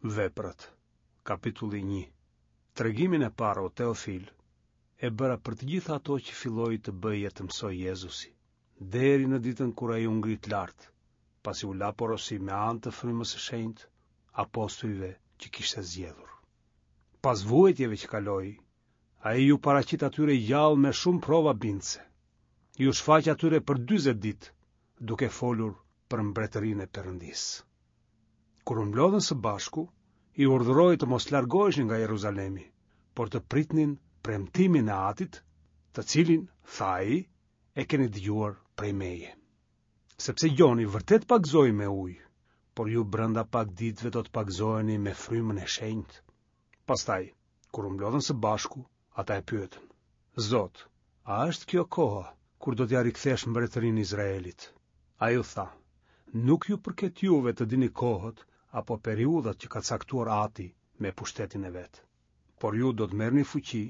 Veprat, kapitulli 1. Tregimin e parë o Teofil e bëra për të gjitha ato që filloi të bëjë e të mësojë Jezusi, deri në ditën kur ai u ngrit lart, pasi u la porosi me anë të Frymës së Shenjtë apostujve që kishte zgjedhur. Pas vuajtjeve që kaloi, ai iu paraqit atyre i gjallë me shumë prova bindëse. Iu shfaq atyre për 40 ditë, duke folur për mbretërinë e Perëndisë. Kur u mblodhën së bashku, i urdhëroi të mos largoheshin nga Jeruzalemi, por të pritnin premtimin e Atit, të cilin, tha ai, e keni dëgjuar prej meje. Sepse Gjoni vërtet pagëzoi me ujë, por ju brenda pak ditëve do të pagëzoheni me frymën e shenjtë. Pastaj, kur u mblodhën së bashku, ata e pyetën: Zot, a është kjo koha kur do t'ia rikthesh mbretërinë Izraelit? Ai u tha: Nuk ju përket juve të dini kohët apo periudhat që ka caktuar Ati me pushtetin e vet. Por ju do të merrni fuqi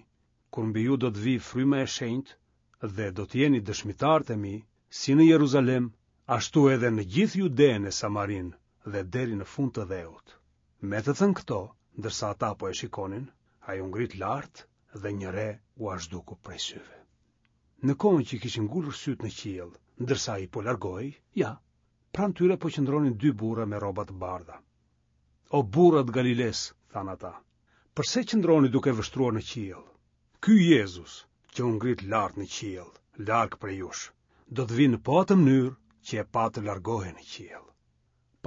kur mbi ju do të vijë fryma e shenjtë dhe do të jeni dëshmitarët e mi, si në Jeruzalem, ashtu edhe në gjithë Judenë e Samarinë dhe deri në fund të dheut. Me të thënë këto, ndërsa ata po e shikonin, ai u ngrit lart dhe një re ua zhduku prej syve. Në kohën që kishin ngulur sytë në qiell, ndërsa ai po largohej, ja, pranë tyre po qëndronin dy burra me rroba të bardha. O burra të Galilesë, thanë ata, përse qëndroni duke vështruar në qiell? Ky Jezus, që u ngrit lart në qiell, larg prej jush, do të vijë në po atë mënyrë që e patë të largohej në qiell.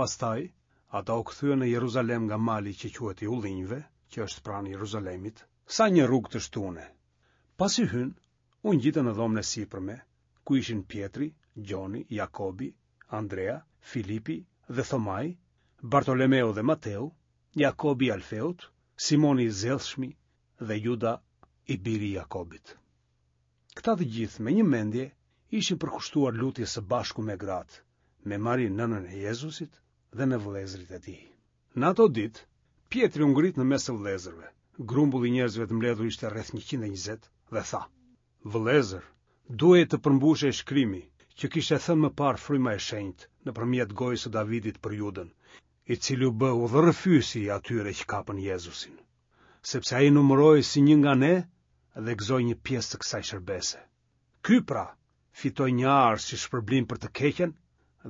Pastaj, ata u kthyen në Jeruzalem nga mali që quhet i Ullinjve, që është pranë Jeruzalemit, sa një rrugë të shtune. Pasi hynë, u ngjitën në dhomën e sipërme, ku ishin Pjetri, Gjoni, Jakobi, Andrea, Filipi dhe Thomai, Bartolomeu dhe Mateu, Jakobi i Alfeut, Simoni i Zellshmi dhe Juda i biri i Jakobit. Këta të gjithë me një mendje ishin përkushtuar lutjes së bashku me gratë, me Marinë nënën e Jezusit dhe me vëllezërit e tij. Në ato ditë, Pjetri u ngrit në mes të vëllezërve, grumbulli i njerëzve të mbledhur ishte rreth 120 dhe tha: Vëllezër, duhej të përmbushej shkrimi që kishte thënë më parë Fryma e Shenjtë nëpërmjet gojës së Davidit për Judën, i cili u bë udhërrëfyesi i atyre që kapën Jezusin. Sepse ai numërohej si një nga ne dhe gëzoi një pjesë të kësaj shërbese. Ky pra fitoi një arë si shpërblim për të keqen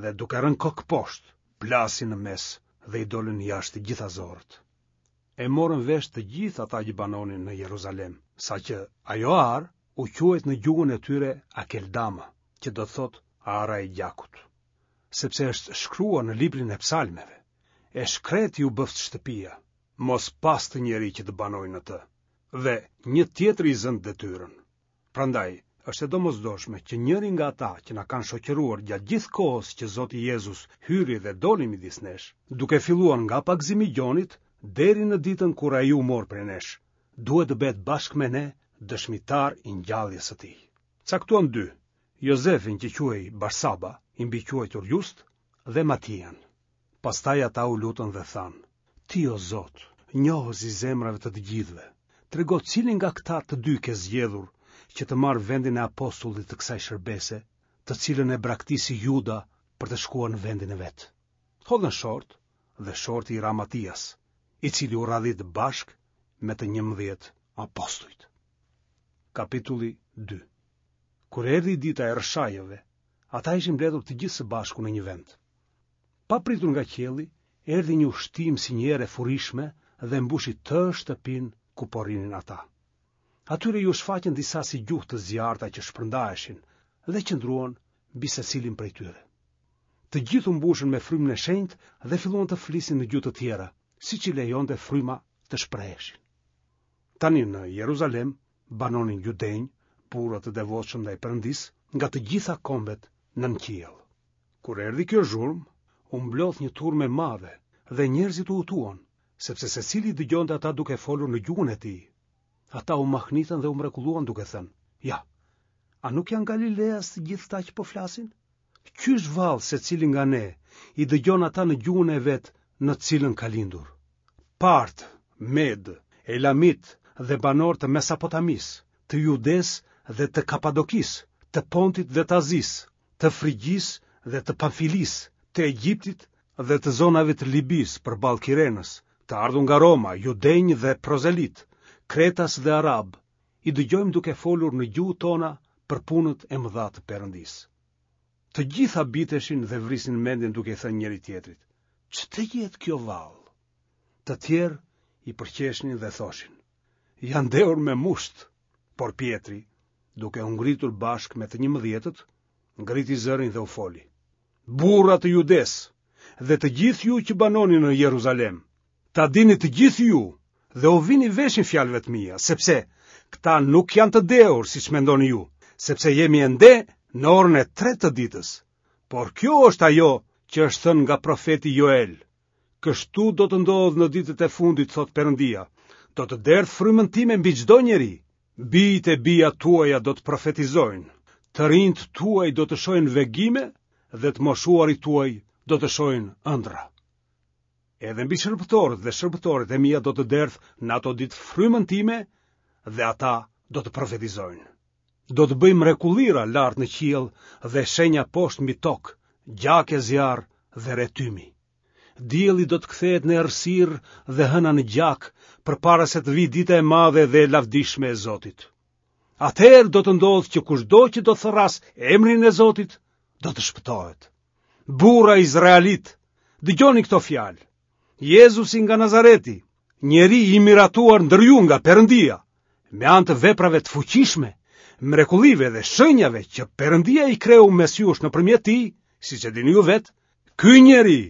dhe duke rënë kokëposhtë, plasi në mes dhe i dolën jashtë të gjitha zorrët. E morën vesh të gjithë ata që banonin në Jeruzalem, saqë ajo arë u quajt në gjuhën e tyre Akeldama, që do të thotë ara e gjakut. Sepse është shkruar në librin e psalmeve, e shkretë iu bëftë shtëpia, mos pastë njeri që të banojë në të, dhe një tjetër i zëntë detyrën. Prandaj, është e domosdoshme që njëri nga ata që na kanë shoqëruar gjatë gjithë kohës që Zoti Jezus hyri dhe doli midis nesh, duke filluar nga pagëzimi i Gjonit deri në ditën kur ai u mor prej nesh, duhet të bëhet bashkë me ne dëshmitar i ngjalljes së tij. Caktuan dy, Jozefin që quhej Barsaba, i mbiquajtur Just, dhe Matian. Pastaj ata u lutën dhe thanë, Ti o Zot, njohës i zemrave të të gjithëve, trego cilin nga këta të dy ke zgjedhur që të marrë vendin e apostullit të kësaj shërbese, të cilën e braktisi Juda për të shkuar në vendin e vet. Hodhën short dhe shorti i ra Matias, i cili u radhit bashkë me të 11 apostujt. Kapitulli 2 Kur erdhi dita e Rrëshajëve, ata ishin mbledhur të gjithë së bashku në një vend. Papritur nga qielli, erdhi një ushtimë si një erë e furishme dhe mbushi tërë shtëpinë ku po rrinin ata. Atyre iu shfaqën disa si gjuhë të zjarrta që shpërndaheshin dhe qëndruan mbi secilin prej tyre. Të gjithë u mbushën me frymën e shenjtë dhe filluan të flisnin në gjuhë të tjera, siç i lejonte fryma të shpreheshin. Tani në Jeruzalem banonin judenj, burra të devotshëm ndaj Perëndisë, nga të gjitha kombet nën qiell. Kur erdhi kjo zhurmë, u mblodh një turmë e madhe dhe njerëzit u hutuan, sepse secili i dëgjonte ata duke folur në gjuhën e tij. Ata u mahnitën dhe u mrekulluan duke thënë: "Ja, a nuk janë galileas të gjithë këta që po flasin? Qysh vallë secili nga ne i dëgjon ata në gjuhën e vet në të cilën ka lindur? Partë, Medë, Elamitë dhe banorë të Mesopotamisë, të Judesë dhe të Kapadokisë, të Pontit dhe të Azisë, të Frigjisë dhe të Pamfilisë, të Egjiptit dhe të zonave të Libisë përballë Kirenës, të ardhur nga Roma, judenj dhe prozelitë, kretas dhe arabë, i dëgjojmë duke folur në gjuhët tona për punët e mëdha të Perëndisë. Të gjithë habiteshin dhe vrisnin mendjen duke i thënë njëri-tjetrit, ç'të jetë kjo vallë? Të tjerë i përqeshnin dhe thoshin, janë dehur me musht, por Pjetri, duke u ngritur bashkë me të njëmbëdhjetët, ngriti zërin dhe u foli. Burra të Judesë dhe të gjithë ju që banoni në Jeruzalem, ta dini të gjithë ju dhe u vini veshin fjalëve të mia, sepse këta nuk janë të dehur siç mendoni ju, sepse jemi ende në orën e tretë të ditës. Por kjo është ajo që është thënë nga profeti Joel. Kështu do të ndodhë në ditët e fundit, thotë Perëndia, do të derdh frymën time mbi çdo njeri. Bijtë e bijat tuaja do të profetizojnë, të rinjtë tuaj do të shohin vegime dhe të moshuarit tuaj do të shohin ëndrra. Edhe mbi shërbëtorët dhe shërbëtoret e mia do të derdh në ato ditë frymën time dhe ata do të profetizojnë. Do të bëj mrekullira lart në qiell dhe shenja poshtë mbi tokë, gjak e zjarr dhe re tymi. Dielli do të kthehet në errësirë dhe hëna në gjak, përpara se të vijë dita e madhe dhe e lavdishme e Zotit. Atëherë do të ndodhë që kushdo që do të thërrasë emrin e Zotit, do të shpëtohet. Burra izraelitë, dëgjoni këto fjalë. Jezusi nga Nazareti, njeri i miratuar ndër ju nga Perëndia, me anë të veprave të fuqishme, mrekullive dhe shenjave që Perëndia i kreu mes jush nëpërmjet tij, siç e dini ju vetë, ky njeri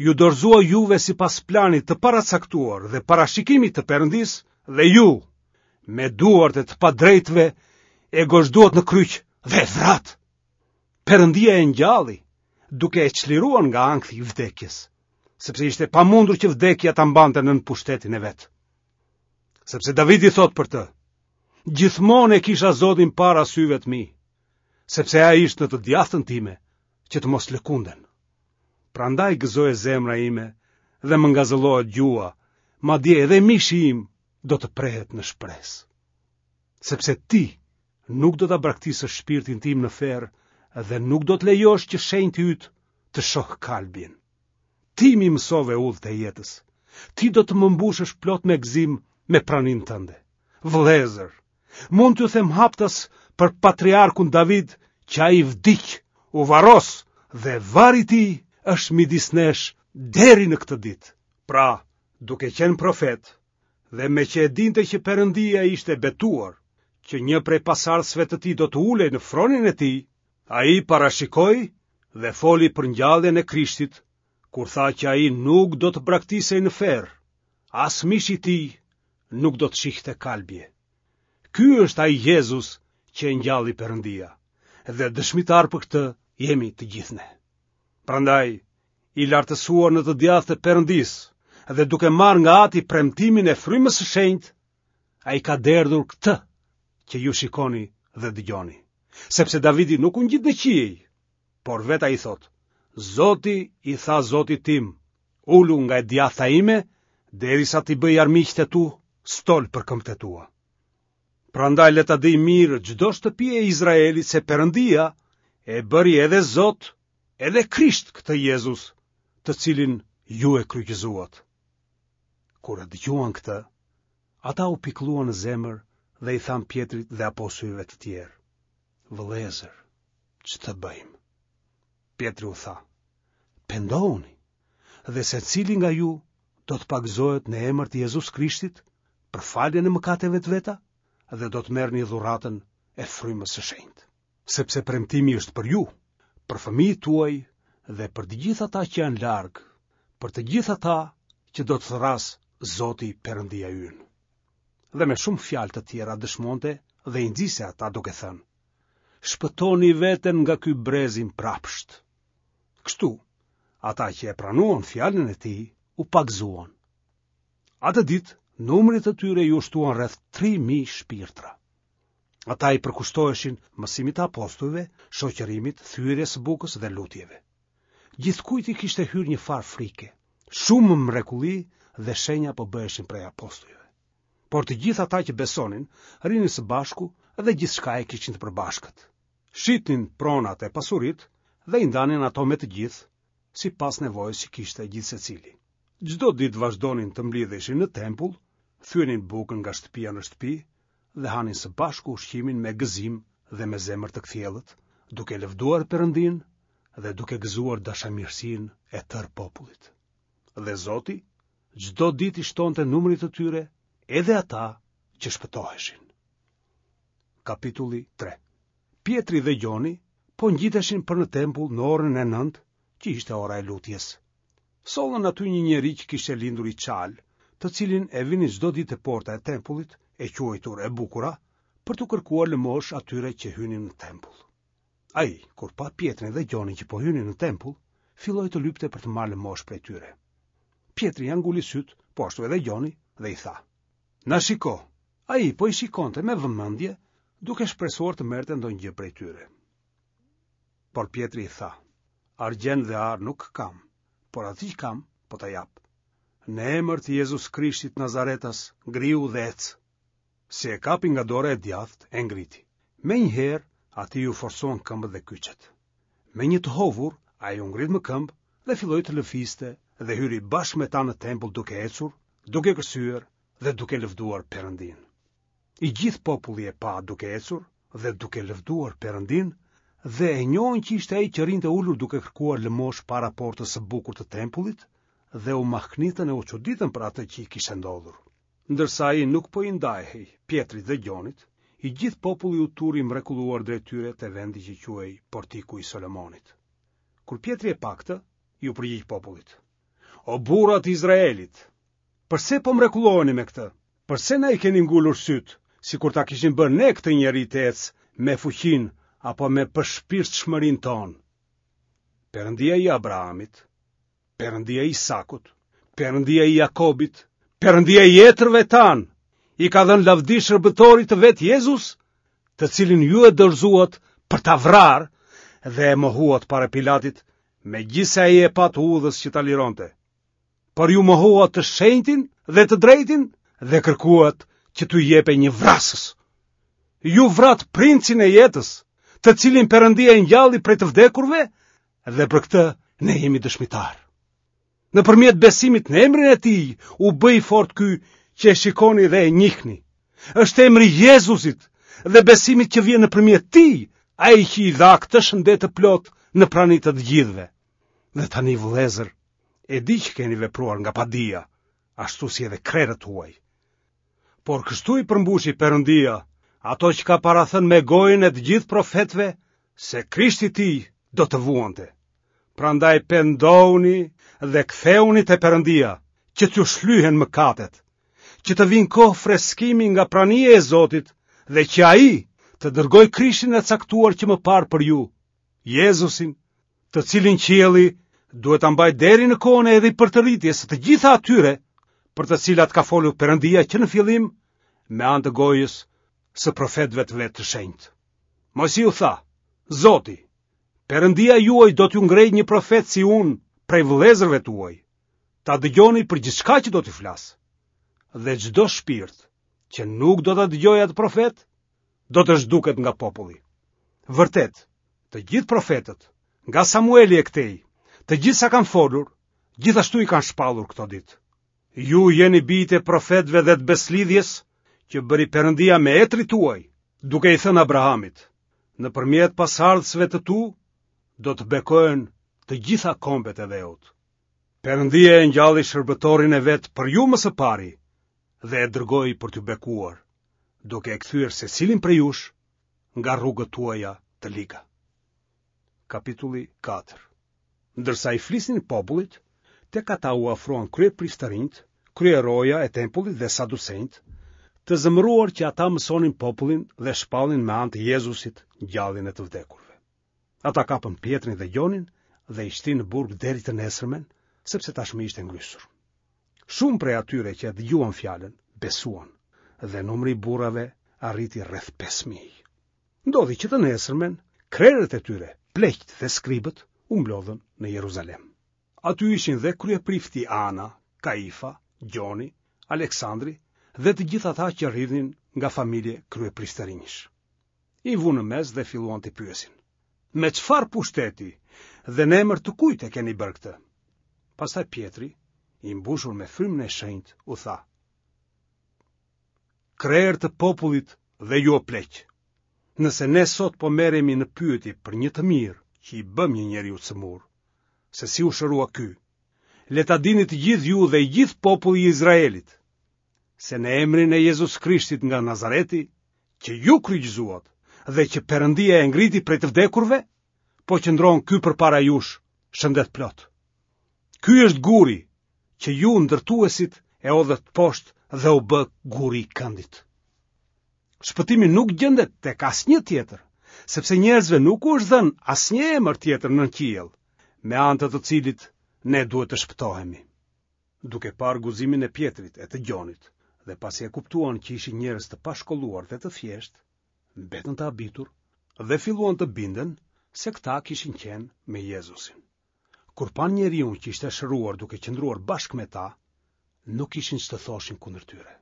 ju dorëzua juve sipas planit të paracaktuar dhe parashikimit të Perëndisë dhe ju, me duart e të padrejtëve, e gozhduat në kryq dhe e vratë. Perëndia e ngjalli, duke e çliruar nga ankthi i vdekjes, sepse ishte e pamundur që vdekja ta mbante nën pushtetin e vet. Sepse Davidi thotë për të, gjithmonë e kisha Zotin para syve të mi, sepse ai është në të djathtën time, që të mos lëkundem. Prandaj gëzohet zemra ime dhe më ngazëllohet gjuha, madje edhe mishi im do të prehet në shpresë. Sepse ti nuk do ta braktisësh shpirtin tim në ferr dhe nuk do të lejosh që shenjti yt të shohë kalbjen. Ti m'i mësove udhët e jetës. Ti do të më mbushësh plot me gëzim me praninë tënde. Vëllezër, mund t'ju them haptas për patriarkun David që ai vdiq, u varros dhe varri i tij është midis nesh deri në këtë ditë. Pra, duke qenë profet, dhe meqë e dinte që Perëndia ishte betuar, që një prej pasardhësve të tij do të ulej në fronin e tij, ai parashikoi dhe foli për ngjalljen e Krishtit, kur tha që ai nuk do të braktisej në ferr, as mishi i tij nuk do të shihte kalbje. Ky është ai Jezus që e ngjalli Perëndia, dhe dëshmitarë për këtë jemi të gjithë ne. Prandaj, i lartësuar në të djathtë të Perëndisë dhe duke marrë nga Ati premtimin e Frymës së Shenjtë, ai ka derdhur këtë që ju shikoni dhe dëgjoni. Sepse Davidi nuk u ngjit në qiej, por vetë ai thotë: Zoti i tha Zotit tim, ulu nga e djathta ime, derisa t'i bëj armiqtë e tu stol për këmbët e tua. Prandaj le ta dijë mirë çdo shtëpi e Izraelit se Perëndia e bëri edhe Zot, edhe Krisht këtë Jezus, të cilin ju e kryqëzuat. Kur e dëgjuan këtë, ata u pikëlluan në zemër dhe i thanë Pjetrit dhe apostujve të tjerë: Vëllezër, ç'të bëjmë? Pjetri u tha: Pendohuni dhe secili nga ju do të pagëzohet në emër të Jezus Krishtit për faljen e mëkateve të veta dhe do të merrni dhuratën e frymës së shenjtë. Sepse premtimi është për ju, për fëmijët tuaj dhe për të gjithë ata që janë larg, për të gjithë ata që do të thërrasë Zoti Perëndia ynë. Dhe me shumë fjalë të tjera dëshmonte dhe i nxiste ata duke thënë: Shpëtoni veten nga ky brez i mbrapsht. Kështu, ata që e pranuan fjalën e tij u pagëzuan. Atë ditë, numrit të tyre iu shtuan rreth 3000 shpirtra. Ata i përkushtoheshin mësimit të apostujve, shoqërimit, thyerjes së bukës dhe lutjeve. Gjithkujt i kishte hyrë një farë frike. Shumë mrekulli dhe shenja po bëheshin prej apostujve. Por të gjithë ata që besonin, rrinin së bashku dhe gjithçka e kishin të përbashkët. Shitnin pronat e pasuritë dhe i ndanin ato me të gjithë, sipas nevojës që kishte gjithsecili. Çdo ditë vazhdonin të mblidheshin në tempull, thyenin bukën nga shtëpia në shtëpi dhe hanin së bashku ushqimin me gëzim dhe me zemër të kthjellët, duke lëvduar Perëndinë dhe duke gëzuar dashamirësinë e tërë popullit. Dhe Zoti çdo ditë i shtonte numrit të tyre edhe ata që shpëtoheshin. Kapitulli 3 Pjetri dhe Gjoni po ngjiteshin për në tempull në orën e 9, që ishte ora e lutjes. Sollën aty një njeri që kishte lindur i çalë, të cilin e vinin çdo ditë te porta e tempullit, e quajtur e bukura, për t'u kërkuar lëmoshë atyre që hynin në tempull. Ai, kur pa Pjetrin dhe Gjonin që po hynin në tempull, filloi të lypte për të marrë lëmoshë prej tyre. Pjetri ia nguli sytë, po ashtu edhe Gjoni, dhe i tha: Na shiko. Ai po i shikonte me vëmendje, duke shpresuar të merrte ndonjë gjë prej tyre. Por Pjetri i tha: Argjend dhe ar nuk kam, por atë që kam, po ta jap. Në emër të Jezus Krishtit Nazaretas, ngrihu dhe ec. Si e kapi nga dora e djathtë, e ngriti. Menjëherë, atij iu forcuan këmbët dhe kyçet. Me një të hovur, ai u ngrit më këmbë dhe filloi të lëvizte dhe hyri bashkë me ta në tempull duke ecur, duke kërcyer dhe duke lëvduar Perëndinë. I gjithë populli e pa duke ecur dhe duke lëvduar Perëndinë dhe e njohën që ishte ai që rrinte ulur duke kërkuar lëmoshë para portës së bukur të tempullit dhe u mahnitën e u çuditën për atë që i kishte ndodhur. Ndërsa ai nuk po i ndahej Pjetrit dhe Gjonit, i gjithë populli u turr i mrekulluar drejt tyre te vendi që quhej Portiku i Solomonit. Kur Pjetri e pa këtë, iu përgjigj popullit: O burra të Izraelit, përse po mrekulloheni me këtë? Përse na i keni ngulur sytë, sikur ta kishim bërë ne këtë njeri të ecë me fuqinë apo me përshpirtshmërinë tonë? Perëndia i Abrahamit, Perëndia i Isakut, Perëndia i Jakobit, Perëndia i etërve tanë, i ka dhënë lavdi shërbëtorit të vet Jezus, të cilin ju e dorëzuat për ta vrarë dhe e mohuat para Pilatit, megjithëse ai e pa të udhës që ta lironte. Por ju mohuat të shenjtin dhe të drejtin dhe kërkuat që t'ju jepej një vrasës. Ju vratë princin e jetës, të cilin Perëndia e ngjalli prej të vdekurve dhe për këtë ne jemi dëshmitarë. Nëpërmjet besimit në emrin e tij u bë i fortë ky që e shikoni dhe e njihni. Është emri i Jezusit dhe besimit që vjen nëpërmjet tij, ai që i dha këtë shëndet të plotë në prani të të gjithëve. Dhe tani vëllezër, e di që keni vepruar nga padija, ashtu si edhe krerët tuaj. Por kështu i përmbushi Perëndia ato që ka parathënë me gojën e të gjithë profetëve se Krishti i tij do të vuante. Prandaj pendohuni dhe kthehuni te Perëndia, që t'ju shlyhen mëkatet, që të vijnë kohë freskimi nga prania e Zotit dhe që ai të dërgojë Krishtin e caktuar që më parë për ju, Jezusin, të cilin qielli duhet ta mbajë deri në kohën e ripërtëritjes së të gjitha atyre për të cilat ka folur Perëndia që në fillim me anë të gojës së profetëve të vet të shenjtë. Moisiu tha, Zoti, Perëndia juaj do t'ju ngrejë një profet si unë prej vëllezërve tuaj. Ta dëgjoni për gjithçka që do t'ju flasë. Dhe çdo shpirt që nuk do ta dëgjojë atë profet, do të zhduket nga populli. Vërtet, të gjithë profetët, nga Samueli e këtej, të gjithë sa kanë folur, gjithashtu i kanë shpallur këto ditë. Ju jeni bijtë e profetëve dhe të besëlidhjes që bëri Perëndia me etërit tuaj, duke i thënë Abrahamit, nëpërmjet pasardhësve të tu do të bekohen të gjitha kombet e dheut. Perëndia e ngjalli shërbëtorin e vet për ju më së pari dhe e dërgoi për t'ju bekuar, duke e kthyer secilin prej jush nga rrugët tuaja të liga. Kapitulli 4 Ndërsa i flisnin popullit, tek ata u afruan kryepriftërinjtë, kryeroja e tempullit dhe saducenjtë, të zemëruar që ata mësonin popullin dhe shpallnin me anë të Jezusit ngjalljen e të vdekurve. Ata kapën Pjetrin dhe Gjonin dhe i shtinë në burg deri të nesërmen, sepse tashmë ishte ngrysur. Shumë prej atyre që e dëgjuan fjalën, besuan, dhe numri i burrave arriti rreth 5000. Ndodhi që të nesërmen, krerët e tyre, pleqtë dhe skribët, u mblodhën në Jeruzalem. Aty ishin dhe kryeprifti Ana, Kaifa, Gjoni, Aleksandri dhe të gjithë ata që rridhnin nga familje kryepriftërinjsh. I vunë në mes dhe filluan t'i pyesin. Me çfarë pushteti dhe në emër të kujt e keni bërë këtë? Pastaj Pjetri. i mbushur me frymën e shenjtë, u tha: Krerë të popullit dhe ju o pleq. Nëse ne sot po merremi në pyetje për një të mirë që i bëmë një njeriu të sëmurë, se si u shërua ky, le ta dini të gjithë ju dhe i gjithë populli i Izraelit, se në emrin e Jezus Krishtit nga Nazareti, që ju kryqëzuat dhe që Perëndia e ngriti prej të vdekurve, po qëndron ky përpara jush, shëndetplotë. Ky është guri që ju ndërtuesit e hodhët poshtë dhe u bë guri i këndit. Shpëtimi nuk gjendet tek asnjë tjetër, sepse njerëzve nuk u është dhënë asnjë emër tjetër nën qiell, me anë të të cilit ne duhet të shpëtohemi. Duke parë guximin e Pjetrit e të Gjonit, dhe pasi e kuptuan që ishin njerëz të pashkolluar dhe të thjeshtë, mbetën të habitur dhe filluan të binden se këta kishin qenë me Jezusin. Kur panë njeriun që ishte shëruar duke qëndruar bashkë me ta, nuk kishin ç'të thoshin kundër tyre.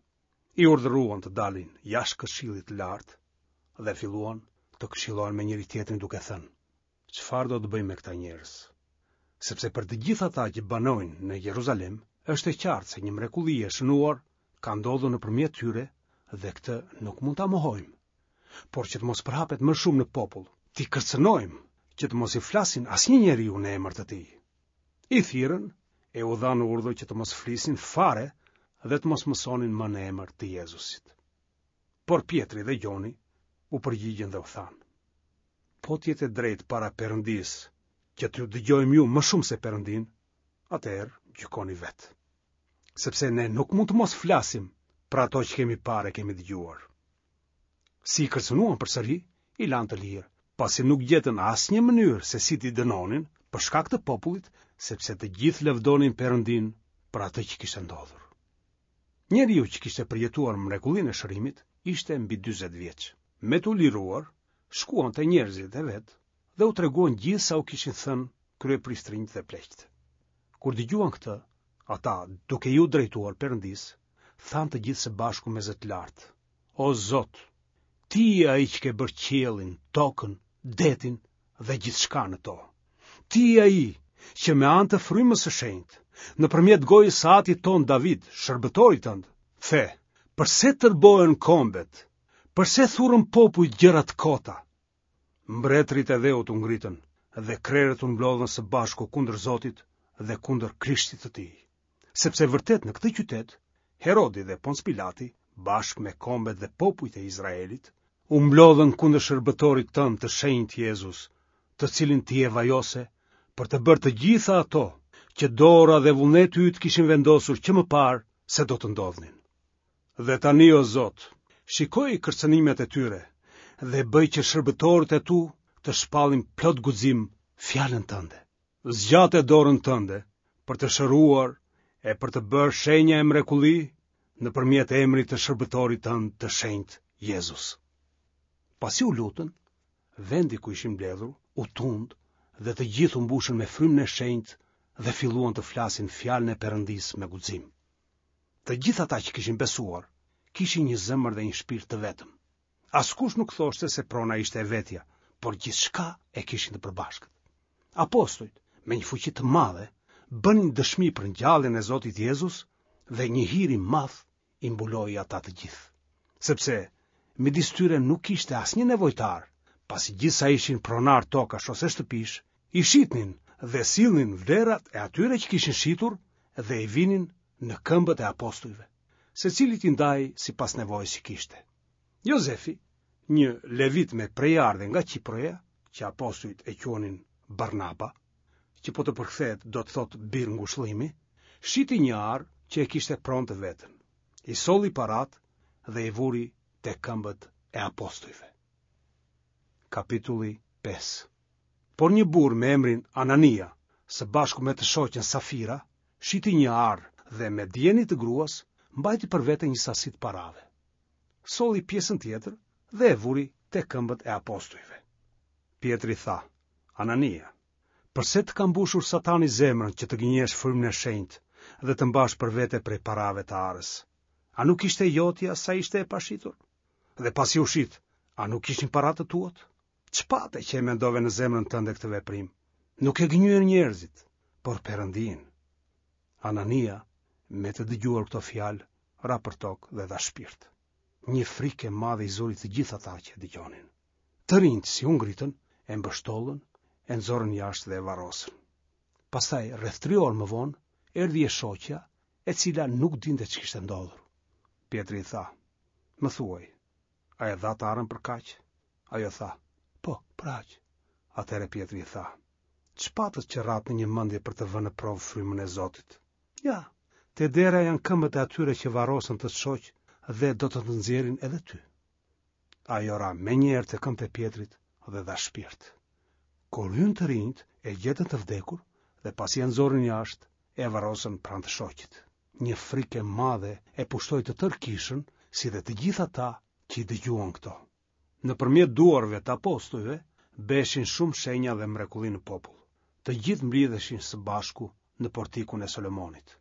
I urdhëruan të dalin jashtë këshillit të lartë dhe filluan të këshillohen me njëri-tjetrin duke thënë: Çfarë do të bëjmë me këta njerëz? Sepse për të gjithë ata që banojnë në Jeruzalem, është e qartë se një mrekulli e shënuar ka ndodhur nëpërmjet tyre dhe këtë nuk mund ta mohojmë. Por që të mos përhapet më shumë në popull, t'i kërcënojmë që të mos i flasin asnjë njeriu në emër të tij. I thirrën e u dhanë urdhër që të mos flisnin fare dhe të mos mësonin më në emër të Jezusit. Por Pjetri dhe Gjoni u përgjigjën dhe u thanë: Po të jetë e drejtë para Perëndisë që t'ju dëgjojmë ju më shumë se Perëndinë, atëherë gjykoni vetë. Sepse ne nuk mund të mos flasim për ato që kemi parë e kemi dëgjuar. Si i kërcënuan përsëri, i lanë të lirë, pasi nuk gjetën asnjë mënyrë se si t'i dënonin për shkak të popullit, sepse të gjithë lëvdonin Perëndinë për atë që kishte ndodhur. Njeriu që kishte përjetuar mrekullinë e shërimit ishte mbi 40 vjeç. Me t'u liruar, shkuan te njerëzit e vet dhe u treguan gjithë sa u kishin thënë kryepriftërinjtë dhe pleqtë. Kur dëgjuan këtë, ata, duke iu drejtuar Perëndisë, thanë të gjithë së bashku me zë të lartë: O Zot, ti je ai që ke bërë qiellin, tokën, detin dhe gjithçka në to. Ti je ai që me anë të frymës së shenjtë, nëpërmjet gojës së atit tonë David, shërbëtorit tënd, the, përse tërbohen kombet, përse thurën popujt gjëra të kota? Mbretërit e dheut u ngritën dhe krerët u mblodhën së bashku kundër Zotit dhe kundër Krishtit të tij. Sepse vërtet në këtë qytet, Herodi dhe Ponc Pilati, bashkë me kombet dhe popujt e Izraelit, u mblodhën kundër shërbëtorit tënd të shenjtë Jezus, të cilin ti e vajose për të bërë të gjitha ato që dora dhe vullneti yt kishin vendosur që më parë se do të ndodhnin. Dhe tani o Zot, shikoji kërcënimet e tyre dhe bëj që shërbëtorët e tu të shpallin plot guxim fjalën tënde. Zgjate dorën tënde për të shëruar e për të bërë shenja e mrekulli nëpërmjet emrit të shërbëtorit tënd të shenjtë Jezus. Pasi u lutën, vendi ku ishin mbledhur u tund dhe të gjithë u mbushën me frymën e shenjtë dhe filluan të flasin fjalën e Perëndisë me guxim. Të gjithë ata që kishin besuar, kishin një zemër dhe një shpirt të vetëm. Askush nuk thoshte se prona ishte e vetja, por gjithçka e kishin të përbashkët. Apostujt, me një fuqi të madhe, bënin dëshmi për ngjalljen e Zotit Jezus dhe një hir i madh i mbuloi ata të gjithë. Sepse midis tyre nuk kishte asnjë nevojtar, pasi gjithë sa ishin pronarë tokash ose shtëpish, i shitnin dhe sillnin vlerat e atyre që kishin shitur dhe i vinin në këmbët e apostujve. Secilit i ndahej sipas nevojës që kishte. Jozefi, një levit me prejardhje nga Qiproja, që apostujt e quanin Barnaba, që po të përkthehet do të thotë bir ngushëllimi, shiti një arë që e kishte pronë të vetën. I solli paratë dhe i vuri te këmbët e apostujve. Kapitulli 5 Por një burrë me emrin Anania, së bashku me të shoqen Safira, shiti një arë dhe me dijeni të gruas, mbajti për vete një sasi të parave. Solli pjesën tjetër dhe e vuri te këmbët e apostujve. Pjetri tha, Anania, përse të ka mbushur Satani zemrën që të gënjesh frymën e shenjtë dhe të mbash për vete prej parave të arës? A nuk ishte jotja sa ishte e pashitur? Dhe pasi u shit, a nuk ishin para të tuat? Ç'pate që e mendove në zemrën tënde këtë veprim? Nuk e gënjyen njerëzit, por Perëndinë. Anania. Me të dëgjuar këto fjalë, ra për tokë dhe dha shpirt. Një frikë e madhe i zuri të gjithë ata që e dëgjonin. Të rinjtë si u ngritën, e mbështollën, e nxorën jashtë dhe e varrosën. Pastaj, rreth tri orë më vonë, erdhi e shoqja, e cila nuk dinte ç'kishte ndodhur. Pjetri i tha, më thuaj, a e dhatë arën për kaq? Ajo tha, po, për aq. Atëherë Pjetri i tha, ç'patët që ratë në një mendje për të vënë në provë frymën e Zotit? Ja, te dera janë këmbët e atyre që varrosën tët shoq dhe do të të nxjerrin edhe ty. Ajo ra menjëherë te këmbët e Pjetrit dhe dha shpirt. Kur hynë të rinjtë, e gjetën të vdekur dhe pasi e nxorën jashtë, e varrosën pranë të shoqit. Një frikë e madhe e pushtoi të tërë kishën, si dhe të gjithë ata që i dëgjuan këto. Nëpërmjet duarve të apostujve bëheshin shumë shenja dhe mrekulli në popull. Të gjithë mblidheshin së bashku në portikun e Solomonit.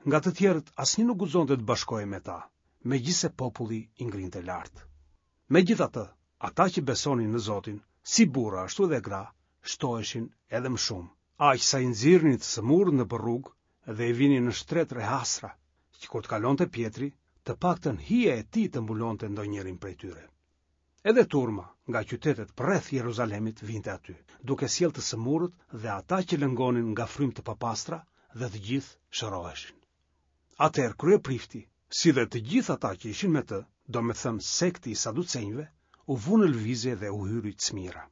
Nga të tjerët asnjë nuk guxonte të bashkohej me ta, megjithëse populli i ngrinte lart. Megjithatë, ata që besonin në Zotin, si burra ashtu edhe gra, shtoheshin edhe më shumë, aq sa i nxirrnin të sëmurët nëpër rrugë dhe i vinin në shtretër e hasra, që kur të kalonte Pjetri, të paktën hija e tij të mbulonte ndonjërin prej tyre. Edhe turma nga qytetet përreth Jeruzalemit vinte aty, duke sjellë të sëmurët dhe ata që lëngonin nga frymë të papastra dhe të gjithë shëroheshin. Atëherë kryeprifti, si dhe të gjithë ata që ishin me të, domethënë sekti i saducenjve, u vunë në lëvizje dhe u hyri cmira.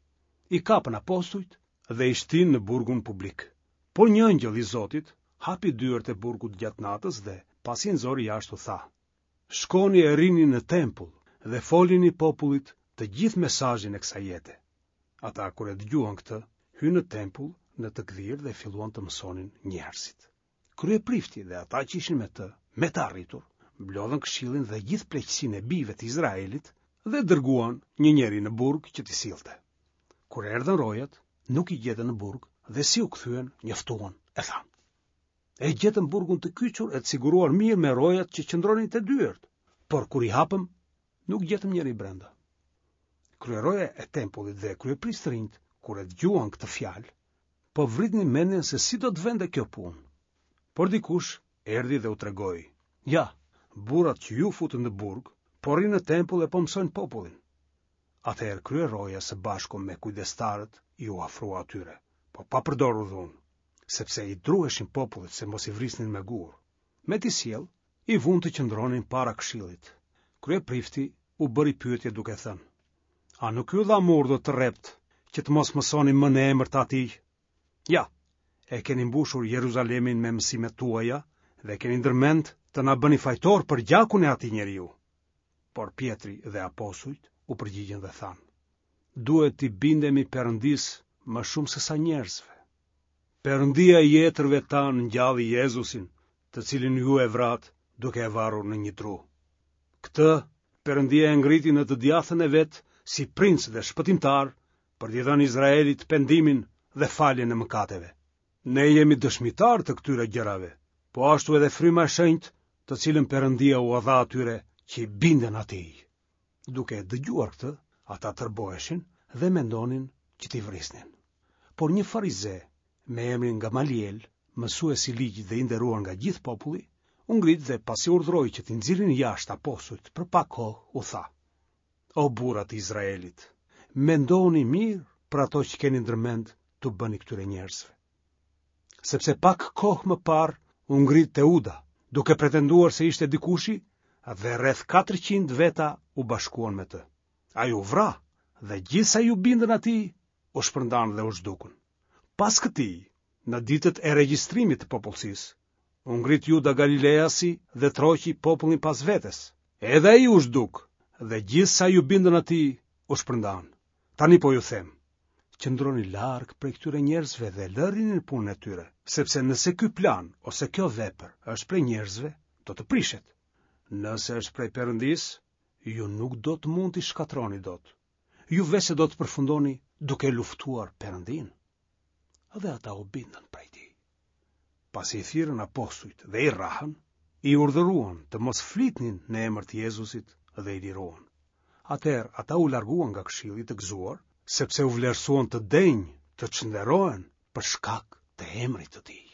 I kapën apostujt dhe i shtinë në burgun publik. Por një engjëll i Zotit hapi dyert e burgut gjatë natës dhe, pasi i nxori jashtë u tha, Shkoni e rrini në tempull dhe folini popullit të gjithë mesazhin e kësaj jete. Ata kur e dëgjuan këtë, hynë në tempull në të gdhirë dhe filluan të mësonin njerëzit. Kryeprifti dhe ata që ishin me të, me të arritur, mblodhën këshillin dhe gjithë pleqësinë e bijve të Izraelit dhe dërguan një njeri në burg që t'i sillte. Kur erdhën rojat, nuk i gjetën në burg dhe si u kthyen, njoftuan e thanë. E gjetëm burgun të kyçur e të siguruar mirë me rojat që qëndronin te dyert, por kur i hapëm, nuk gjetëm njeri brenda. Kryeroja e tempullit dhe kryepriftërinjtë, kur e dëgjuan këtë fjalë, po vritnin mendjen se si do të vente kjo punë. Por dikush erdhi dhe u tregoi, ja, burrat që ju futët në burg, po rrinë në tempull e po mësojnë popullin. Atëherë kryeroja së bashku me kujdestarët iu afrua atyre, po pa përdorur dhunë, sepse i druheshin popullit se mos i vrisnin me gurë. Me t'i sjellë, i vunë të qëndronin para këshillit. Kryeprifti u bëri pyetje duke thënë: A nuk ju dhamë urdhër të rreptë që të mos mësoni më në emër të atij? Ja, e keni mbushur Jeruzalemin me mësimet tuaja dhe keni ndërmend të na bëni fajtorë për gjakun e atij njeriu. Por Pjetri dhe apostujt u përgjigjën dhe thanë, duhet t'i bindemi Perëndisë më shumë sesa njerëzve. Perëndia i etërve tanë ngjalli Jezusin, të cilin ju e vratë duke e varur në një dru. Këtë Perëndia e ngriti në të djathtën e vet si princ dhe shpëtimtar për t'i dhënë Izraelit pendimin dhe faljen e mëkateve. Ne jemi dëshmitarë të këtyre gjërave, po ashtu edhe Fryma e Shenjtë, të cilën Perëndia ua dha atyre që i binden atij. Duke e dëgjuar këtë, ata tërboheshin dhe mendonin që t'i vrisnin. Por një farize, me emrin Gamaliel, mësues i ligjit dhe i nderuar nga gjithë populli, u ngrit dhe pasi urdhëroi që t'i nxirrnin jashtë apostujt për pak kohë, u tha: O burra të Izraelit, mendoni mirë për ato që keni ndërmend t'u bëni këtyre njerëzve. Sepse pak kohë më parë u ngrit Teuda, duke pretenduar se ishte dikushi dhe rreth 400 veta u bashkuan me të. Ai u vra dhe gjithë sa iu bindën atij, u shpërndanë dhe u zhdukën. Pas këtij, në ditët e regjistrimit të popullsisë, u ngrit Juda Galileasi dhe tërhoqi popullin pas vetes. Edhe ai u zhduk dhe gjithë sa iu bindën atij u shpërndanë. Tani po ju them, qëndroni larg prej këtyre njerëzve dhe lërini punën e tyre, sepse nëse ky plan ose kjo vepër është prej njerëzve, do të prishet. Nëse është prej Perëndisë, ju nuk do të mund t'i shkatërroni dot. Ju veçse do të përfundoni duke luftuar Perëndinë. Dhe ata u bindën prej tij. Pasi i thirrën apostujt dhe i rrahën, i urdhëruan të mos flitnin në emër të Jezusit dhe i liruan. Atëherë ata u larguan nga këshilli të gëzuar, sepse u vlerësuan të denjë të çnderohen për shkak të emrit të tij.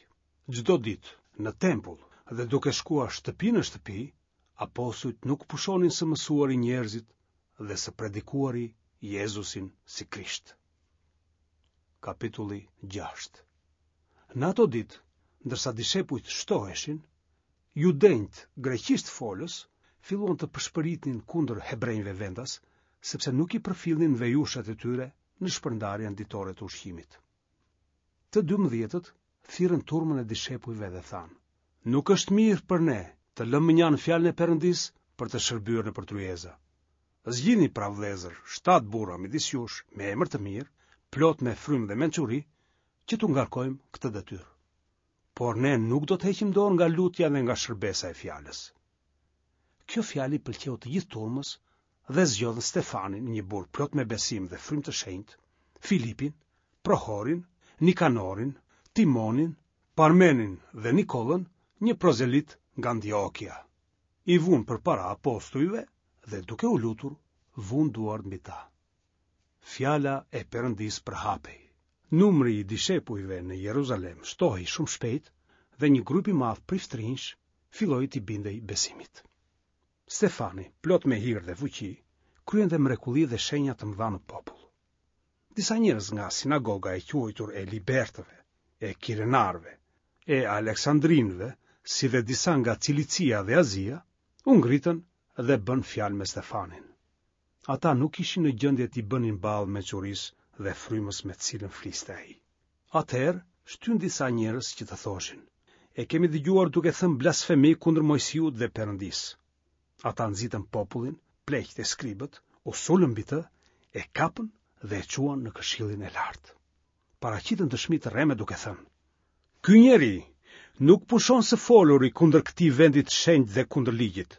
Çdo ditë në tempull Dhe duke shkuar shtëpi në shtëpi, apostujt nuk pushonin së mësuari njerëzit dhe së predikuari Jezusin si Krisht. Kapitulli 6 Në ato ditë, ndërsa dishepujt shtoheshin, judenjtë greqishtfolës filluan të pëshpëritnin kundër hebrenjve vendas, sepse nuk i përfillnin vejushat e tyre në shpërndarjen ditore të ushqimit. Të dymbëdhjetët thirrën turmën e dishepujve dhe thanë, Nuk është mirë për ne të lëmë mënjanë fjalën e Perëndisë për të shërbyer nëpër tryeza. Zgjidhni pra vëllezër, shtatë burra midis jush me emër të mirë, plot me frymë dhe mençuri, që t'u ngarkojmë këtë detyrë. Por ne nuk do të heqim dorë nga lutja dhe nga shërbesa e fjalës. Kjo fjalë i pëlqeu të gjithë turmës dhe zgjodhën Stefanin, një burrë plot me besim dhe frymë të shenjtë, Filipin, Prohorin, Nikanorin, Timonin, Parmenin dhe Nikollën, një prozelit nga Antiokia. I vunë përpara apostujve dhe duke u lutur, vunë duart mbi ta. Fjala e Perëndisë përhapej. Numri i dishepujve në Jeruzalem shtohej shumë shpejt dhe një grup i madh priftërinjsh filloi t'i bindej besimit. Stefani, plot me hir dhe fuqi, kryente mrekulli dhe shenja të mëdha në popull. Disa njerëz nga sinagoga e quajtur e Libertëve, e Kirenarëve, e Aleksandrinëve, si dhe disa nga Cilicia dhe Azia, u ngritën dhe bënë fjalë me Stefanin. Ata nuk ishin në gjendje t'i bënin ballë mençurisë dhe frymës me të cilën fliste ai. Atëherë shtynë disa njerëz që të thoshin, e kemi dëgjuar duke thënë blasfemi kundër Moisiut dhe Perëndisë. Ata nxitën popullin, pleqtë e skribët, u sulën mbi të, e kapën dhe e çuan në këshillin e lartë. Paraqitën dëshmi të rreme duke thënë, Ky njeri nuk pushon së foluri kundër këtij vendi të shenjtë dhe kundër ligjit,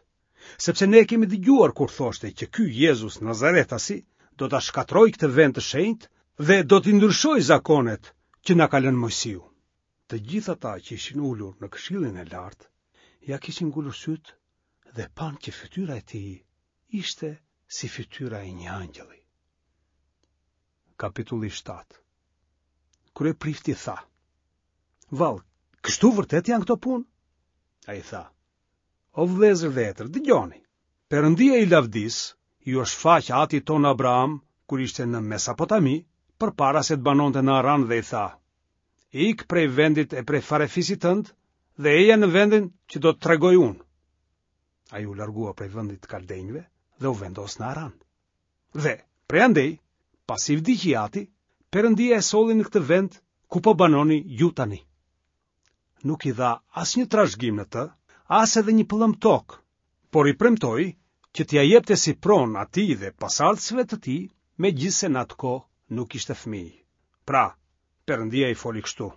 sepse ne e kemi dëgjuar kur thoshte që ky Jezus Nazaretasi do ta shkatërrojë këtë vend të shenjtë dhe do t'i ndryshojë zakonet që na ka lënë Moisiu. Të gjithë ata që ishin ulur në këshillin e lartë, ia kishin ngulur sytë dhe panë që fytyra e tij ishte si fytyra e një angjëlli. Kapitulli 7 Kryeprifti tha, Vallë, kështu vërtet janë këto punë? Ai tha, O vëllezër dhe etër, dëgjoni. Perëndia i lavdisë iu shfaq atit tonë Abraham kur ishte në Mesopotami, përpara se të banonte në Aran dhe i tha: Ik prej vendit e prej farefisit tënd dhe eja në vendin që do të tregoj unë. Ai u largua prej vendit të kaldenjve dhe u vendos në Aran. Dhe, prej andej, pasi vdiq i ati, Perëndia e solli në këtë vend ku po banoni ju tani. Nuk i dha asnjë trashëgim në të, as edhe një pëllëmbë tokë, por i premtoi që t'ia jepte si pronë atij dhe pasardhësve të tij, megjithëse në atë kohë nuk kishte fëmijë. Pra, Perëndia i foli kështu: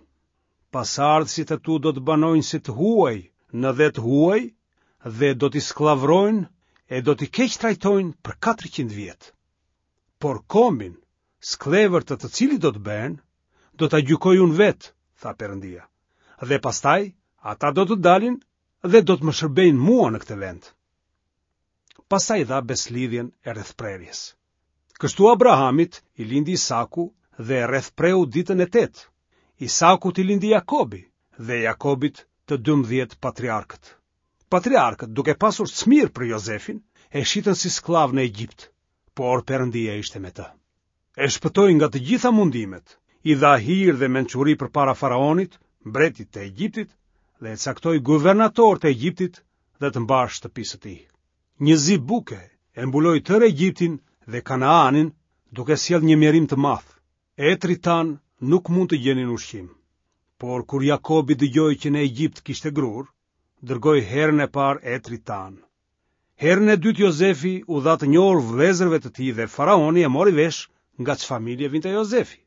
Pasardhësit e tu do të banojnë si të huaj në dhe të huaj dhe do t'i skllavërojnë e do t'i keqtrajtojnë për 400 vjet. Por kombin, skllevër të të cilit do të bëhen, do ta gjykoj unë vetë, tha Perëndia. Dhe pastaj ata do të dalin dhe do të më shërbejnë mua në këtë vend. Pastaj dha besëlidhjen e rrethprerjes. Kështu Abrahamit i lindi Isaku dhe e rrethpreu ditën e tetë. Isakut i lindi Jakobi dhe Jakobit të 12 patriarkët. Patriarkët, duke pasur smirë për Jozefin, e shitën si skllav në Egjipt, por Perëndia ishte me të. E shpëtoi nga të gjitha mundimet, i dha hir dhe mençuri përpara faraonit, mbretit të Egjiptit, dhe e caktoi guvernator të Egjiptit dhe të mbarë shtëpisë së tij. Një zi buke e mbuloi tërë Egjiptin dhe Kanaanin, duke sjellë një mjerim të madh. Etërit tanë nuk mund të gjenin ushqim. Por kur Jakobi dëgjoi që në Egjipt kishte grurë, dërgoi herën e parë etërit tanë. Herën e dytë Jozefi u dha të njohur vëllezërve të tij dhe faraoni e mori vesh nga ç'familje vinte Jozefi.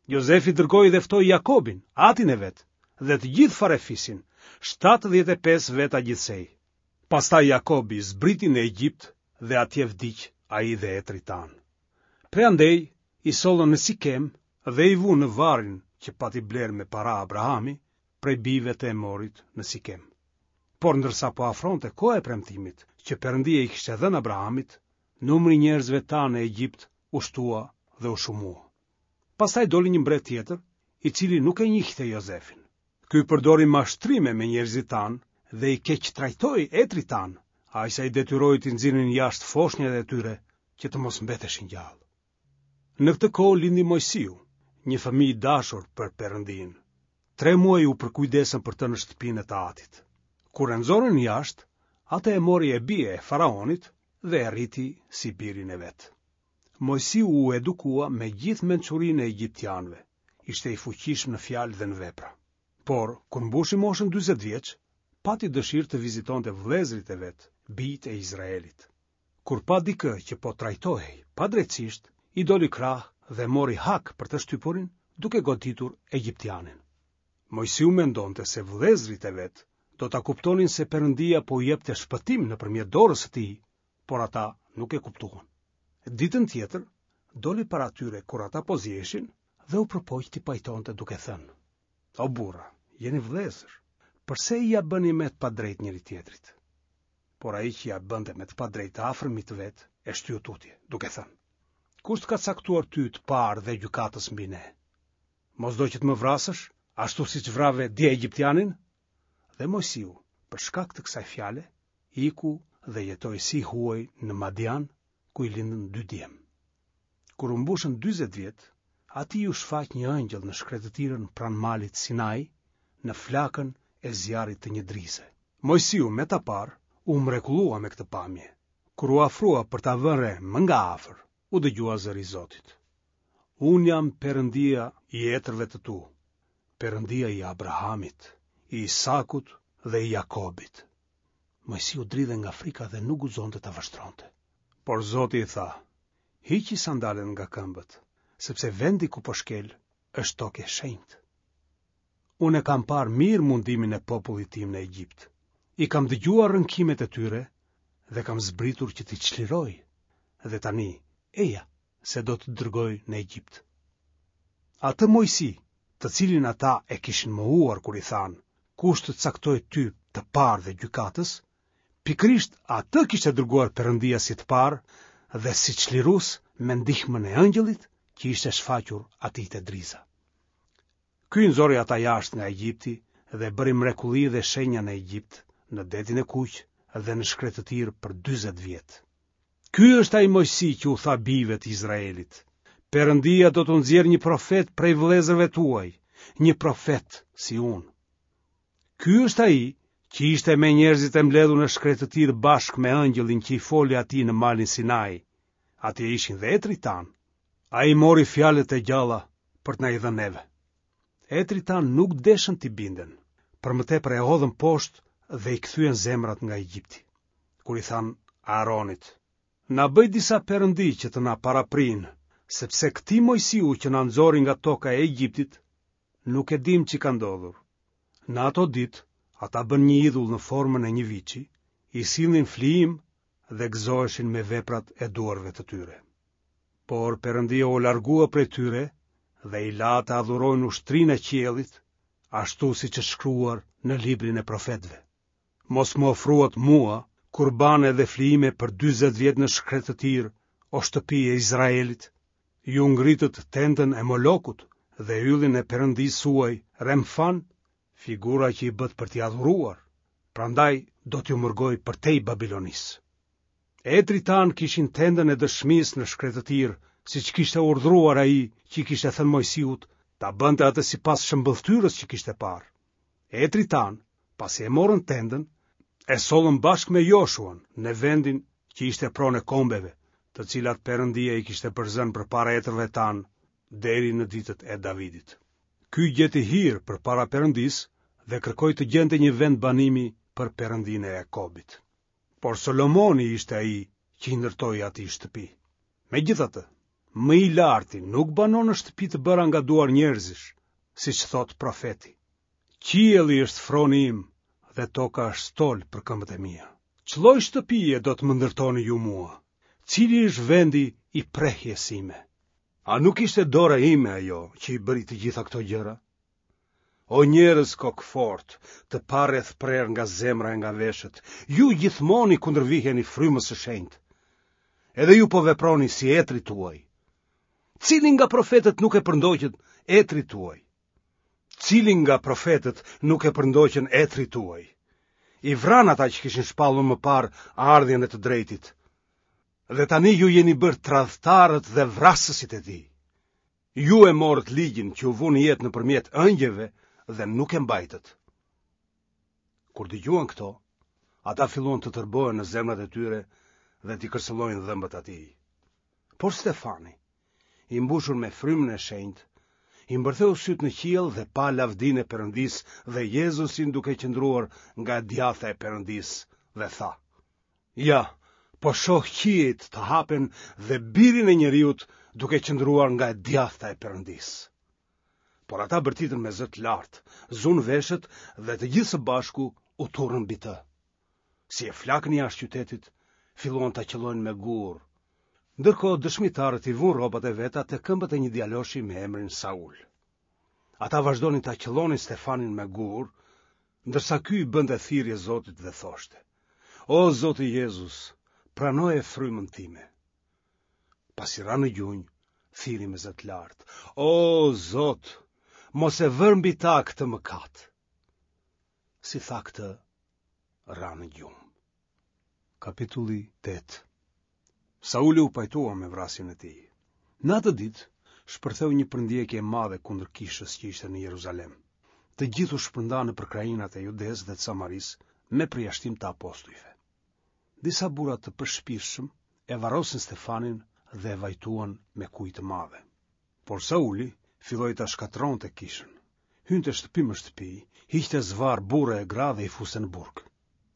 Jozefi dërgoi dhe ftoi Jakobin, atin e vet, dhe të gjithë farefisin, 75 veta gjithsej. Pastaj Jakobi zbriti në Egjipt dhe atje vdiq ai dhe etërit tanë. Prej andej i sollën në Sikem dhe i vunë në varrin që pati blerë me para Abrahami prej bijve të Emorit në Sikem. Por ndërsa po afronte koha e premtimit që Perëndia i kishte dhënë Abrahamit, numri i njerëzve tanë në Egjipt u shtua dhe u shumua. Pastaj doli një mbret tjetër, i cili nuk e njihte Jozefin. Ky përdori mashtrime me njerëzit tanë dhe i keqtrajtoi etërit tanë, aq sa i detyroi t'i nxirrnin jashtë foshnjat e tyre që të mos mbeteshin gjallë. Në këtë kohë lindi Moisiu, një fëmijë i dashur për Perëndinë. Tre muaj u përkujdesën për të në shtëpinë e të atit. Kur e nxorën jashtë, atë e mori e bija e faraonit dhe e rriti si birin e vet. Moisiu u edukua me gjithë mençurinë e egjiptianëve, ishte i fuqishëm në fjalë dhe në vepra. Por, kur mbushi moshën 40 vjeç, pati dëshirë të vizitonte vëllezërit e vet, bijtë e Izraelit. Kur pa dikë që po trajtohej padrejtësisht, i doli krah dhe mori hak për të shtypurin, duke goditur egjiptianin. Moisiu mendonte se vëllezërit e vet do ta kuptonin se Perëndia po u jepte shpëtim nëpërmjet dorës së tij, por ata nuk e kuptuan. Ditën tjetër, doli para tyre kur ata po ziheshin dhe u përpoq t'i pajtonte duke thënë: O burra, jeni vëllezër, përse ia bëni me të padrejtë njëri-tjetrit? Por ai që ia bënte me të padrejtë të afërmit të vet, e shtyu tutje, duke thënë: Kush të ka caktuar ty të parë dhe gjykatës mbi ne? Mos do që të më vrasësh, ashtu siç vrave dje egjiptianin? Dhe Moisiu, për shkak të kësaj fjale, iku dhe jetoi si i huaj në Madian, ku i lindën dy djem. Kur u mbushën 40 vjet, atij iu shfaq një ëngjëll në shkretëtirën pranë malit Sinai, në flakën e zjarrit të një drize. Moisiu me ta parë, u mrekullua me këtë pamje. Kur u afrua për ta vënë re më nga afër, u dëgjua zëri i Zotit. Unë jam Perëndia i etërve të tu, Perëndia i Abrahamit, i Isakut dhe i Jakobit. Moisiu dridhej nga frika dhe nuk guxonte ta vështronte. Por Zoti i tha, hiqi sandalet nga këmbët, sepse vendi ku po shkel është tokë e shenjtë. Unë e kam parë mirë mundimin e popullit tim në Egjipt. I kam dëgjuar rënkimet e tyre dhe kam zbritur që t'i çliroj. Dhe tani, eja, se do të dërgoj në Egjipt. Atë Moisi, të cilin ata e kishin mohuar kur i thanë, kush të caktoi ty të parë dhe gjykatës, Pikërisht atë kishte dërguar Perëndia si të parë dhe si çlirues me ndihmën e ëngjëllit që i ishte shfaqur atij te driza. Ky i nxori ata jashtë nga Egjipti dhe bëri mrekulli dhe shenja në Egjipt, në Detin e Kuq dhe në shkretëtirë për 40 vjet. Ky është ai Moisi që u tha bijve të Izraelit: Perëndia do t'u nxjerrë një profet prej vëllezërve tuaj, një profet si unë. Ky është ai që ishte me njerëzit e mbledhur në shkretëtirë bashkë me ëngjëllin që i foli atij në malin Sinai. Atje ishin dhe etërit tanë. Ai mori fjalët e gjalla për të na i dhënë neve. Etërit tanë nuk deshën t'i binden, për më tepër e hodhën poshtë dhe i kthyen zemrat nga Egjipti. Kur i thanë Aaronit, na bëj disa perëndi që të na paraprijnë, sepse këtij Moisiu që na nxori nga toka e Egjiptit, nuk e dimë ç'i ka ndodhur. Në ato ditë, ata bënë një idhull në formën e një viçi, i sillnin flijim dhe gëzoheshin me veprat e duarve të tyre. Por Perëndia u largua prej tyre dhe i la të adhurojnë ushtrinë e qiellit, ashtu siç është shkruar në librin e profetëve. Mos më ofruat mua kurbane dhe flijime për 40 vjet në shkretëtirë, o shtëpi e Izraelit. Ju ngritët tendën e Molokut dhe yllin e perëndisë suaj Remfan, figura që i bëtë për t'i adhuruar, prandaj do t'ju mërgoj përtej Babilonisë. Etërit tanë kishin tendën e dëshmisë në shkretëtirë, siç kishte urdhëruar ai që i kishte thënë Moisiut ta bënte atë sipas shëmbëlltyrës që kishte parë. Etërit tanë, pasi e morën tendën, e sollën bashkë me Joshuan në vendin që ishte pronë e kombeve, të cilat Perëndia i kishte përzënë përpara etërve tanë deri në ditët e Davidit. Ky gjeti hir përpara Perëndisë dhe kërkoi të gjente një vend banimi për Perëndinë e Jakobit. Por Solomoni ishte ai që i ndërtoi atij shtëpi. Megjithatë, më i larti nuk banon në shtëpi të bëra nga duar njerëzish, siç thotë profeti. Qielli është froni im dhe toka është stol për këmbët e mia. Ç'lloj shtëpie do të më ndërtoni ju mua? Cili është vendi i prehjes sime? A nuk ishte dora ime ajo që i bëri të gjitha këto gjëra? O njerëz kokëfortë, të parrethprerë nga zemra e nga veshët, ju gjithmonë i kundërviheni frymës së shenjtë. Edhe ju po veproni si etërit tuaj. Cili nga profetët nuk e përndoqën etërit tuaj? Cili nga profetët nuk e përndoqën etërit tuaj? I vranë ata që kishin shpallur më parë ardhjen e të drejtit. Dhe tani ju jeni bërë tradhtarët dhe vrasësit e tij. Ju e morët ligjin që u vu në jetë nëpërmjet engjëjve dhe nuk e mbajtët. Kur dëgjuan këto, ata filluan të tërbohen në zemrat e tyre dhe t'i kërcëllojnë dhëmbët atij. Por Stefani, i mbushur me frymën e shenjtë, i mbërtheu sytë në qiell dhe pa lavdinë e Perëndisë dhe Jezusin duke qëndruar nga e djathta e Perëndisë dhe tha: Ja, po shoh qiejt të hapen dhe birin e njeriut duke qëndruar nga e djathta e Perëndisë. Por ata bërtitën me zë të lartë, zunë veshët dhe të gjithë së bashku u turrën mbi të. Si e flakën jashtë qytetit, filluan ta qëllojnë me gurë. Ndërkohë dëshmitarët i vunë rrobat e veta te këmbët e një djaloshi me emrin Saul. Ata vazhdonin ta qëllonin Stefanin me gurë, ndërsa ky i bënte thirrje Zotit dhe thoshte: O Zoti Jezus, pranoje frymën time. Pasi ra në gjunjë, thirri me zë të lartë: O Zot, mos e vër mbi ta këtë mëkat. Si tha këtë, ra në gjumë. Kapitulli 8 Sauli u pajtua me vrasjen e tij. Në atë ditë, shpërtheu një përndjekje e madhe kundër kishës që ishte në Jeruzalem. Të gjithë u shpërndanë nëpër krahinat e Judesë dhe të Samarisë, me përjashtim të apostujve. Disa burra të përshpirtshëm e varrosën Stefanin dhe e vajtuan me kujë të madhe. Por Sauli filloi ta shkatërronte kishën. Hynte shtëpi më shtëpi, hiqte zvarrë burra e gra dhe i fuste në burg.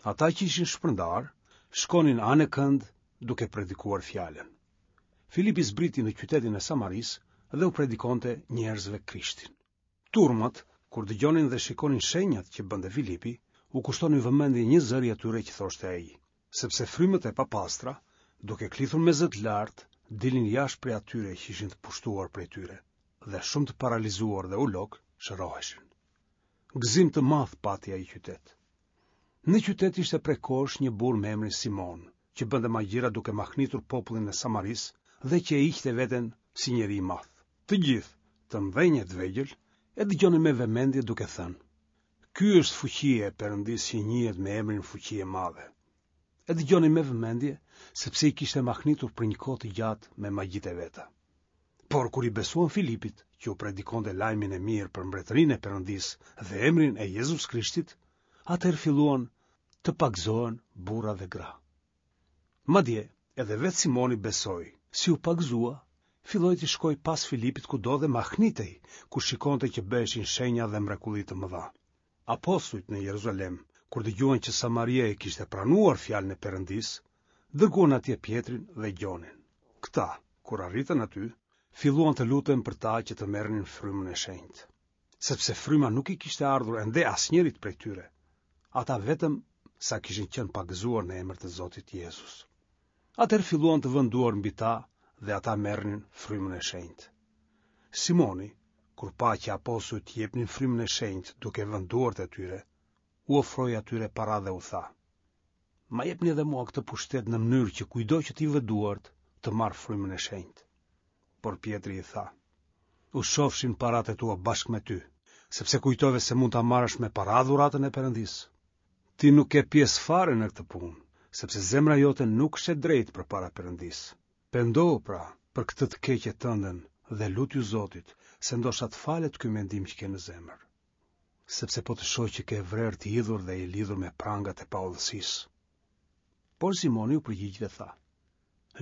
Ata që ishin shpërndarë, shkonin anekënd duke predikuar fjalën. Filipi zbriti në qytetin e Samarisë dhe u predikonte njerëzve Krishtin. Turmat, kur dëgjonin dhe shikonin shenjat që bënte Filipi, u kushtonin vëmendje njëzëri atyre që thoshte ai, sepse frymët e papastra, duke klithur me zë të lartë, dilnin jashtë prej atyre që ishin të pushtuar prej tyre, dhe shumë të paralizuar dhe ulokë shëroheshin. Gëzim të madh pati ai qytet. Në qytet ishte prej kohësh një burrë me emrin Simon, që bënte magjira duke mahnitur popullin e Samarisë dhe që e hiqte veten si njeri i madh. Të gjithë, të mëdhenj e të vegjël, e dëgjonin me vëmendje duke thënë: Ky është fuqia e Perëndisë që njihet me emrin Fuqi e Madhe. E dëgjonin me vëmendje sepse i kishte mahnitur për një kohë të gjatë me magjitë e veta. Por kur i besuan Filipit, që u predikonte lajmin e mirë për mbretërinë e Perëndisë dhe emrin e Jezus Krishtit, atëherë filluan të pagëzohen burra dhe gra. Madje, edhe vetë Simoni besoi, si u pagëzua, filloi t'i shkojë pas Filipit kudo dhe mahnitej, kur shikonte që bëheshin shenja dhe mrekulli të mëdha. Apostujt në Jeruzalem, kur dëgjuan që Samaria e kishte pranuar fjalën e Perëndisë, dërguan atje Pjetrin dhe Gjonin. Këta, kur arritën aty, filluan të luten për ta që të merrnin frymën e shenjtë. Sepse fryma nuk i kishte ardhur ende asnjërit prej tyre. Ata vetëm sa kishin qenë pagëzuar në emër të Zotit Jezus. Atëherë filluan të vënë duar mbi ta dhe ata merrnin frymën e shenjtë. Simoni, kur pa që apostujt jepnin frymën e shenjtë duke vënë duart e tyre, u ofroi atyre para dhe u tha: Ma jepni edhe mua këtë pushtet në mënyrë që kujtdo që t'i vë duart të marrë frymën e shenjtë. Por Pjetri i tha: U shofshin paratë e tua bashkë me ty, sepse kujtove se mund ta marrësh me para dhuratën e Perëndisë. Ti nuk ke pjesë fare në këtë punë, sepse zemra jote nuk është e drejtë përpara Perëndisë. Pendohu pra për këtë të keqe tënden dhe lutju Zotit, se ndoshta të falet ky mendim që ke në zemër. Sepse po të shoh që ke vrer të hidhur dhe je lidhur me prangat e paudhësisë. Por Simoni u përgjigj dhe tha: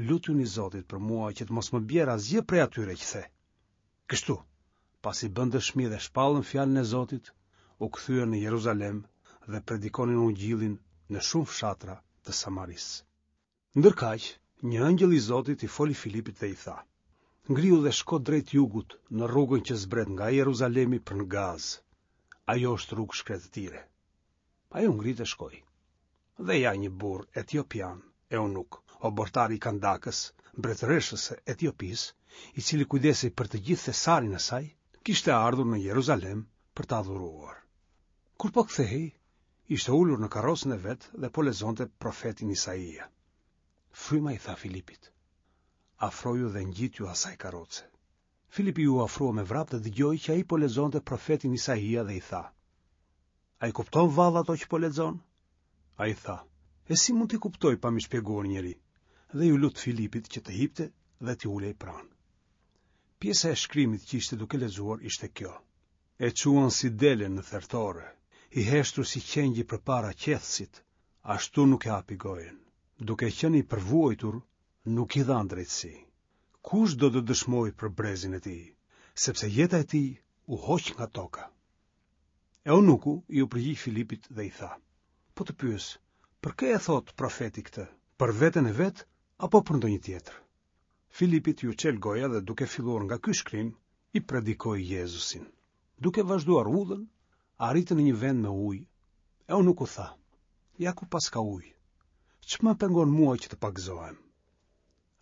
Lutjuni Zotit për mua që të mos më bjerë asgjë prej atyre që the. Kështu, pasi bënë dëshmi dhe shpallën fjalën e Zotit, u kthyen në Jeruzalem dhe predikonin ungjillin në shumë fshatra të Samarisë. Ndërkaq, një ëngjëll i Zotit i foli Filipit dhe i tha: Ngrihu dhe shko drejt jugut në rrugën që zbret nga Jeruzalemi për në Gazë. Ajo është rrugë shkretëtire. Ai u ngrit e shkoi. Dhe ja një burrë etiopian, eunuk, oborrtar i Kandakës, mbretëreshës së Etiopisë, i cili kujdesej për të gjithë thesarin e saj, kishte ardhur në Jeruzalem për të adhuruar. Kur po kthehej, ishte ulur në karrocën e vet dhe po lexonte profetin Isaia. Fryma i tha Filipit: Afroju dhe ngjitju asaj karroce. Filipi iu afrua me vrap dhe dëgjoi që ai po lexonte profetin Isaia dhe i tha: A i kupton vallë ato që po lexon? Ai tha, e si mund t'i kuptoj pa m'i shpjeguar njeri? Dhe iu lut Filipit që të hipte dhe t'i ulej pranë. Pjesa e shkrimit që ishte duke lexuar ishte kjo. E çuan si delen në thertore, i heshtur si qengji përpara qethësit, ashtu nuk e hapi gojën. Duke qenë i përvuajtur, nuk i dhanë drejtësi. Kush do të dëshmojë për brezin e tij, sepse jeta e tij u hoq nga toka. Eunuku iu përgjigj Filipit dhe i tha, po të pyes, për kë e thotë profeti këtë, për veten e vet apo për ndonjë tjetër? Filipit iu çel goja dhe duke filluar nga ky shkrim, i predikoi Jezusin. Duke vazhduar udhën, arritën në një vend me ujë. Eunuku tha, ja ku paska ujë. Ç'më pengon mua që të pagëzohem?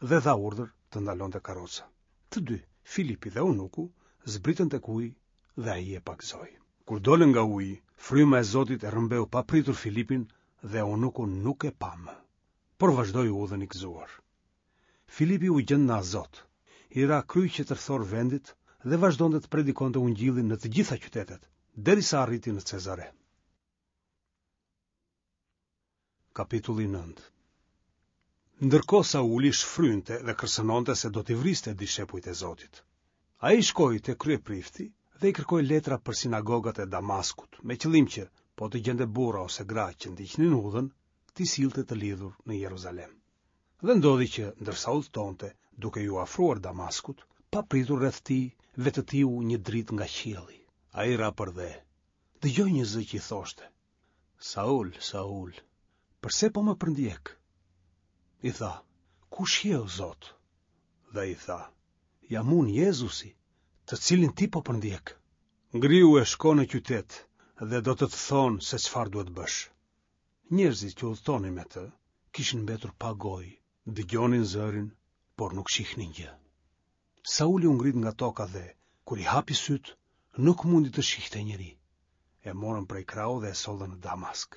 Dhe dha urdhër të ndalonte karroca. Të dy, Filipi dhe Eunuku, zbritën tek uji dhe ai e pagëzoi. Kur dolën nga uji, fryma e Zotit e rrëmbeu papritur Filipin dhe Eunuku nuk e pa më, por vazhdoi udhën i gëzuar. Filipi u gjend në Azot, i ra kryq e tërthor vendit dhe vazhdonte të predikonte ungjillin në të gjitha qytetet, derisa arriti në Cezare. Kapitulli 9 Ndërkohë Sauli shfrynte dhe kërcënonte se do t'i vriste dishepujt e Zotit. Ai shkoi te kryeprifti dhe i kërkoi letra për sinagogat e Damaskut, me qëllim që, po të gjente burra ose gra që ndiqnin udhën, t'i sillte të lidhur në Jeruzalem. Dhe ndodhi që, ndërsa udhëtonte, duke iu afruar Damaskut, papritur rreth tij vetëtiu një dritë nga qielli. Ai ra përdhe. Dëgjoi një zë që i thoshte: Saul, Saul, përse po më përndjek? I tha: Kush je, o Zot? Dhe ai tha: Jam unë Jezusi, të cilin ti po përndjek. Ngrihu e shko në qytet dhe do të të thonë se çfarë duhet të bësh. Njerëzit që udhëtonin me të kishin mbetur pa gojë, dëgjonin zërin, por nuk shihnin gjë. Sauli u ngrit nga toka dhe, kur i hapi sytë, nuk mundi të shihte njeri. E morën prej krahu dhe e sollën në Damask.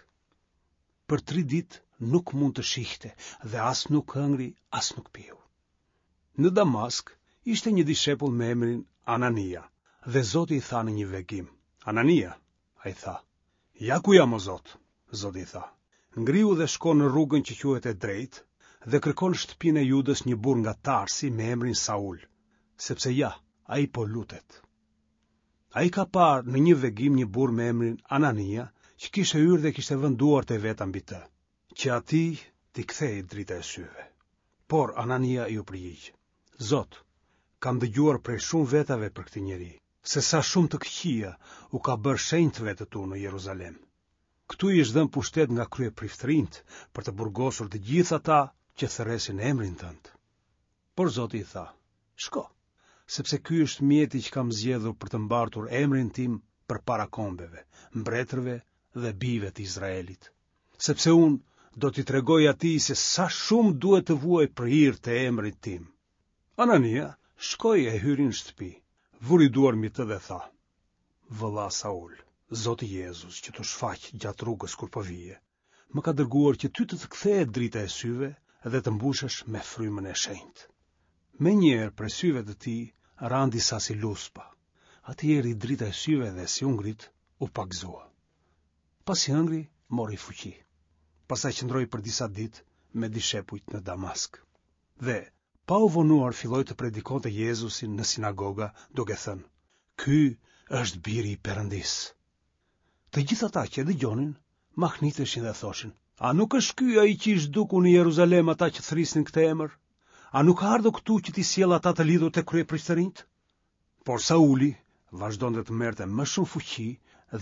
Për tri ditë nuk mund të shihte dhe as nuk hëngri, as nuk piu. Në Damask ishte një dishepull me emrin Anania dhe Zoti i tha në një vegim, Anania, ai tha, Ja ku jam o Zot, Zoti i tha, ngrihu dhe shko në rrugën që quhet e drejtë dhe kërko në shtëpinë e Judës një burrë nga Tarsi me emrin Saul, sepse ja, ai po lutet. Ai ka parë në një vegim një burrë me emrin Anania, që kishte hyrë dhe kishte vënë duart e veta mbi të, që atij t'i kthehej drita e syve. Por Anania iu përgjigj, Zot, kam dëgjuar prej shumë vetave për këtë njeri, se sa shumë të këqija u ka bërë shenjtëve të tu në Jeruzalem. Këtu i është dhënë pushtet nga kryepriftërinjtë për të burgosur të gjithë ata që thërresin emrin tënd. Por Zoti i tha, shko, sepse ky është mjeti që kam zgjedhur për të mbartur emrin tim përpara kombeve, mbretërve dhe bijve të Izraelit. Sepse unë do t'i tregoj atij se sa shumë duhet të vuajë për hir të emrit tim. Anania shkoi e hyri në shtëpi, vuri duar mbi të dhe tha, Vëlla Saul, Zoti Jezus që t'u shfaq gjatë rrugës kur po vije, më ka dërguar që ty të të kthehet drita e syve dhe të mbushesh me frymën e shenjtë. Menjëherë prej syve të tij ranë disa si luspa. Atij i erdhi drita e syve dhe si u ngrit, u pagëzua. Pasi hëngri, mori fuqi. Pastaj qëndroi për disa ditë me dishepujt në Damask. Dhe, pa u vonuar filloi të predikonte Jezusin në sinagoga, duke thënë, Ky është biri i Perëndisë. Të gjithë ata që e dëgjonin, mahniteshin dhe thoshin, A nuk është ky ai që i zhduku në Jeruzalem ata që thërrisnin këtë emër? A nuk ka ardhur këtu që t'i sjellë ata të lidhur te kryepriftërinjtë? Por Sauli vazhdonte të merrte më shumë fuqi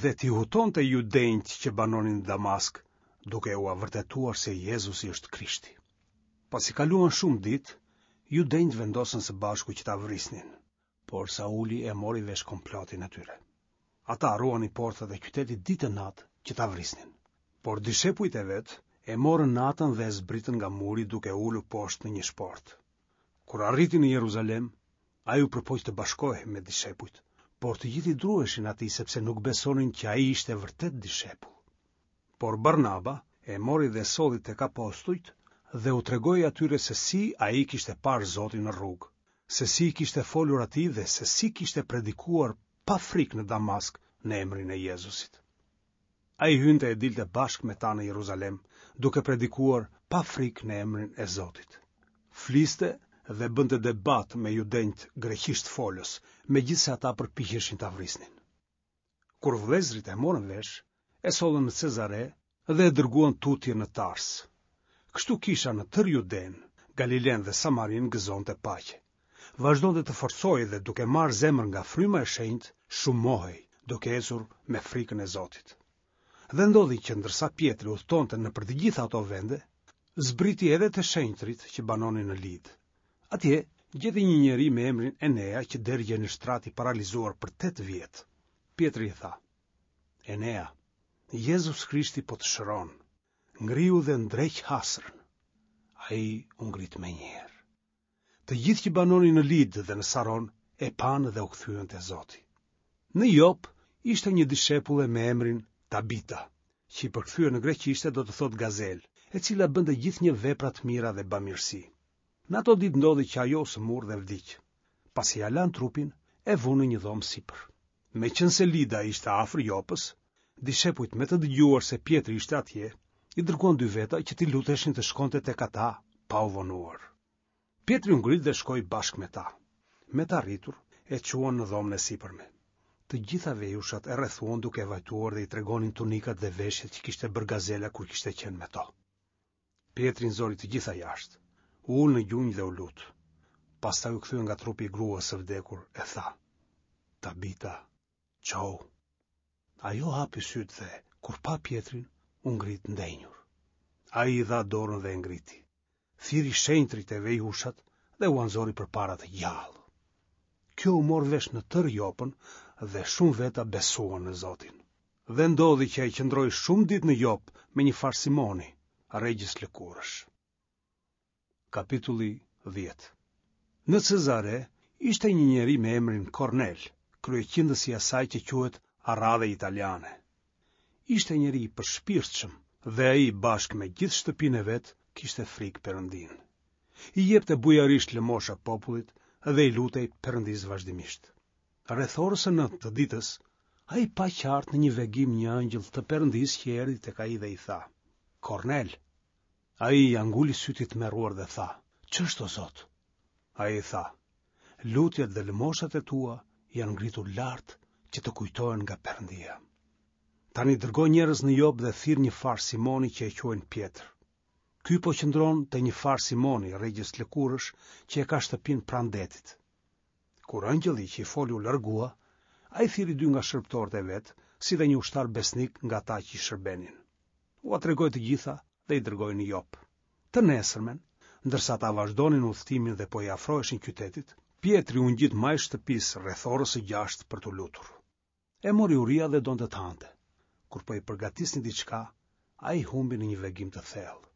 dhe t'i hutonte judenjtë që banonin në Damask, duke ua vërtetuar se Jezusi është Krishti. Pasi kaluan shumë ditë, judenjtë vendosën së bashku që ta vrisnin, por Sauli e mori vesh komplotin e tyre. Ata ruanin portat e qytetit ditë e natë që ta vrisnin. Por dishepujt e vet e morën natën dhe e zbritën nga muri duke e ulur poshtë në një shportë. Kur arriti në Jeruzalem, ai u përpoq të bashkohej me dishepujt, por të gjithë i druheshin atij sepse nuk besonin që ai ishte vërtet dishepull. Por Barnaba e mori dhe e solli tek apostujt dhe u tregoi atyre se si ai kishte parë Zotin në rrugë, se si i kishte folur atij dhe se si kishte predikuar pa frikë në Damask në emrin e Jezusit. Ai hynte e dilte bashkë me ta në Jeruzalem, duke predikuar pa frikë në emrin e Zotit. Fliste dhe bënte debat me judenjtë greqishtfolës, megjithëse ata përpiqeshin ta vrisnin. Kur vëllezërit e morën vesh, e sollën në Cezare dhe e dërguan tutje në Tars. Kështu kisha në tërë Judenë, Galilenë dhe Samarinë gëzonte paqe. Vazhdonte të forcohej dhe duke marrë zemër nga Fryma e Shenjtë, shumohej, duke ecur me frikën e Zotit. Dhe ndodhi që ndërsa Pjetri udhëtonte nëpër të gjitha ato vende, zbriti edhe te shenjtërit që banonin në Lidë. Atje gjeti një njeri me emrin Enea që dergjej në shtrat i paralizuar për 8 vjet. Pjetri i tha: Enea, Jezus Krishti po të shëron. Ngrihu dhe ndreq hasrën. Ai u ngrit menjëherë. Të gjithë që banonin në Lidë dhe në Saron e panë dhe u kthyen te Zoti. Në Jop ishte një dishepulle me emrin Tabita, që i përkthyer në greqishte do të thotë gazelë, e cila bënte gjithnjë vepra të mira dhe bamirësi. Në ato ditë ndodhi që ajo u sëmur dhe vdiq. Pasi ia lanë trupin, e vunë në një dhomë sipër. Meqenëse Lida ishte afër Jopës, dishepujt me të dëgjuar se Pjetri ishte atje, i dërguan dy veta që t'i luteshin të shkonte tek ata pa u vonuar. Pjetri u ngrit dhe shkoi bashkë me ta. Me të arritur, e çuan në dhomën e sipërme. Të gjitha vejushat e rrethuan duke vajtuar dhe i tregonin tunikat dhe veshjet që kishte bërë gazela kur kishte qenë me to. Pjetri i nxori të gjitha jashtë, u ul në gjunjë dhe u lut. Pastaj u kthye nga trupi i gruas së vdekur e tha: Tabita, çohu. Ajo hapi sytë dhe, kur pa Pjetrin, u ngrit ndenjur. Ai i dha dorën dhe e ngriti. Thirri shenjtërit e vejushat dhe ua nxori përpara të gjallë. Kjo u mor vesh në tërë Jopën dhe shumë veta besuan në Zotin. Dhe ndodhi që ai qëndroi shumë ditë në Jopë me një farë Simoni, rregjës lëkurësh. Kapitulli 10 Në Cezare ishte një njeri me emrin Kornel, kryeqindës i asaj që quhet Aradhe Italiane. Ishte njeri i përshpirtshëm dhe ai bashkë me gjithë shtëpinë e vet kishte frikë Perëndinë. I jepte bujarisht lëmosha popullit dhe i lutej Perëndisë vazhdimisht. Rreth orës së nëntë të ditës, ai pa qartë në një vegim një ëngjëll të Perëndisë që erdhi tek ai dhe i tha: Kornel. Ai ia nguli sytë i tmerruar dhe tha: Ç'është o Zot? Ai i tha: Lutjet dhe lëmoshat e tua janë ngritur lart që të kujtohen nga Perëndia. Tani dërgo njerëz në Jopë dhe thirr një farë Simoni që e quajnë Pjetër. Ky po qëndron te një farë Simoni, rregjës lëkurësh, që e ka shtëpinë pranë detit. Kur ëngjëlli që i foli u largua, ai thirri dy nga shërbëtorët e vet, si dhe një ushtar besnik nga ata që i shërbenin. Ua tregoi të gjitha dhe i dërgoi në Jopë. Të nesërmen, ndërsa ata vazhdonin udhëtimin dhe po i afroheshin qytetit, Pjetri u ngjit majë shtëpisë rreth orës së gjashtë për t'u lutur. E mori uria dhe donte të hante. Kur po i përgatisnin diçka, ai humbi në një vegim të thellë.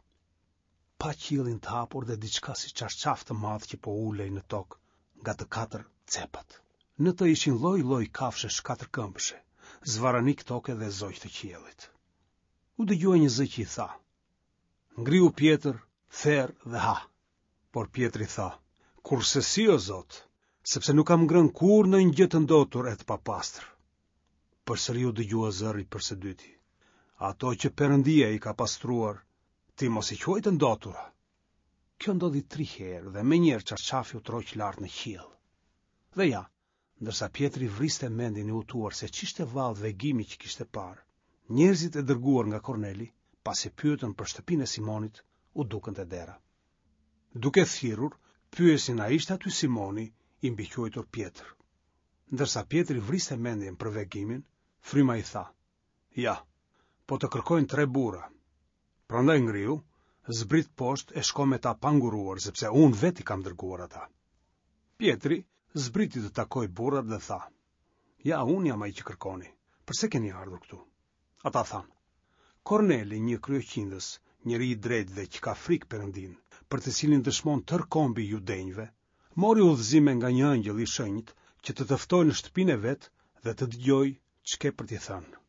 Pa qiellin të hapur dhe diçka si çarçaf të madh që po ulej në tokë nga të katër cepat. Në të ishin lloj-lloj kafshësh katërkëmbëshe, zvarranikë toke dhe zogj të qiellit. U dëgjua një zë që i tha: Ngrihu Pjetër, ther dhe ha. Por Pjetri tha, Kurrsesi o Zot, sepse nuk kam ngrënë kurrë ndonjë gjë të ndotur e të papastër. Përsëri u dëgjua zëri për së dyti. Ato që Perëndia i ka pastruar, ti mos i quaj të ndotura. Kjo ndodhi tri herë dhe menjëherë çarçafi u tërhoq lart në qiell. Dhe ja, ndërsa Pjetri vriste mendjen i hutuar se ç'ishte vallë vegimi që kishte parë, njerëzit e dërguar nga Korneli, pasi pyetën për shtëpinë e Simonit, u dukën te dera. Duke thirrur, pyesnin a ishte aty Simoni, i mbiquajtur Pjetër. Ndërsa Pjetri vriste mendjen për vegimin, fryma i tha: Ja, po të kërkojnë tre burra. Prandaj ngrihu, zbrit poshtë e shko me ta pa ngurruar, sepse unë vetë i kam dërguar ata. Pjetri zbriti të takojë burrat dhe tha: Ja, unë jam ai që kërkoni. Përse keni ardhur këtu? Ata thanë: Korneli, një kryeqindës, njeri i drejtë dhe që ka frikë Perëndinë, për të cilin dëshmon tërë kombi i judenjve, mori udhëzime nga një ëngjëll i shenjtë që të të ftojë në shtëpinë e vet dhe të dëgjojë ç'ke për t'i thënë.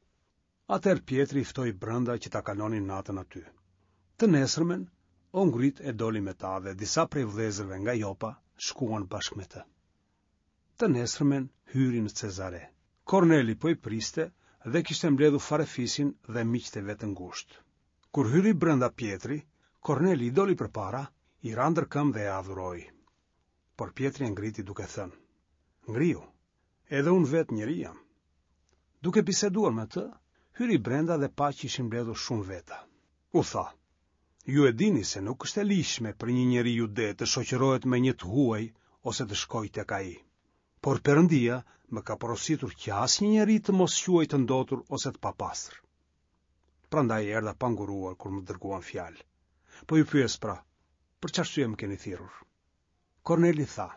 Atëherë Pjetri i ftoi brenda që ta kalonin natën aty. Të nesërmen, u ngrit e doli me ta dhe disa prej vëllezërve nga Jopa shkuan bashkë me të. Të nesërmen hyri në Cezare. Korneli po i priste dhe kishte mbledhur farefisin dhe miqtë e vet të ngushtë. Kur hyri brenda Pjetri, Korneli i doli përpara, i ra ndër këmbë dhe e adhuroi. Por Pjetri e ngriti duke thënë: Ngrihu, edhe unë vetë njeri jam. Duke biseduar me të, hyri brenda dhe pa që ishin mbledhur shumë veta. U tha: Ju e dini se nuk është e ligjshme për një njeri jude të shoqërohet me një të huaj ose të shkojë tek ai. Por Perëndia më ka porositur që asnjë njeri të mos quaj të ndotur ose të papastër. Prandaj erdha pa nguruar kur më dërguan fjalë. Po ju pyes pra, për ç'arsye më keni thirrur? Korneli tha,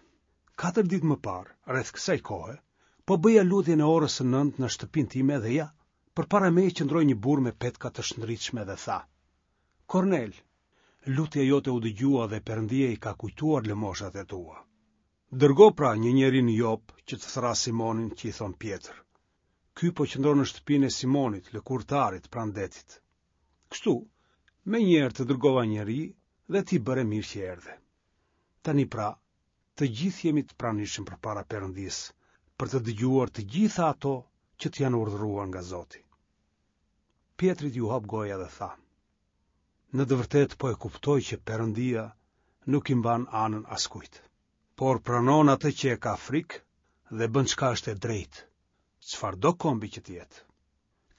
Katër ditë më parë, rreth kësaj kohe, po bëja lutjen e orës së nëntë në shtëpinë time dhe ja, përpara meje qëndroi një burrë me petka të shndritshme dhe tha, Kornel, lutja jote u dëgjua dhe Perëndia i ka kujtuar lëmoshat e tua. Dërgo pra një njeri në Jopë që të thërrasë Simonin që i thonë Pjetër. Ky po qëndron në shtëpinë e Simonit, lëkurëtarit, pranë detit. Kështu, menjëherë të dërgova njeri dhe ti bëre mirë që erdhe. Tani pra, të gjithë jemi të pranishëm përpara Perëndisë, për të dëgjuar të gjitha ato që të janë urdhëruar nga Zoti. Pjetrit iu hap goja dhe tha, Në të vërtetë po e kuptoj që Perëndia nuk i mban anën askujt, por pranon atë që e ka frikë dhe bën çka është e drejtë, çfarëdo kombi që të jetë.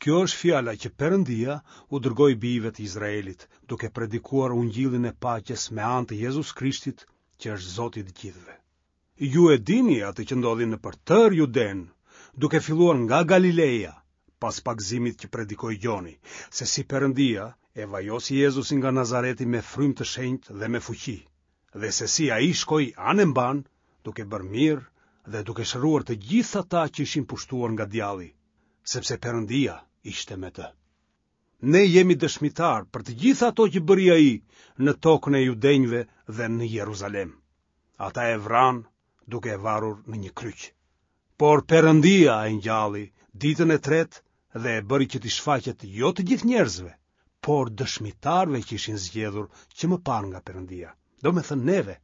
Kjo është fjala që Perëndia u dërgoi bijve të Izraelit, duke predikuar ungjillin e paqes me anë të Jezus Krishtit, që është Zoti i të gjithëve. Ju e dini atë që ndodhi nëpër tërë Judenë, duke filluar nga Galileja, pas pagëzimit që predikoi Gjoni, se si Perëndia e vajosi Jezusin nga Nazareti me frymë të shenjtë dhe me fuqi, dhe se si ai shkoi anembanë, duke bërë mirë dhe duke shëruar të gjithë ata që ishin pushtuar nga djalli, sepse Perëndia ishte me të. Ne jemi dëshmitarë për të gjitha ato që bëri ai në tokën e judenjve dhe në Jeruzalem. Ata e vranë duke e varur në një kryq. Por Perëndia e ngjalli ditën e tretë dhe e bëri që t'i shfaqet jo të gjithë njerëzve, por dëshmitarëve që ishin zgjedhur që më parë nga Perëndia, domethënë neve,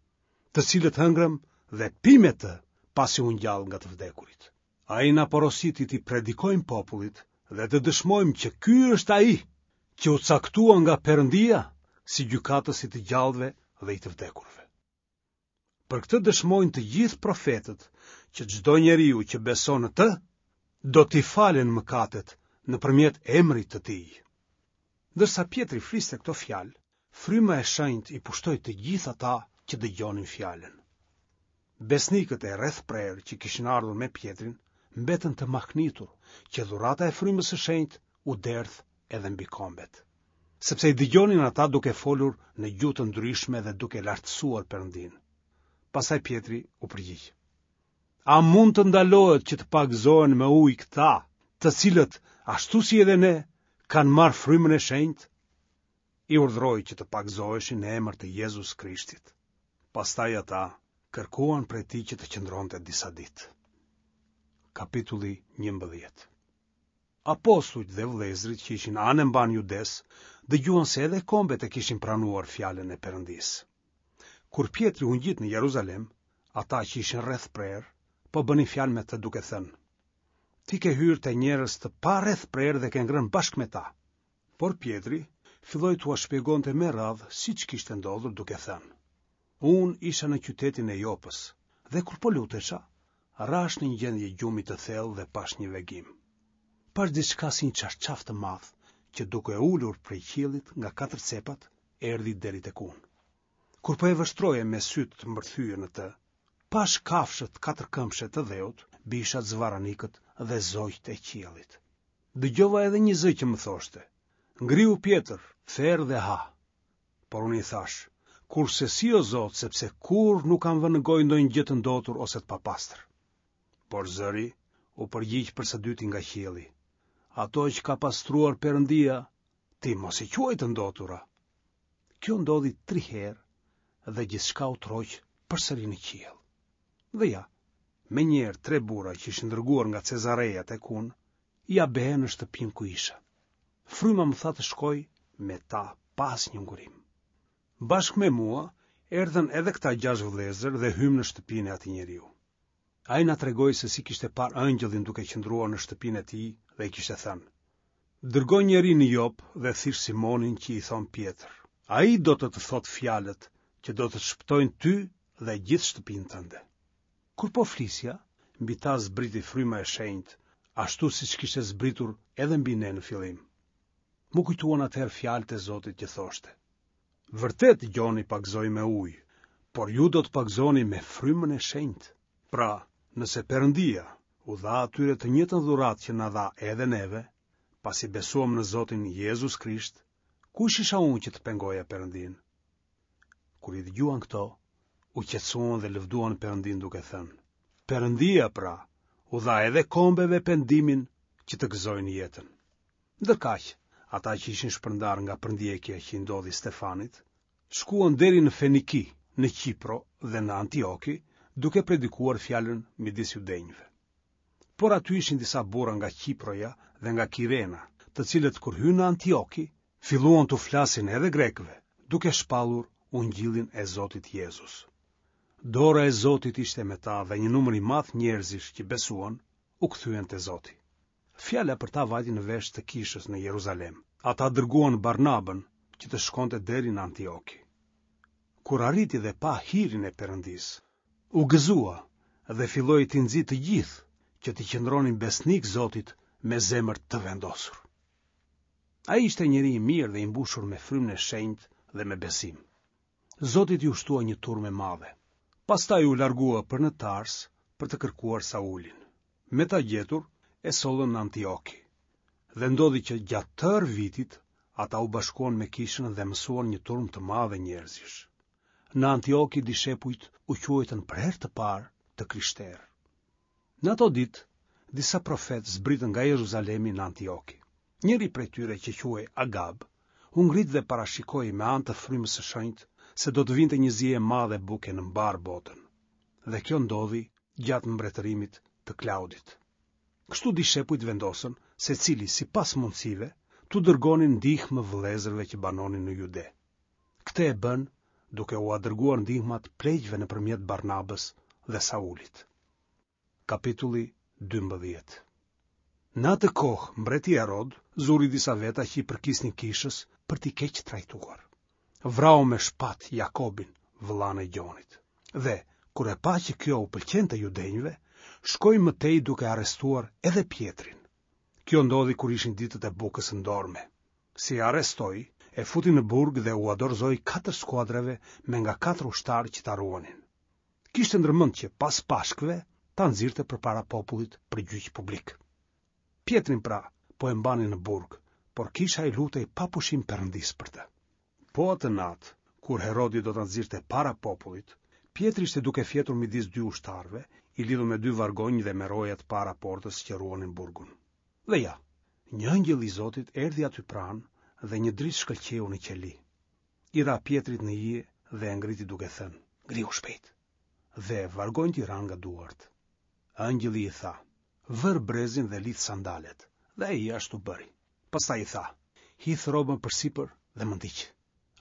të cilët hëngrëm dhe pimë me të pasi u ngjall nga të vdekurit. Ai na porositi t'i predikojmë popullit dhe të dëshmojmë që ky është ai që u caktua nga Perëndia si gjykatës i të gjallëve dhe i të vdekurve. Për këtë dëshmojnë të gjithë profetët që çdo njeriu që beson në të, do t'i falen mëkatet nëpërmjet emrit të tij. Ndërsa Pjetri fliste këto fjalë, Fryma e Shenjtë i pushtoi të gjithë ata që dëgjonin fjalën. Besnikët e rrethprerë që kishin ardhur me Pjetrin mbetën të mahnitur që dhurata e Frymës së Shenjtë u derdh edhe mbi kombet. Sepse i dëgjonin ata duke folur në gjuhë të ndryshme dhe duke lartësuar Perëndinë. Pastaj Pjetri u përgjigj. A mund të ndalohet që të pagëzohen me ujë këta, të cilët, ashtu si edhe ne, kanë marrë Frymën e Shenjtë? I urdhëroi që të pagëzoheshin në emër të Jezus Krishtit. Pastaj ata kërkuan prej tij që të qëndronte disa ditë. Kapitulli 11 Apostujt dhe vëllezërit që ishin anembanë Judesë, dëgjuan se edhe kombet e kishin pranuar fjalën e Perëndisë. Kur Pjetri u ngjit në Jeruzalem, ata që ishin rrethprerë, po bënin fjalë me të duke thënë: Ti ke hyrë te njerëz të parrethprerë dhe ke ngrënë bashkë me ta. Por Pjetri filloi t'ua shpjegonte me radhë siç kishte ndodhur duke thënë: Unë isha në qytetin e Jopës dhe kur po lutesha, rashë në një gjendje gjumi të thellë dhe pashë një vegim. Pashë diçka si një çarçaf të madh që duke u ulur prej qiellit nga katër cepat erdhi deri tek unë. Kur po e vështroja me sytë të mbërthyer në të, pashë kafshët katërkëmbëshe të dheut, bishat, zvarranikët dhe zogjtë e qiellit. Dëgjova edhe një zë që më thoshte, Ngrihu Pjetër, ther dhe ha. Por unë i thashë, Kurrsesi o Zot, sepse kurrë nuk kam vënë në gojë ndonjë gjë të ndotur ose të papastër. Por zëri u përgjigj për së dyti nga qielli, Ato që ka pastruar Perëndia, ti mos i quaj të ndotura. Kjo ndodhi tri herë dhe gjithçka u tërhoq përsëri në qiell. Dhe ja, menjëherë tre burra që ishin dërguar nga Cezareja tek unë, ia behën në shtëpinë ku isha. Fryma më tha të shkoj me ta pa asnjë ngurim. Bashkë me mua erdhën edhe këta gjashtë vëllezër dhe hymë në shtëpinë e atij njeriu. Ai na tregoi se si kishte parë ëngjëllin duke qëndruar në shtëpinë e tij dhe i kishte thënë: Dërgo njeri në Jop dhe thirr Simonin që i thonë Pjetër. Ai do të të thotë fjalët që do të të shpëtojnë ty dhe gjithë shtëpinë tënde. Kur po flisja, mbi ta zbriti fryma e shenjtë, ashtu siç kishte zbritur edhe mbi ne në fillim. M'u kujtuan atëherë fjalët e Zotit që thoshte: Vërtet Gjoni pagëzoi me ujë, por ju do të pagëzoheni me frymën e shenjtë. Pra, nëse Perëndia u dha atyre të njëjtën dhuratë që na dha edhe neve, pasi besuam në Zotin Jezus Krisht, kush isha unë që të pengoja Perëndinë? Kur i dëgjuan këto, u qetësuan dhe lëvduan Perëndinë duke thënë: Perëndia pra u dha edhe kombeve pendimin që të gëzojnë jetën. Ndërkaq, ata që ishin shpërndarë nga përndjekja që i ndodhi Stefanit, shkuan deri në Feniki, në Qipro dhe në Antioki, duke predikuar fjalën midis judenjve. Por aty ishin disa burra nga Qiproja dhe nga Kirena, të cilët kur hynë në Antioki, filluan t'u flasin edhe grekëve, duke shpallur ungjillin e Zotit Jezus. Dora e Zotit ishte me ta dhe një numër i madh njerëzish që besuan, u kthyen te Zoti. Fjala për ta vajti në vesh të kishës në Jeruzalem. Ata dërguan Barnabën që të shkonte deri në Antioki. Kur arriti dhe pa hirin e Perëndisë, u gëzua dhe filloi t'i nxitë të gjithë që t'i qëndronin besnikë Zotit me zemër të vendosur. Ai ishte njeri i mirë dhe i mbushur me frymën e shenjtë dhe me besim. Zotit iu shtua një turmë e madhe. Pastaj u largua për në Tars për të kërkuar Saulin. Me ta gjetur, e sollën në Antioki. Dhe ndodhi që gjatë tërë vitit ata u bashkuan me kishën dhe mësuan një turmë të madhe njerëzish. Në Antioki dishepujt u quajtën për herë të parë të krishterë. Në ato ditë, disa profetë zbritën nga Jeruzalemi në Antioki. Njëri prej tyre që quhej Agab, u ngrit dhe parashikoi me anë të frymës së shenjtë se do të vinte një zi e madhe buke në mbarë botën. Dhe kjo ndodhi gjatë mbretërimit të Klaudit. Kështu dishepujt vendosën, secili sipas mundësive, t'u dërgonin ndihmë vëllezërve që banonin në Jude. Këtë e bënë duke ua dërguar ndihmat pleqve nëpërmjet Barnabës dhe Saulit. Kapitulli 12 Në atë kohë, mbreti Herod zuri disa veta që i përkisnin kishës për t'i keqtrajtuar. Vrau me shpatë Jakobin, vëllanë e Gjonit. Dhe, kur e pa që kjo u pëlqente judenjve, shkoi më tej duke arrestuar edhe Pjetrin. Kjo ndodhi kur ishin ditët e bukës së ndorme. Si e arrestoi, e futi në burg dhe ua dorëzoi katër skuadrave me nga katër ushtarë që ta ruanin. Kishte ndërmend që pas Pashkëve ta nxirrte përpara popullit për gjyq publik. Pjetrin pra, po e mbanin në burg, por kisha i lutej pa pushim Perëndisë për të. Po atë natë, kur Herodi do ta nxirrte para popullit, Pjetri ishte duke fjetur midis dy ushtarëve, i lidhur me dy vargonj dhe me rojat para portës që ruanin burgun. Dhe ja, një ëngjëll i Zotit erdhi aty pranë dhe një dritë shkëlqeu në qeli. I ra Pjetrit në ije dhe e ngriti duke thënë, ngrihu shpejt. Dhe vargonjtë i ranë nga duart. Ëngjëlli i tha, Vër brezin dhe lidh sandalet, dhe ai ashtu bëri. Pastaj i tha, Hidh rrobën përsipër dhe më ndiq.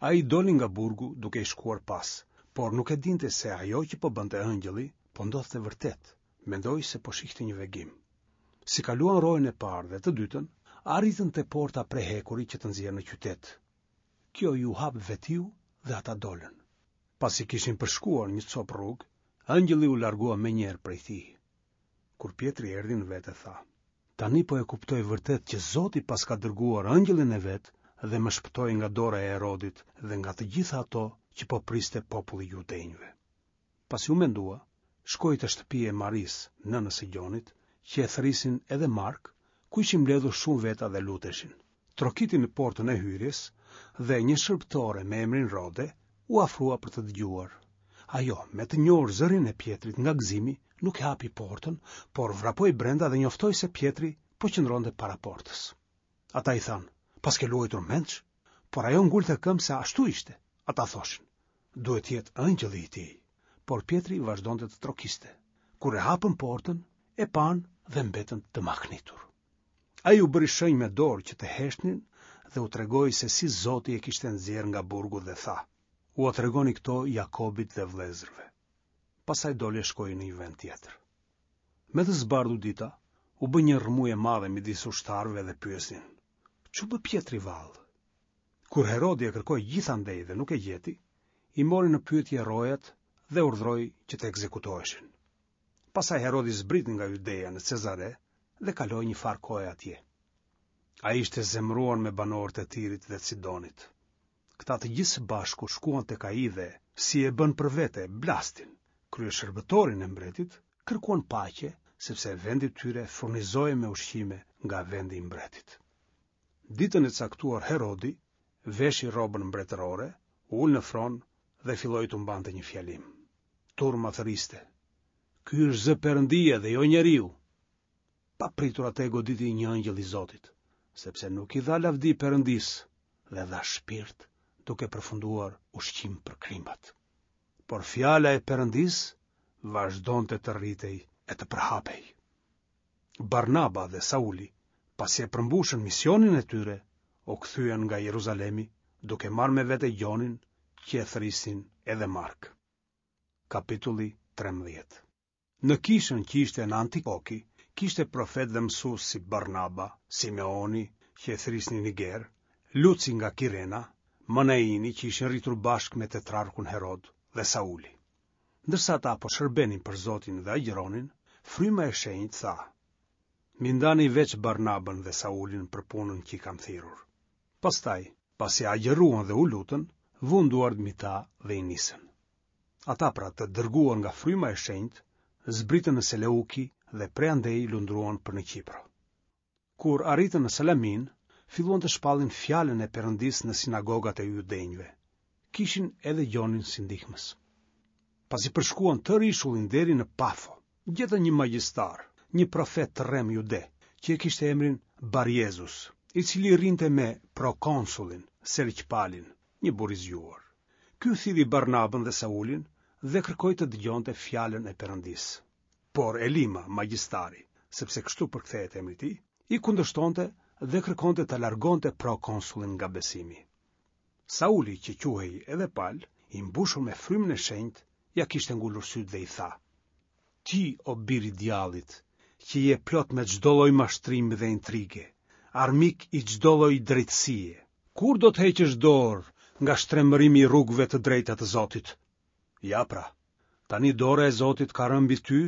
Ai doli nga burgu duke i shkuar pas, por nuk e dinte se ajo që po bënte ëngjëlli, po ndodhte vërtet, mendoi se po shihte një vegim. Si kaluan rojën e parë dhe të dytën, arritën te porta prej hekuri që të nxjerr në qytet. Kjo iu hap vetiu dhe ata dolën. Pasi kishin përshkuar një copë rrugë, ëngjëlli u largua menjëherë prej tij. Kur Pjetri erdhi në vete tha: Tani po e kuptoj vërtet që Zoti paska dërguar ëngjëllin e vet dhe më shpëtoi nga dora e Herodit dhe nga të gjitha ato që po priste populli i judenjve. Pasi u mendua, shkoi te shtëpia e Marisë, nënës së Gjonit, që e thërrisnin edhe Mark, ku ishin mbledhur shumë veta dhe luteshin. Trokiti në portën e hyrjes dhe një shërbëtore me emrin Rode u afrua për të dëgjuar. Ajo, me të njohur zërin e Pjetrit nga gëzimi, nuk e hapi portën, por vrapoi brenda dhe njoftoi se Pjetri po qëndronte para portës. Ata i thanë, paske luajtur mendsh, por ajo ngulte këmbë se ashtu ishte. Ata thoshin, duhet të jetë ëngjëlli i tij. Por Pjetri vazhdonte të trokiste. Kur e hapën portën, e panë dhe mbetën të mahnitur. Ai u bëri shenjë me dorë që të heshtnin dhe u tregoi se si Zoti e kishte nxjerrë nga burgu dhe tha, ua tregoni këto Jakobit dhe vëllezërve. Pastaj doli e shkoi në një vend tjetër. Me të zbardhur dita, u bë një rrëmujë e madhe midis ushtarëve dhe pyesnin: Ç'u bë Pjetri vallë? Kur Herodi e kërkoi gjithandej dhe nuk e gjeti, i mori në pyetje rojat dhe urdhëroi që të ekzekutoheshin. Pastaj Herodi zbriti nga Judeja në Cezare dhe kaloi një farë kohe atje. Ai ishte zemëruar me banorët e Tirit dhe Sidonit. Këta të gjithë së bashku shkuan tek ai dhe, si e bënë për vete Blastin, kryeshërbëtorin e mbretit, kërkuan paqe, sepse vendi i tyre furnizohej me ushqime nga vendi i mbretit. Ditën e caktuar Herodi veshi rrobën mbretërore, u ul në fron dhe filloi t'u mbante një fjalim. Turma thërriste: Ky është zë perëndie dhe jo njeriu. Papritur atë e goditi një ëngjëll i Zotit, sepse nuk i dha lavdi Perëndisë dhe dha shpirt, duke përfunduar ushqim për krimbat. Por fjala e Perëndisë vazhdonte të rritej e të përhapej. Barnaba dhe Sauli, pasi e përmbushën misionin e tyre, u kthyen nga Jeruzalemi, duke marrë me vete Gjonin, që e thërrisnin edhe Mark. Kapitulli 13 Në kishën që ishte në Antioki, kishte profetë dhe mësues si Barnaba, Simeoni, që e thërrisnin Niger, Luci nga Kirena, Manaini që ishin rritur bashkë me tetrarkun Herod dhe Sauli. Ndërsa ata po shërbenin për Zotin dhe agjëronin, Fryma e Shenjtë tha: M'i ndani veç Barnabën dhe Saulin për punën që i kam thirrur. Pastaj, pasi agjëruan dhe u lutën, vunë duart mbi ta dhe i nisën. Ata pra të dërguar nga Fryma e Shenjtë, zbritën në Seleuki dhe prej andej lundruan për në Qipro. Kur arritën në Salaminë, filluan të shpallin fjalën e Perëndisë në sinagogat e judenjve. Kishin edhe Gjonin si ndihmës. Pasi përshkuan tërë ishullin deri në Pafo, gjetën një magjistar, një profet të rremë jude, që e kishte emrin Barjezus, i cili rrinte me prokonsullin, Sergj Palin, një burrë i zgjuar. Ky thirri Barnabën dhe Saulin dhe kërkoi të dëgjonte fjalën e Perëndisë. Por Elima, magjistari, sepse kështu përkthehet emri i tij, i kundërshtonte dhe kërkonte ta largonte prokonsullin nga besimi. Sauli, që quhej edhe Pal, i mbushur me frymën e shenjtë, ia kishte ngulur sytë dhe i tha: Ti, o bir i djallit, që je plot me çdo lloj mashtrimi dhe intrige, armik i çdo lloj drejtësie, kur do të heqësh dorë nga shtrembërimi i rrugëve të drejta të Zotit? Ja pra, tani dora e Zotit ka rënë mbi ty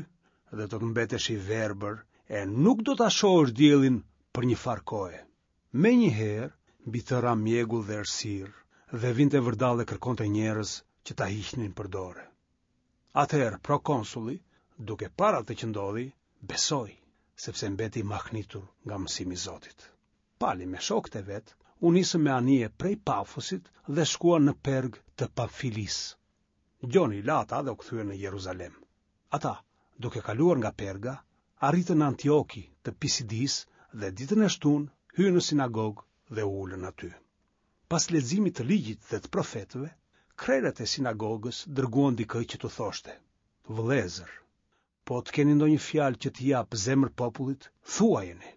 dhe do të mbetesh i verbër e nuk do ta shohësh diellin për një farë kohe. Menjëherë mbi të ra mjegull dhe errësirë dhe vinte vërdallë e kërkonte njerëz që ta hiqnin për dore. Atëherë prokonsulli, duke parë atë që ndodhi, besoi, sepse mbeti i mahnitur nga mësimi i Zotit. Pali me shokët e vet u nisën me anije prej Pafosit dhe shkuan në Perg të Pamfilisë. Gjoni i la ata dhe u kthye në Jeruzalem. Ata, duke kaluar nga Perga, arritën në Antioki të Pisidisë dhe ditën e shtunë hynë në sinagogë dhe u ulën aty. Pas leximit të ligjit dhe të profetëve, krerët e sinagogës dërguan dikë që t'u thoshte: Vëllezër, po të keni ndonjë fjalë që t'i japë zemër popullit, thuajeni.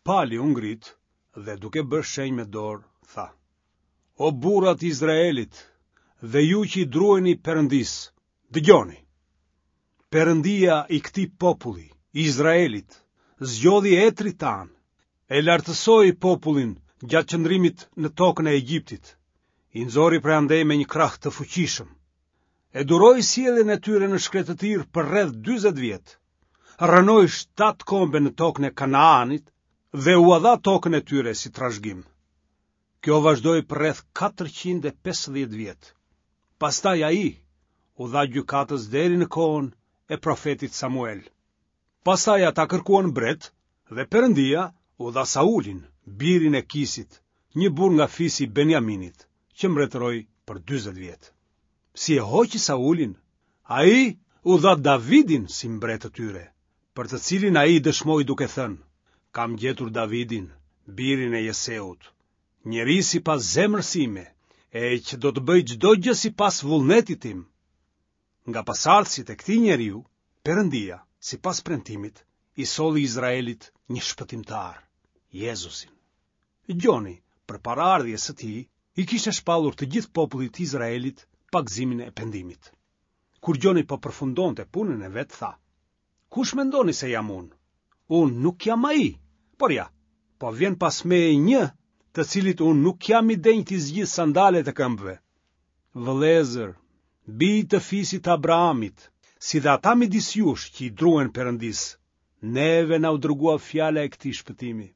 Pali u ngrit dhe duke bërë shenjë me dorë, tha: O burra të Izraelit dhe ju që i druheni Perëndisë, dëgjoni. Perëndia i këtij populli, Izraelit, zgjodhi etërit tanë, e lartësoi popullin gjatë qëndrimit në tokën e Egjiptit, i nxori prej andej me një krah të fuqishëm. E duroi sjelljen e tyre në shkretëtirë për rreth 40 vjet. Rrënoi shtatë kombe në tokën e Kanaanit dhe ua dha tokën e tyre si trashëgim. Kjo vazhdoi për rreth 450 vjet. Pastaj ai u dha gjykatës deri në kohën e profetit Samuel. Pastaj ata kërkuan mbret dhe Perëndia u dha Saulin, birin e Kisit, një burrë nga fisi i Benjaminit, që mbretëroi për 40 vjet. Si e hoqi Saulin, ai u dha Davidin si mbret të tyre, për të cilin ai dëshmoi duke thënë, kam gjetur Davidin, birin e Jeseut, njeri sipas zemrës sime, e që do të bëjë çdo gjë sipas vullnetit tim. Nga pasardhësit e këtij njeriu, Perëndia, sipas premtimit, i solli Izraelit një shpëtimtar, Jezusin. Gjoni, përpara ardhjes së tij, i kishte shpallur të gjithë popullit të Izraelit pagëzimin e pendimit. Kur Gjoni po përfundonte punën e vet, tha: Kush mendoni se jam unë? Unë nuk jam ai, por ja, po vjen pas meje një, të cilit unë nuk jam i denjë t'i zgjidh sandalet e këmbëve. Vëllezër, bij të fisit të Abrahamit, si dhe ata midis jush që i druhen Perëndisë, neve na u dërgua fjala e këtij shpëtimi.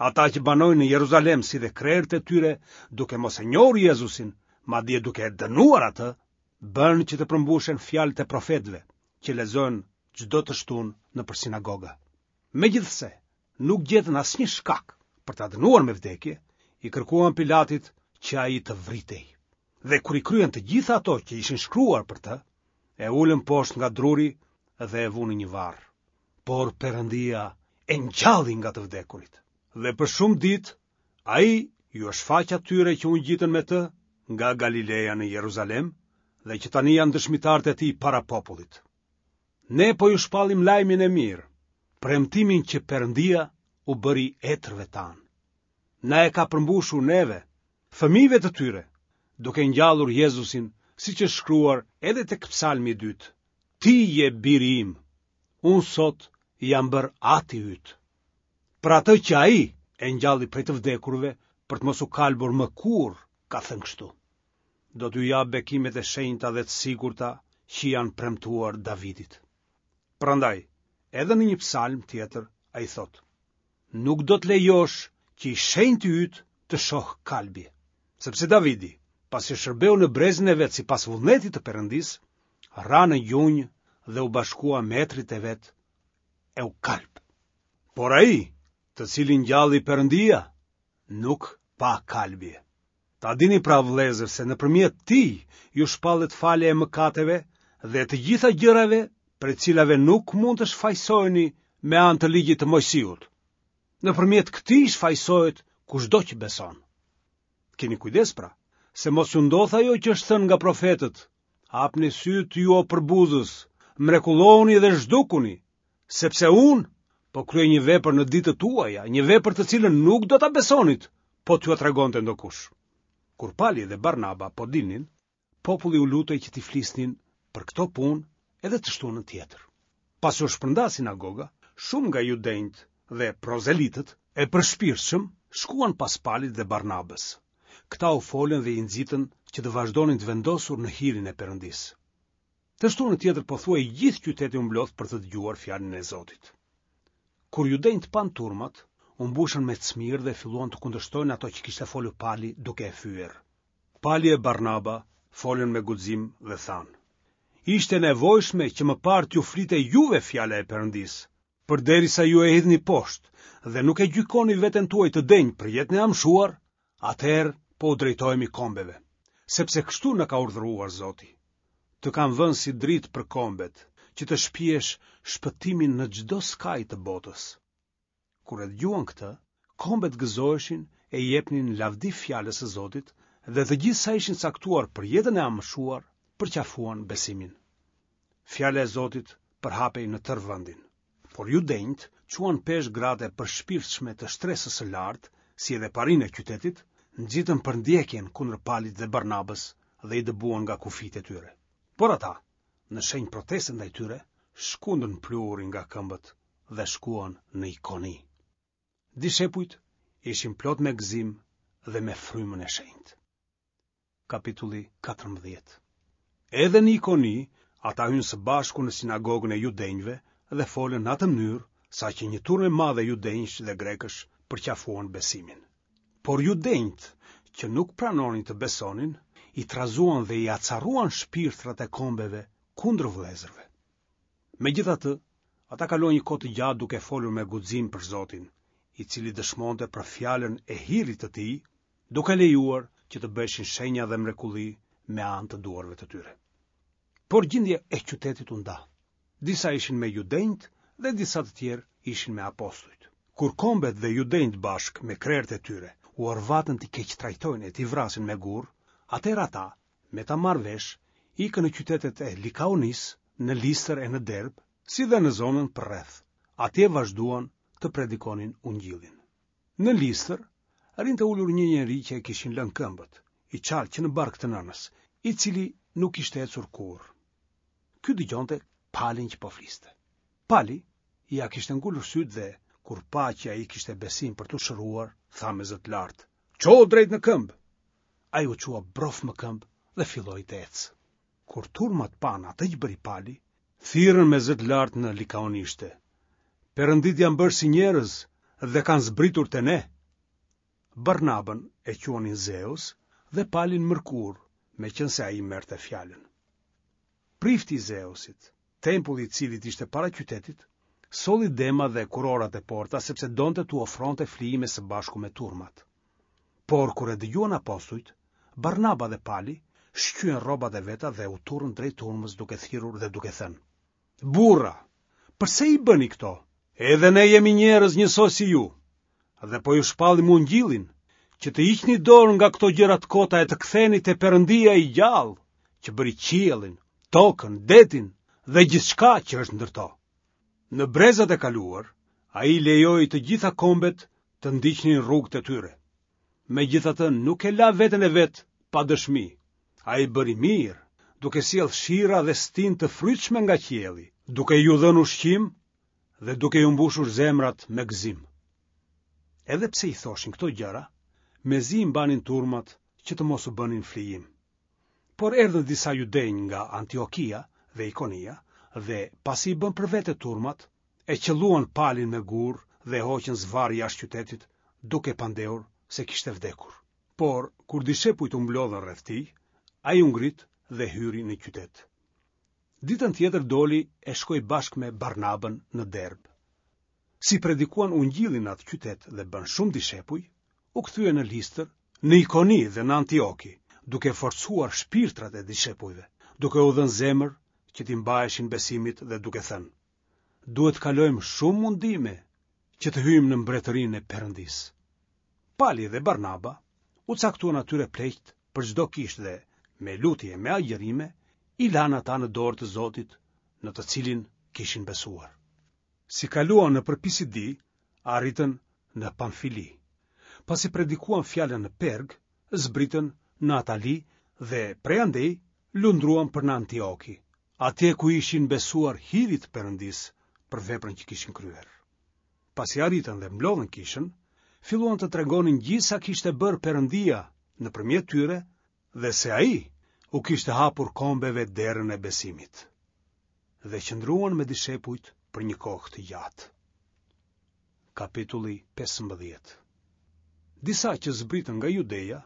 Ata që banojnë në Jeruzalem si dhe krerët e tyre, duke mos e njohur Jezusin, madje duke e dënuar atë, bënë që të përmbushen fjalët e profetëve, që lexohen çdo të shtunë nëpër sinagoga. Megjithëse nuk gjetën asnjë shkak për ta dënuar me vdekje, i kërkuan Pilatit që ai të vritej. Dhe kur i kryen të gjitha ato që ishin shkruar për të, e ulën poshtë nga druri dhe e vunë në një varr. Por Perëndia e ngjalli nga të vdekurit. Dhe për shumë ditë ai iu shfaq atyre që u ngjitën me të nga Galileja në Jeruzalem dhe që tani janë dëshmitarët e tij para popullit. Ne po ju shpallim lajmin e mirë, premtimin që Perëndia u bëri etërve tanë. Na e ka përmbushur neve, fëmijëve të tyre, duke ngjallur Jezusin, siç është shkruar edhe tek Psalmi i dytë. Ti je biri im, unë sot jam bërë ati yt. Për atë që ai e ngjalli prej të vdekurve për të mos u kalbur më kurrë, ka thënë kështu. Do t'ju jap bekimet e shenjta dhe të sigurta që i janë premtuar Davidit. Prandaj, edhe në një psalm tjetër ai thotë: Nuk do të lejosh që i shenjti yt të shohë kalbje. Sepse Davidi, pasi shërbeu në brezin e vet sipas vullnetit të Perëndisë, ra në gjunjë dhe u bashkua me etërit e vet e u kalb. Por ai, të cilin ngjalli Perëndia, nuk pa kalbje. Ta dini pra vëllezër se nëpërmjet tij ju shpallet falja e mëkateve dhe e të gjitha gjërave prej të cilave nuk mund të shfajësoheni me anë të ligjit të Moisiut. Nëpërmjet këtij shfajësohet kushdo që beson. Kini kujdes pra, se mos ju ndodhë ajo që është thënë nga profetët. Hapni sytë ju o përbuzës, mrekullohuni dhe zhdukuni, sepse unë po kryej një vepër në ditët tuaja, një vepër të cilën nuk do ta besonit, po t'jua tregonte ndokush. Kur Pali dhe Barnaba po dilnin, populli u lutej që t'i flisnin për këto punë edhe të shtunën tjetër. Pasi u shpërnda sinagoga, shumë nga judenjtë dhe prozelitët e përshpirtshëm shkuan pas Palit dhe Barnabës. Këta u folën dhe i nxitën që të vazhdonin të vendosur në hirin e Perëndisë. Të shtunën tjetër pothuaj i gjithë qyteti u mblodh për të dëgjuar fjalën e Zotit. Kur judenjtë panë turmat, u mbushën me cmirë dhe filluan të kundërshtojnë ato që kishte folur Pali duke e fyer. Pali e Barnaba folën me guxim dhe thanë: Ishte e nevojshme që më parë t'ju flitej juve fjala e Perëndisë, përderisa ju e hidhni poshtë dhe nuk e gjykoni veten tuaj të denjë për jetën e amshuar, atëherë po u drejtohemi kombeve, sepse kështu na ka urdhëruar Zoti. Të kam vënë si dritë për kombet, që të shpiesh shpëtimin në çdo skaj të botës. Kur e dëgjuan këtë, kombet gëzoheshin e i jepnin lavdi fjalës së Zotit dhe të gjithë sa ishin caktuar për jetën e amshuar, përqafuan besimin. Fjala e Zotit përhapej në tërë vendin. Por judenjtë çuan peshë gratë e përshpirtshme të shtresës së lartë, si edhe parinë e qytetit, nxitën përndjekjen kundër Palit dhe Barnabës dhe i dëbuan nga kufijtë e tyre. Por ata, në shenjë proteste ndaj tyre, shkundën pluhurin nga këmbët dhe shkuan në Ikoni. Dishepujt ishin plot me gëzim dhe me frymën e shenjtë. Kapitulli 14 Edhe në Ikoni, ata hynë së bashku në sinagogën e judenjve dhe folën në atë mënyrë, saqë një turmë e madhe judenjsh dhe grekësh përqafuan besimin. Por judenjtë, që nuk pranonin të besonin, i trazuan dhe i acaruan shpirtrat e kombeve kundër vëllezërve. Megjithatë, ata kaluan një kohë të gjatë duke folur me guxim për Zotin, i cili dëshmonte për fjalën e hirit të tij, duke lejuar që të bëheshin shenja dhe mrekulli me anë të duarve të tyre. Por gjendja e qytetit u nda. Disa ishin me judenjtë dhe disa të tjerë ishin me apostujt. Kur kombet dhe judenjtë bashkë me krerët e tyre u orvatën t'i keqtrajtojnë e t'i vrasin me gurë, atëherë ata, me ta marrë vesh, ikën në qytetet e Likaonisë, në Listër e në Derbë, si dhe në zonën përreth. Atje vazhduan të predikonin ungjillin. Në Listër rrinte ulur një njeri që e kishin lënë këmbët, i çalë që në bark të nënës, i cili nuk kishte ecur kurrë. Ky dëgjonte Palin që po fliste. Pali ia kishte ngulur sytë dhe, kur pa që ai kishte besim për t'u shëruar, tha me zë të lartë, Çohu drejt në këmbë! Ai u çua brof më këmbë dhe filloi të ecë. Kur turmat panë atë që bëri Pali, thirrën me zë të lartë në likaonishte, Perënditë janë bërë si njerëz dhe kanë zbritur te ne. Barnabën e quanin Zeus dhe Palin Mërkur, meqenëse ai merrte fjalën. Prifti i Zeusit, tempulli i të cilit ishte para qytetit, solli dema dhe kurorat e porta sepse donte t'u ofronte flijime së bashku me turmat. Por kur e dëgjuan apostujt, Barnaba dhe Pali shqyen rrobat e veta dhe u turrën drejt turmës duke thirrur dhe duke thënë: Burra, përse i bëni këto? Edhe ne jemi njerëz njësoj si ju. Dhe po ju shpallim ungjillin, që të hiqni dorë nga këto gjëra të kota e të ktheheni te Perëndia i gjallë, që bëri qiellin, tokën, detin dhe gjithçka që është ndër to. Në brezat e kaluar, ai lejoi të gjitha kombet të ndiqnin rrugët e tyre. Megjithatë nuk e la veten e vet pa dëshmi. Ai bëri mirë, duke sjellë shira dhe stinë të frytshme nga qielli, duke ju dhënë ushqim dhe duke ju mbushur zemrat me gëzim. Edhe pse i thoshin këto gjëra, mezi i mbanin turmat që të mos u bënin flijim. Por erdhën disa judenj nga Antiokia dhe Ikonia dhe, pasi i bënë për vete turmat, e qëlluan Palin me gurë dhe e hoqën zvarrë jashtë qytetit, duke pandehur se kishte vdekur. Por, kur dishepujt u mblodhën rreth tij, ai u ngrit dhe hyri në qytet. Ditën tjetër doli e shkoi bashkë me Barnabën në Derbë. Si predikuan ungjillin në atë qytet dhe bënë shumë dishepuj, u kthyen në Listër, në Ikoni dhe në Antioki, duke forcuar shpirtrat e dishepujve, duke u dhënë zemër që t'i mbaheshin besimit dhe duke thënë: Duhet të kalojmë shumë mundime që të hyjmë në mbretërinë e Perëndisë. Pali dhe Barnaba u caktuan atyre pleqtë për çdo kishë dhe me lutje e me agjërime i lanë ata në dorë të Zotit në të cilin kishin besuar. Si kaluan nëpër Pisidi, arritën në Pamfili. Pasi predikuan fjalën në Perg, zbritën në Atali dhe prej andej lundruan për në Antioki, atje ku ishin besuar hirit të Perëndisë për veprën që kishin kryer. Pasi arritën dhe mblodhën kishën, filluan të tregonin gjithë sa kishte bërë Perëndia nëpërmjet tyre dhe se ai u kishte hapur kombeve derën e besimit. Dhe qëndruan me dishepujt për një kohë të gjatë. Kapitulli 15 Disa që zbritën nga Judeja,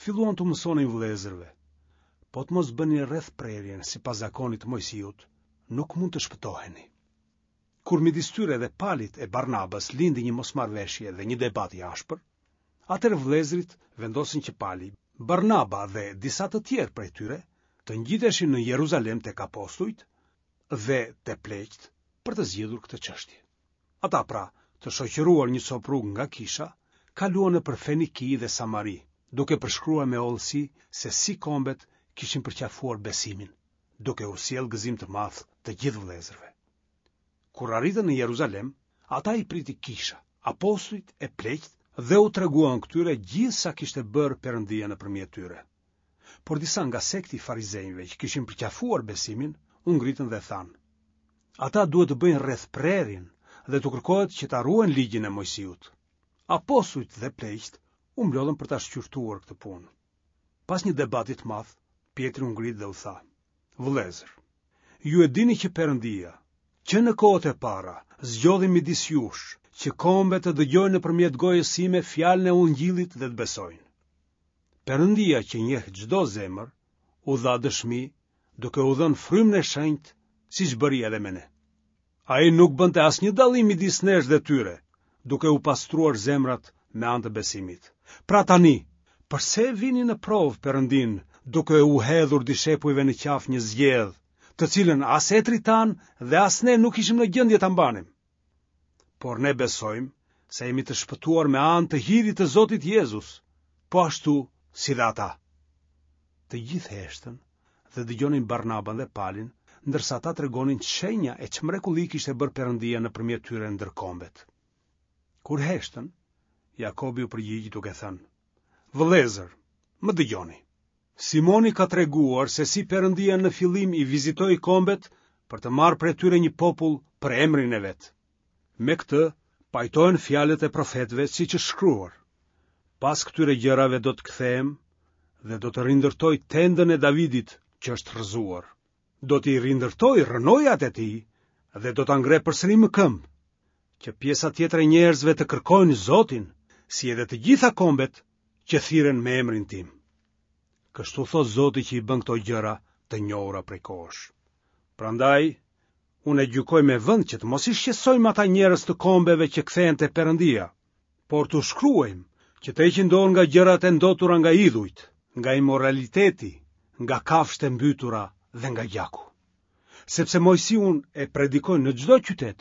filluan t'u mësonin vëllezërve, po të mos bëni rrethprerjen sipas zakonit të Moisiut, nuk mund të shpëtoheni. Kur midis tyre dhe Palit e Barnabës lindi një mosmarrëveshje dhe një debat i ashpër, atëherë vëllezërit vendosën që Pali, Barnaba dhe disa të tjerë prej tyre të ngjiteshin në Jeruzalem tek apostujt dhe te pleqtë për të zgjidhur këtë çështje. Ata pra, të shoqëruar një copë rrugë nga kisha, kaluan nëpër Feniki dhe Samari, duke përshkruar me hollësi se si kombet kishin përqafuar besimin, duke u sjellë gëzim të madh të gjithë vëllezërve. Kur arritën në Jeruzalem, ata i priti kisha, apostujt e pleqtë dhe u treguan këtyre gjithë sa kishte bërë Perëndia nëpërmjet tyre. Por disa nga sekti i farizenjve që kishin përqafuar besimin, u ngritën dhe thanë: Ata duhet të bëjnë rrethprerjen dhe t'u kërkohet që ta ruajnë ligjin e Moisiut. Apostujt dhe pleqtë u mblodhën për ta shqyrtuar këtë punë. Pas një debati të madh, Pjetri u ngrit dhe u tha: Vëllezër, ju e dini që Perëndia, që në kohët e para, zgjodhi midis jush, që kombet të dëgjojnë nëpërmjet gojës sime fjalën e Ungjillit dhe të besojnë. Perëndia që njeh çdo zemër, u dha dëshmi duke u dhënë frymën e shenjtë, siç bëri edhe me ne. Ai nuk bënte asnjë dallim midis nesh dhe tyre, duke u pastruar zemrat me anë të besimit. Pra tani, përse e vini në provë Perëndinë, duke u hedhur dishepujve në qafë një zgjedhë, të cilën as etërit tanë dhe as ne nuk ishim në gjendje ta mbanim? Por ne besojmë se jemi të shpëtuar me anë të hirit të Zotit Jezus, po ashtu si dhe ata. Të gjithë heshtën dhe dëgjonin Barnabën dhe Palin, ndërsa ata tregonin ç'shenja e ç'mrekulli kishte bërë Perëndia nëpërmjet tyre ndër kombet. Kur heshtën, Jakobi u përgjigj duke thënë: Vëllezër, më dëgjoni. Simoni ka treguar se si Perëndia në fillim i vizitoi kombet për të marrë prej tyre një popull për emrin e vet. Me këtë pajtohen fjalët e profetëve siç është shkruar. Pas këtyre gjërave do të kthehem dhe do të rindërtoj tendën e Davidit që është rrëzuar. Do t'i rindërtoj rrënojat e tij dhe do ta ngre përsëri më këmbë, që pjesa tjetër e njerëzve të kërkojnë Zotin, si edhe të gjitha kombet që thirren me emrin tim. Kështu thotë Zoti që i bën këto gjëra të njohura prej kohësh. Prandaj, unë e gjykoj me vend që të mos i shqetësojmë ata njerëz të kombeve që kthehen te Perëndia, por t'u shkruajmë që të heqin dorë nga gjërat e ndotura nga idhujt, nga imoraliteti, nga kafshët e mbytura dhe nga gjaku. Sepse Moisiun e predikojnë në çdo qytet,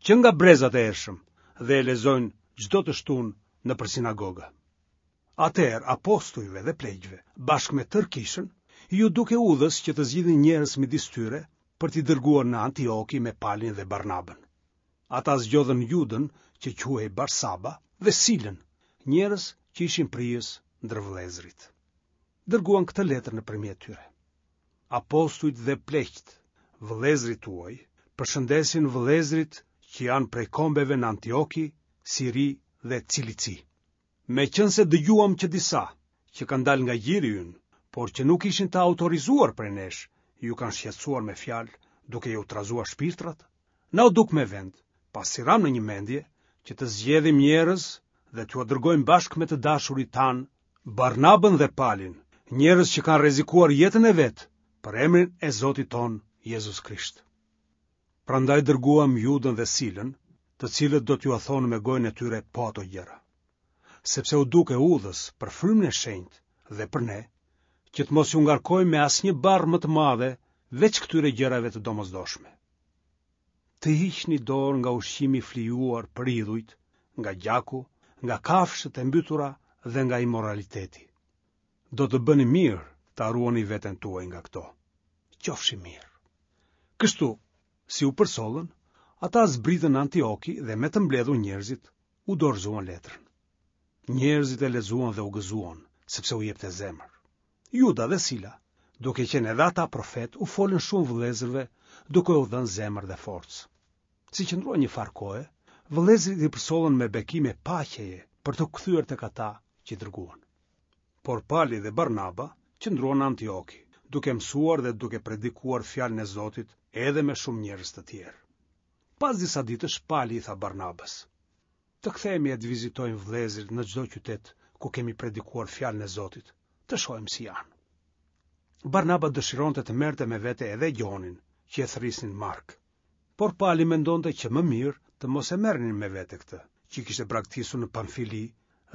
që nga brezat e hershëm, dhe e lexojnë çdo të shtunë nëpër sinagoga. Atëherë apostujve dhe pleqve, bashkë me tërë kishën, iu duk e udhës që të zgjidhnin njerëz midis tyre për t'i dërguar në Antioki me Palin dhe Barnabën. Ata zgjodhën Judën, që quhej Barsaba, dhe Silën, njerëz që ishin prijës ndër vëllezërit. Dërguan këtë letër nëpërmjet tyre. Apostujt dhe pleqtë, vëllezërit tuaj, përshëndesin vëllezërit që janë prej kombeve në Antioki, Siri dhe Cilici. Meqenëse dëgjuam që disa, që kanë dalë nga gjiri ynë, por që nuk ishin të autorizuar prej nesh, ju kanë shqetësuar me fjalë, duke ju trazuar shpirtrat, na u duk me vend, pasi ramë në një mendje, që të zgjedhim njerëz dhe t'jua dërgojmë bashkë me të dashurit tanë, Barnabën dhe Palin, njerëz që kanë rrezikuar jetën e vet për emrin e Zotit tonë Jezus Krisht. Prandaj dërguam Judën dhe Silën, të cilët do t'jua thonë me gojën e tyre po ato gjëra. Sepse u duk e udhës për frymën e shenjtë dhe për ne, që të mos ju ngarkojmë me asnjë barrë më të madhe veç këtyre gjërave të domosdoshme. Të hiqni dorë nga ushqimi i flijuar për idhujt, nga gjaku, nga kafshët e mbytura dhe nga imoraliteti. Do të bëni mirë ta ruani veten tuaj nga këto. Qofshi mirë. Kështu, si u përcollën, ata zbritën në Antioki dhe me të mbledhur njerëzit, u dorëzuan letrën. Njerëzit e lexuan dhe u gëzuan, sepse u jepte zemër. Juda dhe Sila, duke qenë edhe ata profetë, u folën shumë vëllezërve, duke u dhënë zemër dhe forcë. Si qëndruan një farë kohe, vëllezërit i përcollën me bekime paqeje për t'u kthyer tek ata që i dërguan. Por Pali dhe Barnaba qëndruan në Antioki, duke mësuar dhe duke predikuar fjalën e Zotit edhe me shumë njerëz të tjerë. Pas disa ditësh Pali i tha Barnabës: Të kthehemi e të vizitojmë vëllezërit në çdo qytet ku kemi predikuar fjalën e Zotit, të shohim si janë. Barnaba dëshironte të merrte me vete edhe Gjonin, që e thërrisnin Mark. Por Pali mendonte që më mirë të mos e merrnin me vete këtë, që i kishte braktisur në Pamfili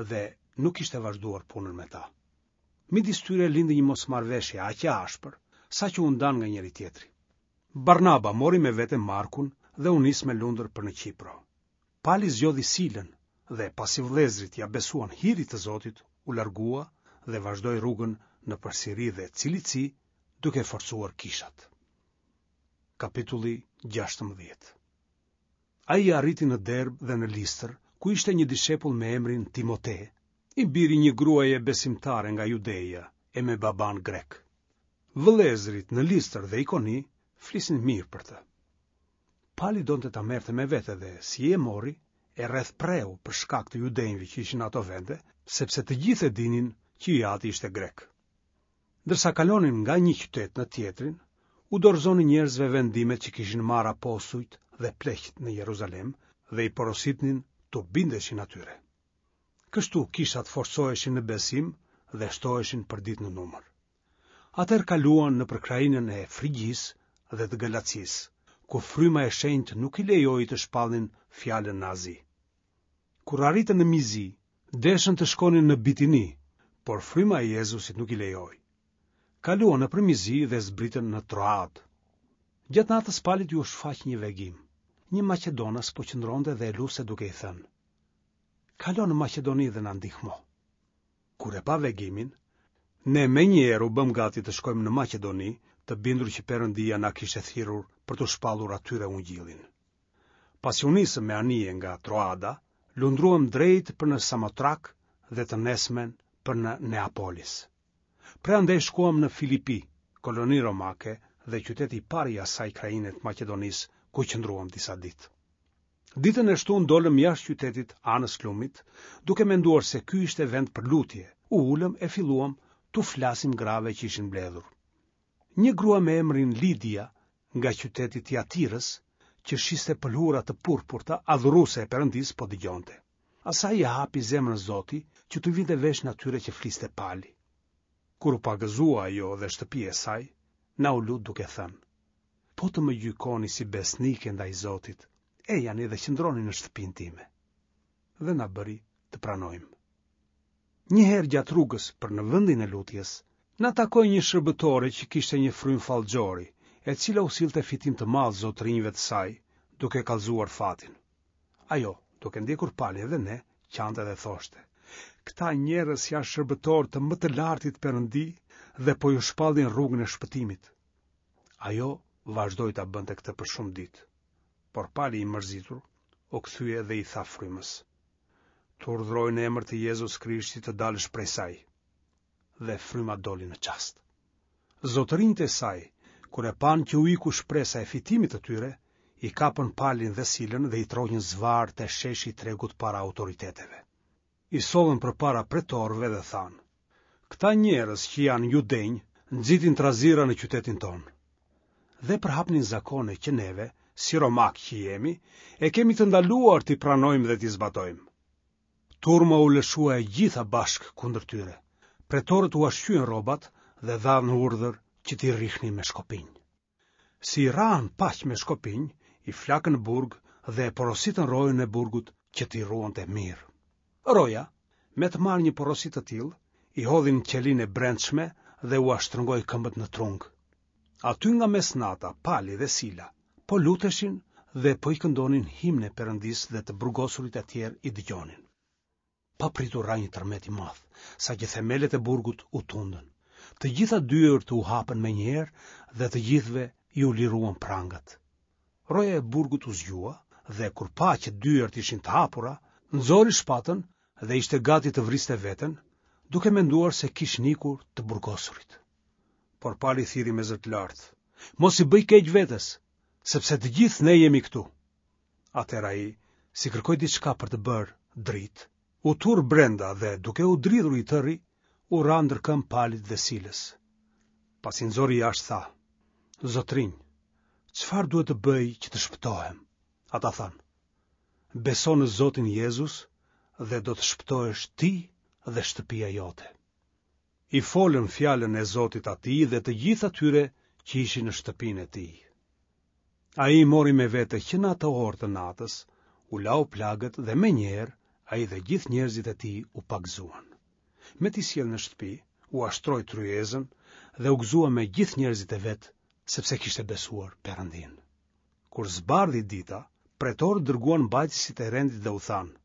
dhe nuk kishte vazhduar punën me ta. Midis tyre lindi një mosmarrëveshje aq e ashpër, saqë u ndanë nga njëri-tjetri. Barnaba mori me vete Markun dhe u nis me lundër për në Qipro. Pali zgjodhi Silën dhe, pasi vëllezërit ia besuan hirit të Zotit, u largua dhe vazhdoi rrugën nëpër Siri dhe Cilici, duke forcuar kishat. Kapitulli 16 Ai arriti në Derbë dhe në Listër, ku ishte një dishepull me emrin Timote, i biri i një gruaje besimtare nga Judeja e me babanë grek. Vëllezërit në Listër dhe Ikoni flisnin mirë për të. Pali donte ta merrte me vete dhe, si e mori, e rrethpreu për shkak të judenjve që ishin në ato vende, sepse të gjithë e dinin që i ati ishte grek. Ndërsa kalonin nga një qytet në tjetrin, u dorëzonin njerëzve vendimet që kishin marrë apostujt dhe pleqtë në Jeruzalem dhe i porositnin t'u bindeshin atyre. Kështu kishat forcoheshin në besim dhe shtoheshin përditë në numër. Atëherë kaluan nëpër krahinën e Frigjisë dhe të Galacisë, ku fryma e shenjtë nuk i lejoi të shpallnin fjalën në Azi. Kur arritën në Mizi, deshën të shkonin në Bitini, por fryma e Jezusit nuk i lejoi. Kaluan nëpër Mizi dhe zbritën në Troadë. Gjatë natës Palit iu shfaq një vegim. Një maqedonas po qëndronte dhe e luste duke i thënë: Kalo në Maqedoni dhe na ndihmo. Kur e pa vegimin, ne menjëherë u bëmë gati të shkojmë në Maqedoni, të bindur që Perëndia na kishte thirrur për t'u shpallur atyre ungjillin. Pasi u nisëm me anije nga Troada, lundruam drejt për në Samotrak dhe të nesërmen për në Neapolis. Prej andej shkuam në Filipi, koloni romake dhe qyteti i parë i asaj krahine të Maqedonisë. ku qëndruam disa ditë. Ditën e shtunë dolëm jashtë qytetit anës lumit, duke menduar se ky ishte vend për lutje, u ulëm e filluam t'u flasim grave që ishin mbledhur. Një grua me emrin Lidia nga qyteti i Tiatirës, që shiste pëlhura të purpurta, adhuruese e Perëndisë, po dëgjonte. Asaj ia hapi zemrën Zoti që t'u vinte veshin atyre që fliste Pali. Kur u pagëzua ajo dhe shtëpia e saj, na u lut duke thënë: Po të më gjykoni si besnike ndaj Zotit, ejani dhe qëndroni në shtëpinë time. Dhe na bëri të pranojmë. Një herë gjatë rrugës për në vendin e lutjes, na takoi një shërbëtore që kishte një frymë fallxhori, e cila u sillte fitim të madh zotërinjve të saj, duke kallëzuar fatin. Ajo, duke ndjekur Palin dhe ne, qante dhe thoshte: Këta njerëz janë shërbëtorë të më të lartit Perëndi dhe po ju shpallin rrugën e shpëtimit. Ajo vazhdoi ta bënte këtë për shumë ditë. Por Pali i mërzitur u kthye dhe i tha frymës: Të urdhëroj në emër të Jezus Krishtit të dalësh prej saj. Dhe fryma doli në çast. Zotërinjtë e saj, kur e panë që u iku shpresa e fitimit të tyre, i kapën Palin dhe Silën dhe i tërhoqën zvarrë te sheshi i tregut para autoriteteve. I sollën përpara pretorëve dhe thanë, Këta njerëz që janë judenj, nxitin trazira në qytetin tonë. Dhe përhapnin zakone që neve, si romakë që jemi, e kemi të ndaluar t'i pranojmë dhe t'i zbatojmë. Turma u lëshua e gjitha bashkë kundër tyre. Pretorët ua shqyen rrobat dhe dhanë urdhër që t'i rrihnin me shkopinj. Si i rrahën paq me shkopinj, i flakën në burg dhe e porositën rojën e burgut që t'i ruante mirë. Roja, me të marrë një porosi të tillë, i hodhi në qelinë e brendshme dhe ua shtrëngoi këmbët në trung. Aty nga mesnata, Pali dhe Sila po luteshin dhe po i këndonin himne Perëndisë dhe të burgosurit e tjerë i dëgjonin. Papritur ra një tërmet i madh, saqë themelet e burgut u tundën. Të gjitha dyert u hapën menjëherë dhe të gjithëve iu liruan prangat. Roja e burgut u zgjua dhe kur pa që dyert ishin të hapura, nxori shpatën dhe ishte gati të vriste veten, duke menduar se kishin ikur të burgosurit. Por Pali thirri me zë të lartë: Mos i bëj keq vetes, sepse të gjithë ne jemi këtu. Atëherë ai, si kërkoi diçka për të bërë dritë, u turr brenda dhe duke u dridhur i tëri, u ra ndër këmbë Palit dhe Silës. Pasi i nxori jashtë tha: Zotërinj, çfarë duhet të bëj që të shpëtohem? Ata thanë: Beso në Zotin Jezus dhe do të shpëtohesh ti dhe shtëpia jote. I folën fjalën e Zotit atij dhe të gjithë atyre që ishin në shtëpinë e tij. Ai i mori me vete që në atë orë të natës, u lau plagët dhe menjëherë ai dhe gjithë njerëzit e tij u pagëzuan. Me t'i sjellë në shtëpi, ua shtroi tryezën dhe u gëzua me gjithë njerëzit e vet, sepse kishte besuar Perëndinë. Kur zbardhi dita, pretorët dërguan mbajtësit e rendit dhe u thanë: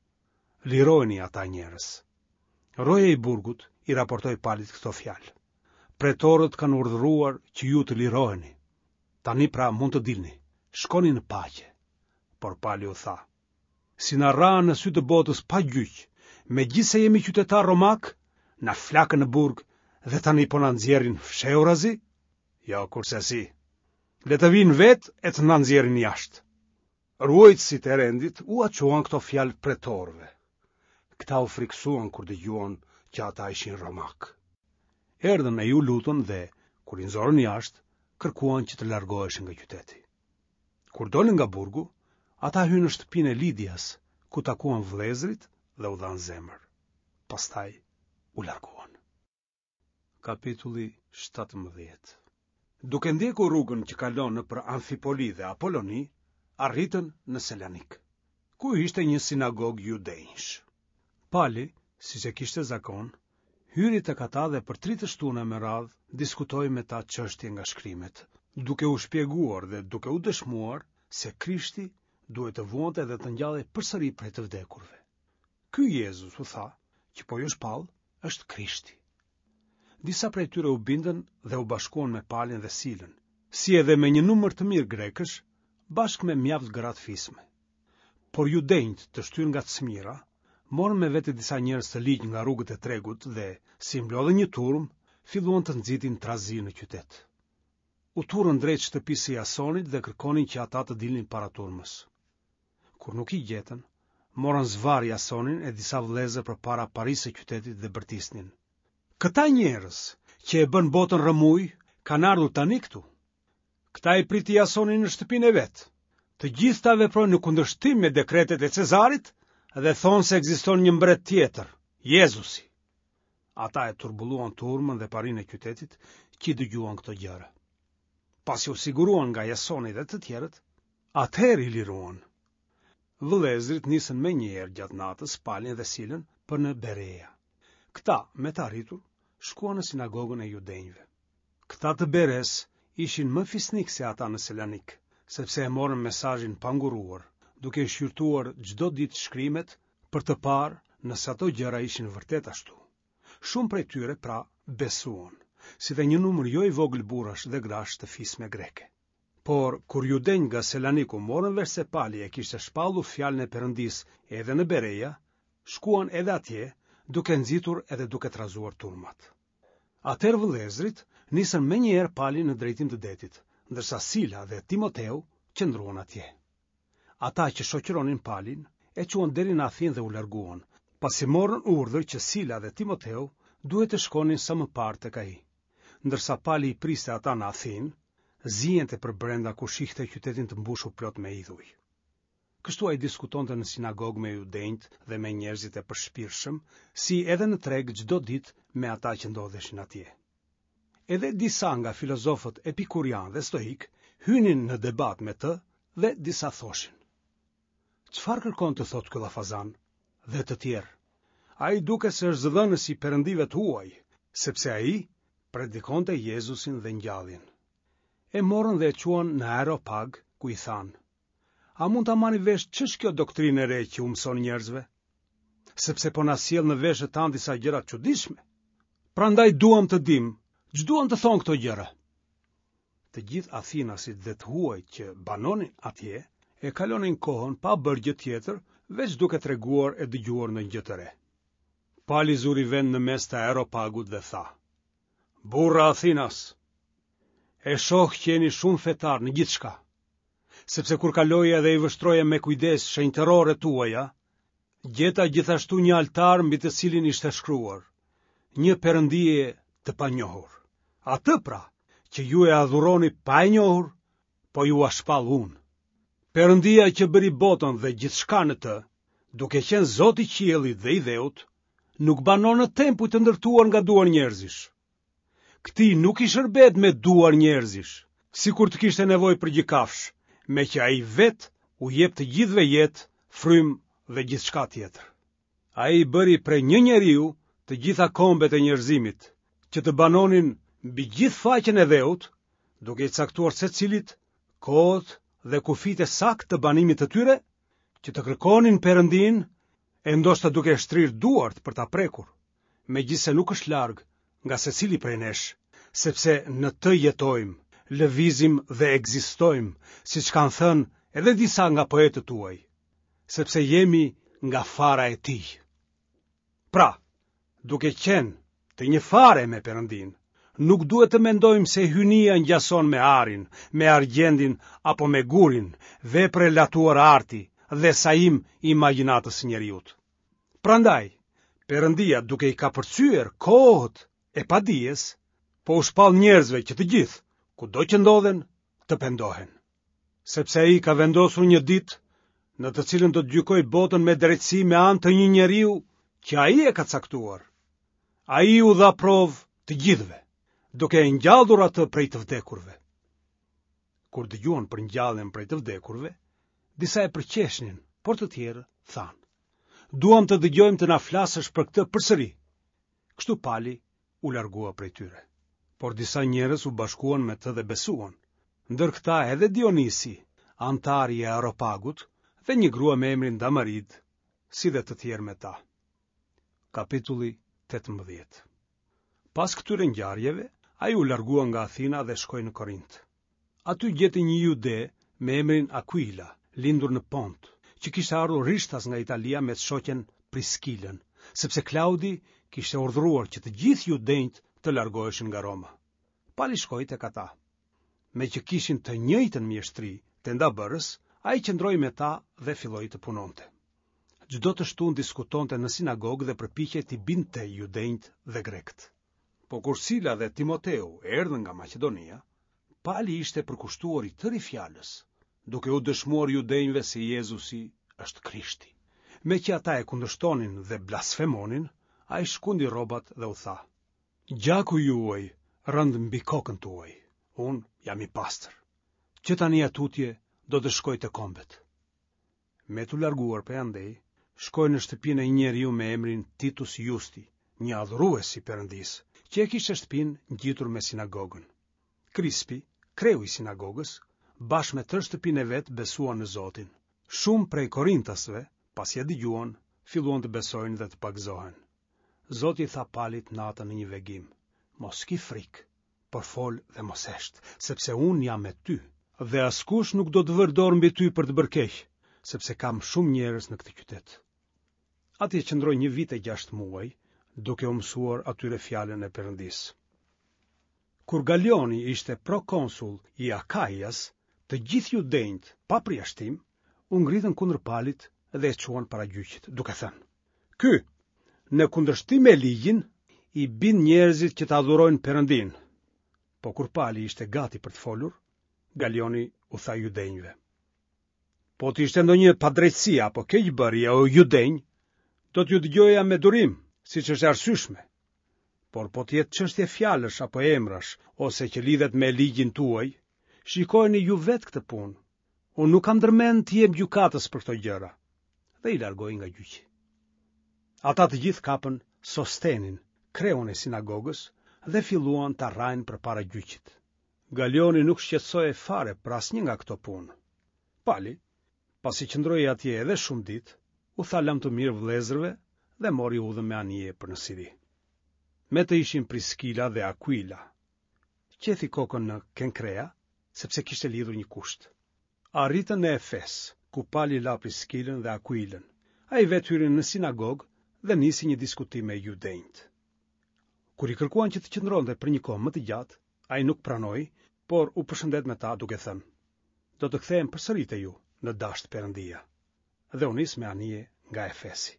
Lirojini ata njerëz. Roja i burgut i raportoi Palit këto fjalë. Pretorët kanë urdhëruar që ju të liroheni. Tani pra mund të dilni, shkoni në paqe. Por Pali u tha, si na rrahën në sy të botës pa gjyq, megjithëse jemi qytetarë romakë, na flakën në burg dhe tani po na nxjerrin fshehurazi? Jo, kurrsesi. Le të vijnë vetë e të na nxjerrin jashtë. Ruajtësit e rendit ua çuan këto fjalë pretorëve. Këta u frikësuan kur dëgjuan që ata ishin romakë. Erdhën e iu lutën dhe, kur i nxorën jashtë, kërkuan që të largoheshin nga qyteti. Kur dolën nga burgu, ata hynë në shtëpinë e Lidias, ku takuan vëllezërit dhe u dhanë zemër. Pastaj u larguan. Kapitulli 17 Duke ndjekur rrugën që kalon nëpër Amfipoli dhe Apoloni, arritën në Selanik, ku ishte një sinagogë judenjsh. Pali, siç e kishte zakon, hyri tek ata dhe për tri të shtuna me radhë diskutoi me ta çështje nga shkrimet, duke u shpjeguar dhe duke u dëshmuar se Krishti duhej të vuante dhe të ngjallej përsëri prej të vdekurve. Ky Jezus, u tha, që po ju shpall, është Krishti. Disa prej tyre u bindën dhe u bashkuan me Palin dhe Silën, si edhe me një numër të mirë grekësh, bashkë me mjaft gra të fisme. Por judenjtë, të shtyrë nga cmira, morën me vete disa njerëz të ligj nga rrugët e tregut dhe, si mblodhën një turmë, filluan të nxitin trazirë në qytet. U turrën drejt shtëpisë së Jasonit dhe kërkonin që ata të dilnin para turmës. Kur nuk i gjetën, morën zvarrë Jasonin e disa vëllezër përpara parisë së qytetit dhe bërtisnin. Këta njerëz që e bënë botën rrëmujë kanë ardhur tani këtu. Këta i priti Jasoni në shtëpinë e vet. Të gjithë këta veprojnë në kundërshtim me dekretet e Cezarit dhe thonë se ekziston një mbret tjetër, Jezusi. Ata e turbulluan turmën dhe parinë e qytetit që i dëgjuan këto gjëra. Pasi u siguruan nga Jasoni dhe të tjerët, atëherë i liruan. Vëllezërit nisën menjëherë gjatë natës Palin dhe Silën për në Berea. Këta, me të arritur, shkuan në sinagogën e judenjve. Këta të Beresë ishin më fisnikë se ata në Selanik, sepse e morën mesazhin pa ngurruar, duke i shqyrtuar çdo ditë shkrimet për të parë nëse ato gjëra ishin vërtet ashtu. Shumë prej tyre, pra, besuan, si dhe një numër jo i vogël burrash dhe grash të fisme greke. Por, kur judenjtë nga Selaniku morën vesh se Pali e kishte shpallur fjalën e Perëndisë edhe në Bereja, shkuan edhe atje, duke nxitur edhe duke trazuar turmat. Atëherë vëllezërit nisën menjëherë Palin në drejtim të detit, ndërsa Sila dhe Timoteu qëndruan atje. Ata që shoqëronin Palin e çuan deri në Athinë dhe u larguan, pasi morën urdhër që Sila dhe Timoteu duhet të shkonin sa më parë tek ai. Ndërsa Pali i priste ata në Athinë, ziente përbrenda kur shihte qytetin të mbushur plot me idhuj. Kështu ai diskutonte në sinagogë me judenjtë dhe me njerëzit e përshpirtshëm, si edhe në treg çdo ditë me ata që ndodheshin atje. Edhe disa nga filozofët epikurianë dhe stoikë hynin në debat me të dhe disa thoshin: Çfarë kërkon të thotë ky llafazan? Dhe të tjerë. Ai duket se është zëdhënës i perëndive të huaj, sepse ai predikonte Jezusin dhe ngjalljen. E morën dhe e çuan në Areopag, ku i thanë: A mund ta marrim vesh ç'është kjo doktrinë e re që u mëson njerëzve? Sepse po na sjell në veshët tanë disa gjëra të çuditshme. Prandaj duam të dimë, ç'duan të thonë këto gjëra. Të gjithë athinasit dhe të huajt që banonin atje e kalonin kohën pa bërë gjë tjetër, veç duke treguar e dëgjuar ndonjë gjë të re. Pali zuri vend në mes të Areopagut dhe tha: Burra athinas, e shoh që jeni shumë fetarë në gjithçka, sepse kur kaloja dhe i vështroja me kujdes shenjtëroret tuaja, gjeta gjithashtu një altar mbi të cilin ishte shkruar, një perëndie të panjohur. Atë pra, që ju e adhuroni pa e njohur, po jua shpall unë. Perëndia që bëri botën dhe gjithçka në të, duke qenë Zot i qiellit dhe i dheut, nuk banon në tempuj të ndërtuar nga duar njerëzish. Këtij nuk i shërbehet me duar njerëzish, sikur të kishte nevojë për gjë kafshë, meqë ai vetë u jep të gjithëve jetë, frymë dhe gjithçka tjetër. Ai i bëri prej një njeriu të gjitha kombet e njerëzimit, që të banonin mbi gjithë faqen e dheut, duke i caktuar secilit kohët dhe kufijtë e saktë të banimit të tyre, që të kërkonin Perëndinë e ndoshta duke shtrirë duart për ta prekur. megjithëse nuk është larg nga secili prej nesh, sepse në të jetojmë, lëvizim dhe ekzistojmë, siç kanë thënë edhe disa nga poetët tuaj, sepse jemi nga fara e tij. Pra, duke qenë të një fare me Perëndinë, nuk duhet të mendojmë se hyjnia ngjason me arin, me argjendin apo me gurin, vepër e latuar arti dhe sajim i imagjinatës së njeriut. Prandaj, Perëndia duke i kapërcyer kohët e padijes, po u shpall njerëzve që të gjithë, kudo që ndodhen, të pendohen. Sepse ai ka vendosur një ditë në të cilën do të gjykojë botën me drejtësi me anë të një njeriu që ai e ka caktuar. Ai u dha provë të gjithëve, duke e ngjallur atë prej të vdekurve. Kur dëgjuan për ngjalljen prej të vdekurve, disa e përqeshnin, por të tjerë thanë: Duam të dëgjojmë të na flasësh për këtë përsëri. Kështu Pali u largua prej tyre. Por disa njerëz u bashkuan me të dhe besuan. Ndër këta edhe Dionisi, anëtar i Areopagut, dhe një grua me emrin Damarid, si dhe të tjerë me ta. Kapitulli 18 Pas këtyre ngjarjeve, ai u largua nga Athina dhe shkoi në Korint. Aty gjeti një jude me emrin Akuila, lindur në Pont, që kishte ardhur rishtas nga Italia me të shoqen Priskilën, sepse Klaudi kishte urdhëruar që të gjithë judenjtë të largoheshin nga Roma. Pali shkoi tek ata. Meqë kishin të njëjtën mjeshtri tendabërës, ai qëndroi me ta dhe filloi të punonte. Çdo të shtunë diskutonte në sinagogë dhe përpiqej t'i bindte judenjtë dhe grekët. Po kur Sila dhe Timoteu erdhën nga Maqedonia, Pali ishte përkushtuar i tëri fjalës, duke u dëshmuar judenjve se Jezusi është Krishti. Meqë ata e kundërshtonin dhe blasfemonin, ai shkundi rrobat dhe u tha: Gjaku juaj rëntë mbi kokën tuaj, unë jam i pastër. Që tani e tutje do të shkoj te kombet. Me t'u larguar prej andej, shkoi në shtëpinë e një njeriu me emrin Titus Justi, një adhurues i Perëndisë, që e kishte shtëpinë ngjitur me sinagogën. Krispi, kreu i sinagogës, bashkë me tërë shtëpinë e vet besuan në Zotin. Shumë prej korintasve, pasi e dëgjuan, filluan të besojnë dhe të pagëzohen. Zoti i tha Palit natën në një vegim, Mos ki frikë, por fol dhe mos hesht, sepse unë jam me ty, dhe askush nuk do të vërë dorë mbi ty për të bërë keq, sepse kam shumë njerëz në këtë qytet. Atje qëndroi një vit e gjashtë muaj, duke u mësuar atyre fjalën e Perëndisë. Kur Galioni ishte prokonsull i Akaias, të gjithë judenjtë, pa përjashtim, u ngritën kundër Palit dhe e çuan para gjyqit, duke thënë: Ky, në kundërshtim me ligjin, i bind njerëzit që të adhurojnë Perëndinë. Po kur Pali ishte gati për të folur, Galioni u tha judenjve. Po të ishte ndonjë padrejtësi apo keqbërje o judenj, do t'ju dëgjoja me durim, siç është e arsyeshme. Por po të jetë çështje fjalësh apo emrash, ose që lidhet me ligjin tuaj, shikojeni ju vetë këtë punë. Unë nuk kam ndërmend të jem gjykatës për këto gjëra. Dhe i largoi nga gjyqi. Ata të gjithë kapën Sostenin, kreun e sinagogës, dhe filluan ta rrahin përpara gjyqit. Galioni nuk shqetësohej fare për asnjë nga këto punë. Pali, pasi qëndroi atje edhe shumë ditë, u tha lamtumirë vëllezërve dhe mori udhën me anije për në Siri. Me të ishin Priskila dhe Akuila. Qethi kokën në Kenkrea, sepse kishte lidhur një kusht. Arritën në Efes, ku Pali la Priskilën dhe Akuilën. Ai vetë hyri në sinagogë dhe nisi një diskutim me judenjtë. Kur i kërkuan që të qëndronte për një kohë më të gjatë, ai nuk pranoi, por u përshëndet me ta duke thënë: Do të kthehem përsëri te ju, në dashtë Perëndia. Dhe u nis me anije nga Efesi.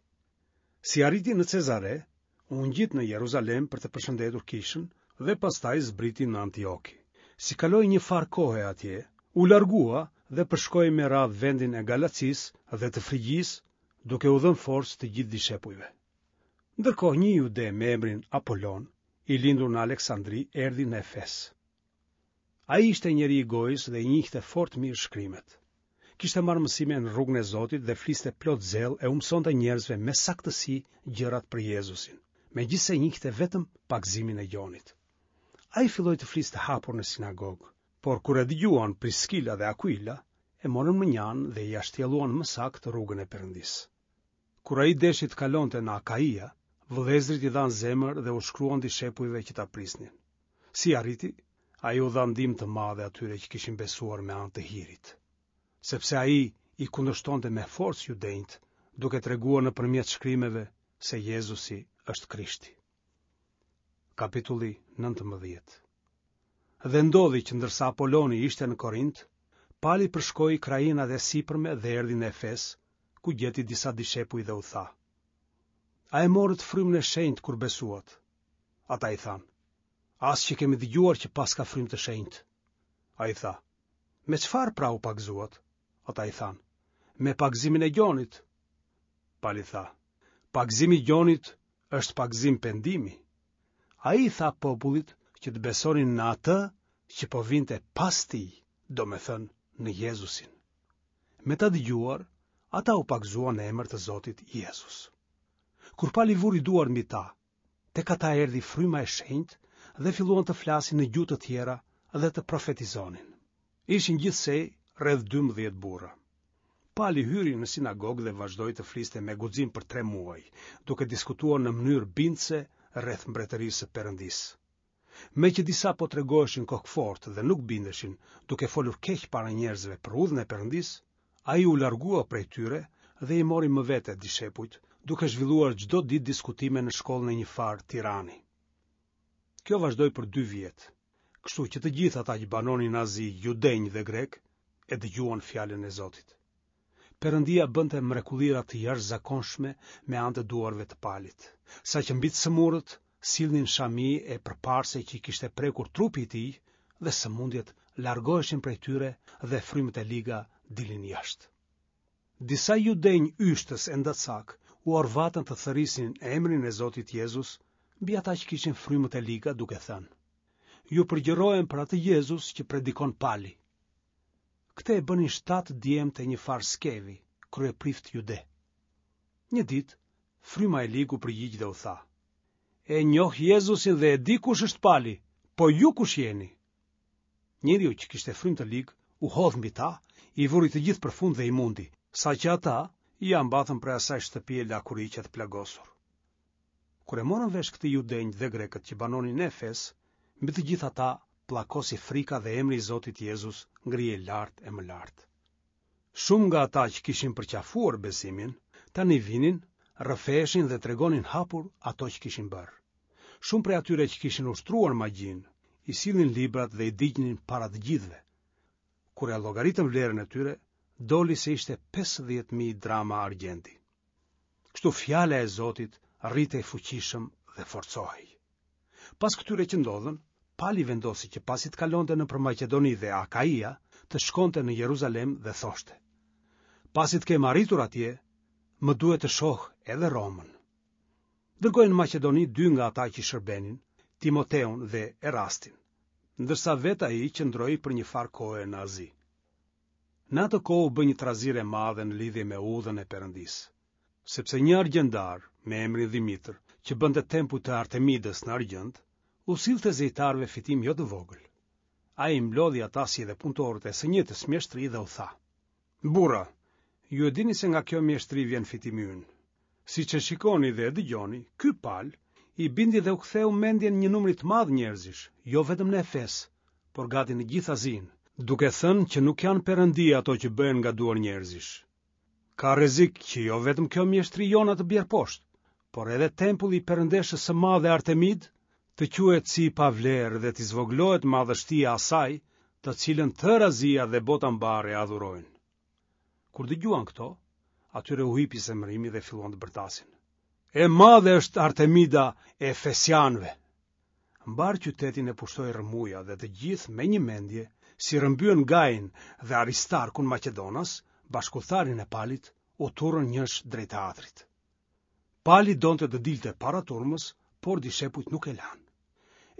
Si arriti në Cezare, u ngjit në Jeruzalem për të përshëndetur kishën dhe pastaj zbriti në Antioki. Si kaloi një farë kohe atje, u largua dhe përshkoi me radhë vendin e Galacisë dhe të Frigjisë, duke u dhënë forcë të gjithë dishepujve. Ndërkohë një jude me emrin Apolon, i lindur në Aleksandri, erdhi në Efes. Ai ishte njeri i gojës dhe i njihte fort mirë shkrimet. Kishte marrë mësime në rrugën e Zotit dhe fliste plot zell e u mësonte njerëzve me saktësi gjërat për Jezusin, megjithëse njihte vetëm pagëzimin e Gjonit. Ai filloi të fliste hapur në sinagogë, por kur e dëgjuan Priskila dhe Akuila, e morën mënjanë dhe ia shtjelluan më saktë rrugën e Perëndisë. Kur ai deshi të kalonte në Akaia, vëllezërit i dhanë zemër dhe u shkruan dishepujve që ta prisnin. Si arriti, ai u dha ndihmë të madhe atyre që kishin besuar me anë të hirit. Sepse ai i kundërshtonte me forcë judenjtë, duke treguar nëpërmjet shkrimeve se Jezusi është Krishti. Kapitulli 19 Dhe ndodhi që ndërsa Apoloni ishte në Korint, Pali përshkoi krahinat e sipërme dhe erdhi në Efes, ku gjeti disa dishepuj dhe u tha: A e morët frymën e shenjtë kur besuat? Ata i thanë: As që kemi dëgjuar që paska frymë të shenjtë. Ai tha: Me çfarë pra u pagëzuat? Ata i thanë: Me pagëzimin e Gjonit. Pali tha: Pagëzimi i Gjonit është pagëzim pendimi. Ai i tha popullit që të besonin në atë që po vinte pas tij, domethënë në Jezusin. Me ta dëgjuar, ata u pagëzuan në emër të Zotit Jezus. Kur Pali vuri duart mbi ta, tek ata erdhi fryma e shenjtë dhe filluan të flasin në gjuhë të tjera dhe të profetizonin. Ishin gjithsej rreth 12 burra. Pali hyri në sinagogë dhe vazhdoi të fliste me guxim për tre muaj, duke diskutuar në mënyrë bindëse rreth mbretërisë së Perëndisë. Meqë disa po tregoheshin kokëfortë dhe nuk bindeshin, duke folur keq para njerëzve për udhën e Perëndisë, ai u largua prej tyre dhe i mori më vete dishepujt, duke zhvilluar çdo ditë diskutime në shkollën e një farë tirani. Kjo vazhdoi për dy vjet. Kështu që të gjithë ata që banonin në Azi, judenj dhe grekë, e dëgjuan fjalën e Zotit. Perëndia bënte mrekullira të jashtëzakonshme me anë të duarve të Palit, saqë mbi të sëmurët sillnin shami e përparëse që i kishte prekur trupi i tij dhe sëmundjet largoheshin prej tyre dhe frymët e liga dilnin jashtë. Disa judenj yshtës endacakë u orvatën të thërrisnin emrin e Zotit Jezus mbi ata që kishin frymët e liga duke thënë: Ju përgjërohem për atë Jezus që predikon Pali. Këtë e bënin shtatë djemtë e njëfarë Skevi, kryeprift jude. Një ditë, fryma e ligë u përgjigj dhe u tha: E njoh Jezusin dhe e di kush është Pali, po ju kush jeni? Njeriu që kishte frymë të ligë u hodh mbi ta, i vuri të gjithë përfund dhe i mundi, saqë ata ia mbathën prej asaj shtëpie lakuriq e të plagosur. Kur e morën vesh këtë judenjtë dhe grekët që banonin në Efes, mbi të gjithë ata pllakosi frika dhe emri i Zotit Jezus ngrihej lart e më lart. Shumë nga ata që kishin përqafuar besimin, tani vinin, rrëfeheshin dhe tregonin hapur ato që kishin bërë. Shumë prej atyre që kishin ushtruar magjinë, i sillnin librat dhe i digjnin para të gjithëve. Kur e llogaritën vlerën e tyre, doli se ishte 50.000 drama argjendi. Kështu fjala e Zotit rritej fuqishëm dhe forcohej. Pas këtyre që ndodhën, Pali vendosi që pasi të kalonte nëpër Maqedoni dhe Akaia, të shkonte në Jeruzalem dhe thoshte: Pasi të kem arritur atje, më duhet të shoh edhe Romën. Dërgoi në Maqedoni dy nga ata që i shërbenin, Timoteun dhe Erastin, ndërsa vetë ai qëndroi për një farë kohe në Azi. Në atë kohë u bë një trazirë e madhe në lidhje me udhën e Perëndisë. Sepse një argjendar, me emrin Dhimitër, që bënte tempuj të Artemidës në argjend, u sillte zejtarëve fitim jo të vogël. Ai i mblodhi ata si edhe punëtorët e së njëjtës mjeshtri dhe u tha: Burra, ju e dini se nga kjo mjeshtri vjen fitimi ynë. Siç e shikoni dhe e dëgjoni, ky Pal i bindi dhe u ktheu mendjen një numri të madh njerëzish, jo vetëm në Efes, por gati në gjithë Azinë, duke thënë që nuk janë perëndi ato që bëhen nga duar njerëzish. Ka rrezik që jo vetëm kjo mjeshtri jona të bjerë poshtë, por edhe tempulli i perëndeshës së madhe Artemidë të quhet si i pavlerë dhe t'i zvogëlohet madhështia asaj, të cilën tërë Azia dhe bota mbarë e adhurojnë. Kur dëgjuan këto, atyre u hipi zemërimi dhe filluan të bërtasin. E madhe është Artemida e Efesianëve! Mbarë qytetin e pushtoi rrëmuja dhe të gjithë me një mendje, si rrëmbyen Gajin dhe Aristarkun maqedonas, bashkudhëtarin e Palit, u turrën njësh drejt teatrit. Pali donte të dilte para turmës, por dishepujt nuk e lanë.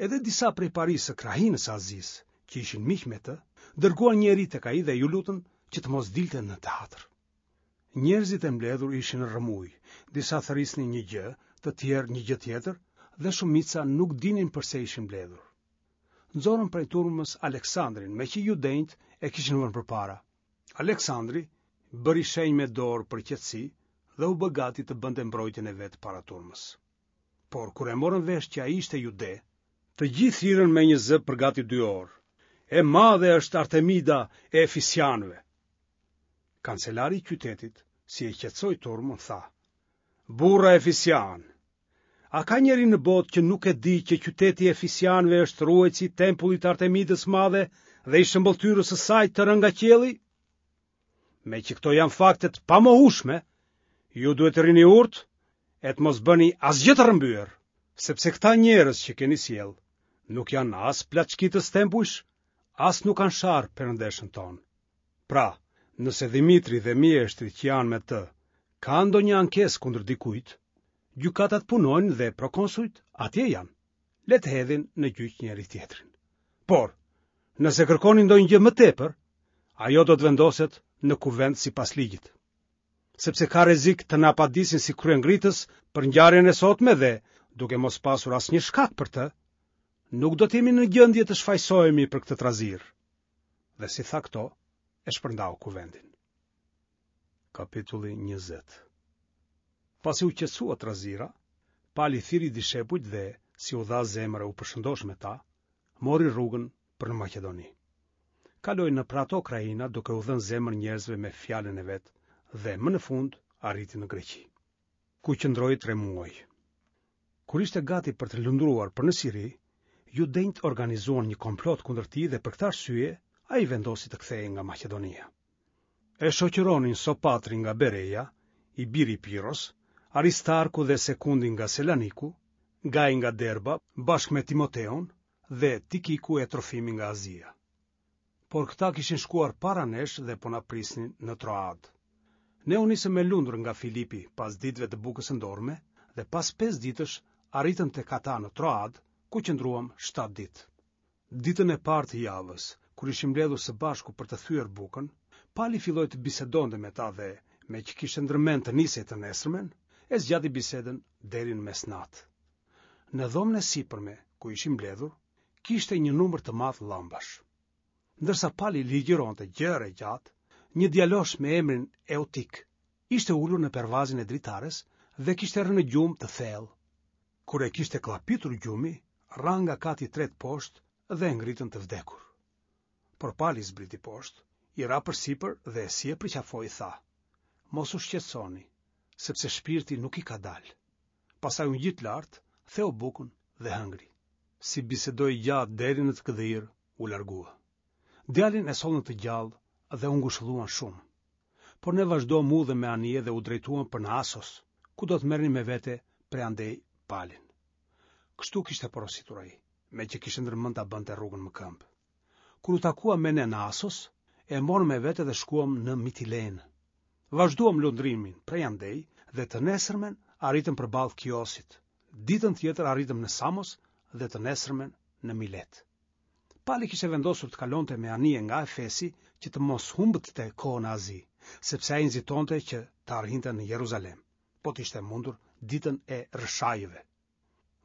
Edhe disa prej parisë së krahinës së Azisë, që ishin miq me të, dërguan njeri tek ai dhe iu lutën që të mos dilte në teatr. Njerëzit e mbledhur ishin në rrëmujë, disa thërrisnin një gjë, të tjerë një gjë tjetër dhe shumica nuk dinin përse ishin mbledhur. Nxorën prej turmës Aleksandrin, meqë judenjtë e kishin vënë përpara. Aleksandri bëri shenjë me dorë për qetësi dhe u bë gati të bënte mbrojtjen e vet para turmës. Por kur e morën vesh që ai ishte jude, të gjithë thirrën me një zë për gati dy orë. E madhe është Artemida e Efesianëve. Kancelari i qytetit, si e qetësoi turmën, tha: Burra efesianë, a ka njeri në botë që nuk e di që qyteti i Efesianëve është ruajtësi i tempullit të Artemidës së madhe dhe i shëmbëlltyrës së saj të rënë nga qielli? Meqë këto janë fakte të pamohueshme, ju duhet të rrini urtë e të mos bëni asgjë të rrëmbyer, sepse këta njerëz që keni sjellë nuk janë as plaçkitës tempujsh, as nuk kanë sharë perëndeshën tonë. Pra, nëse Dhimitri dhe mjeshtrit që janë me të kanë ndonjë ankesë kundër dikujt, gjykatat punojnë dhe prokonsujt atje janë. Le të hedhin në gjyq njëri-tjetrin. Por, nëse kërkoni ndonjë gjë më tepër, ajo do të vendoset në kuvend sipas ligjit. Sepse ka rrezik të na padisin si kryengritës për ngjarjen e sotme dhe, duke mos pasur asnjë shkak për të, nuk do të jemi në gjendje të shfajësohemi për këtë trazirë. Dhe si tha këto, e shpërndau kuvendin. Kapitulli 20 Pasi u qetësua trazira, Pali thirri dishepujt dhe, si u dha zemër e u përshëndosh me ta, mori rrugën për në Maqedoni. Kaloi nëpër ato krahina duke u dhënë zemër njerëzve me fjalën e vet dhe më në fund arriti në Greqi, ku qëndroi tre muaj. Kur ishte gati për të lundruar për në Siri, Judenjtë organizuan një komplot kundër tij dhe për këtë arsye ai vendosi të kthehej nga Maqedonia. E shoqëronin Sopatri nga Bereja, i biri i Piros, Aristarku dhe Sekundi nga Selaniku, Gai nga Derba bashkë me Timoteun dhe Tikiku e Trofimi nga Azia. Por këta kishin shkuar para nesh dhe po na prisnin në Troadë. Ne u nisëm me lundër nga Filipi pas ditëve të bukës së ndorme dhe pas pesë ditësh arritëm tek ata në Troadë, ku qëndruam shtatë ditë. Ditën e parë të javës, kur ishim mbledhur së bashku për të thyer bukën, Pali filloi të bisedonte me ta dhe, meqë kishte ndërmend të nisej të nesërmen, e zgjati bisedën deri në mesnatë. Në dhomën e sipërme, ku ishim mbledhur, kishte një numër të madh llambash. Ndërsa Pali ligjëronte gjerë e gjatë, një djalosh me emrin Eutik ishte ulur në pervazin e dritares dhe kishte rënë në gjumë të thellë. Kur e kishte kllapitur gjumi, ra nga kati i tretë poshtë dhe e ngritën të vdekur. Por Pali zbriti poshtë, i ra përsipër dhe si e përqafoi tha: Mos u shqetësoni, sepse shpirti nuk i ka dalë. Pastaj u ngjit lart, theu bukën dhe hëngri. Si bisedoi gjatë deri në të gdhirë, u largua. Djalin e sollën të gjallë dhe u ngushëlluan shumë. Por ne vazhduam udhën me anije dhe u drejtuam për në Asos, ku do të merrnim me vete prej andej Palin. Kështu kishte porositur ai, meqë kishte ndërmend ta bënte rrugën më këmbë. Kur u takua me ne në Asos, e morëm me vete dhe shkuam në Mitilenë. Vazhduam lundrimin prej andej dhe të nesërmen arritëm përballë Kiosit. Ditën tjetër arritëm në Samos dhe të nesërmen në Milet. Pali kishte vendosur të kalonte me anije nga Efesi që të mos humbte kohë në Azi, sepse ai nxitonte që të arrinte në Jeruzalem, po të ishte e mundur ditën e Rrëshajëve.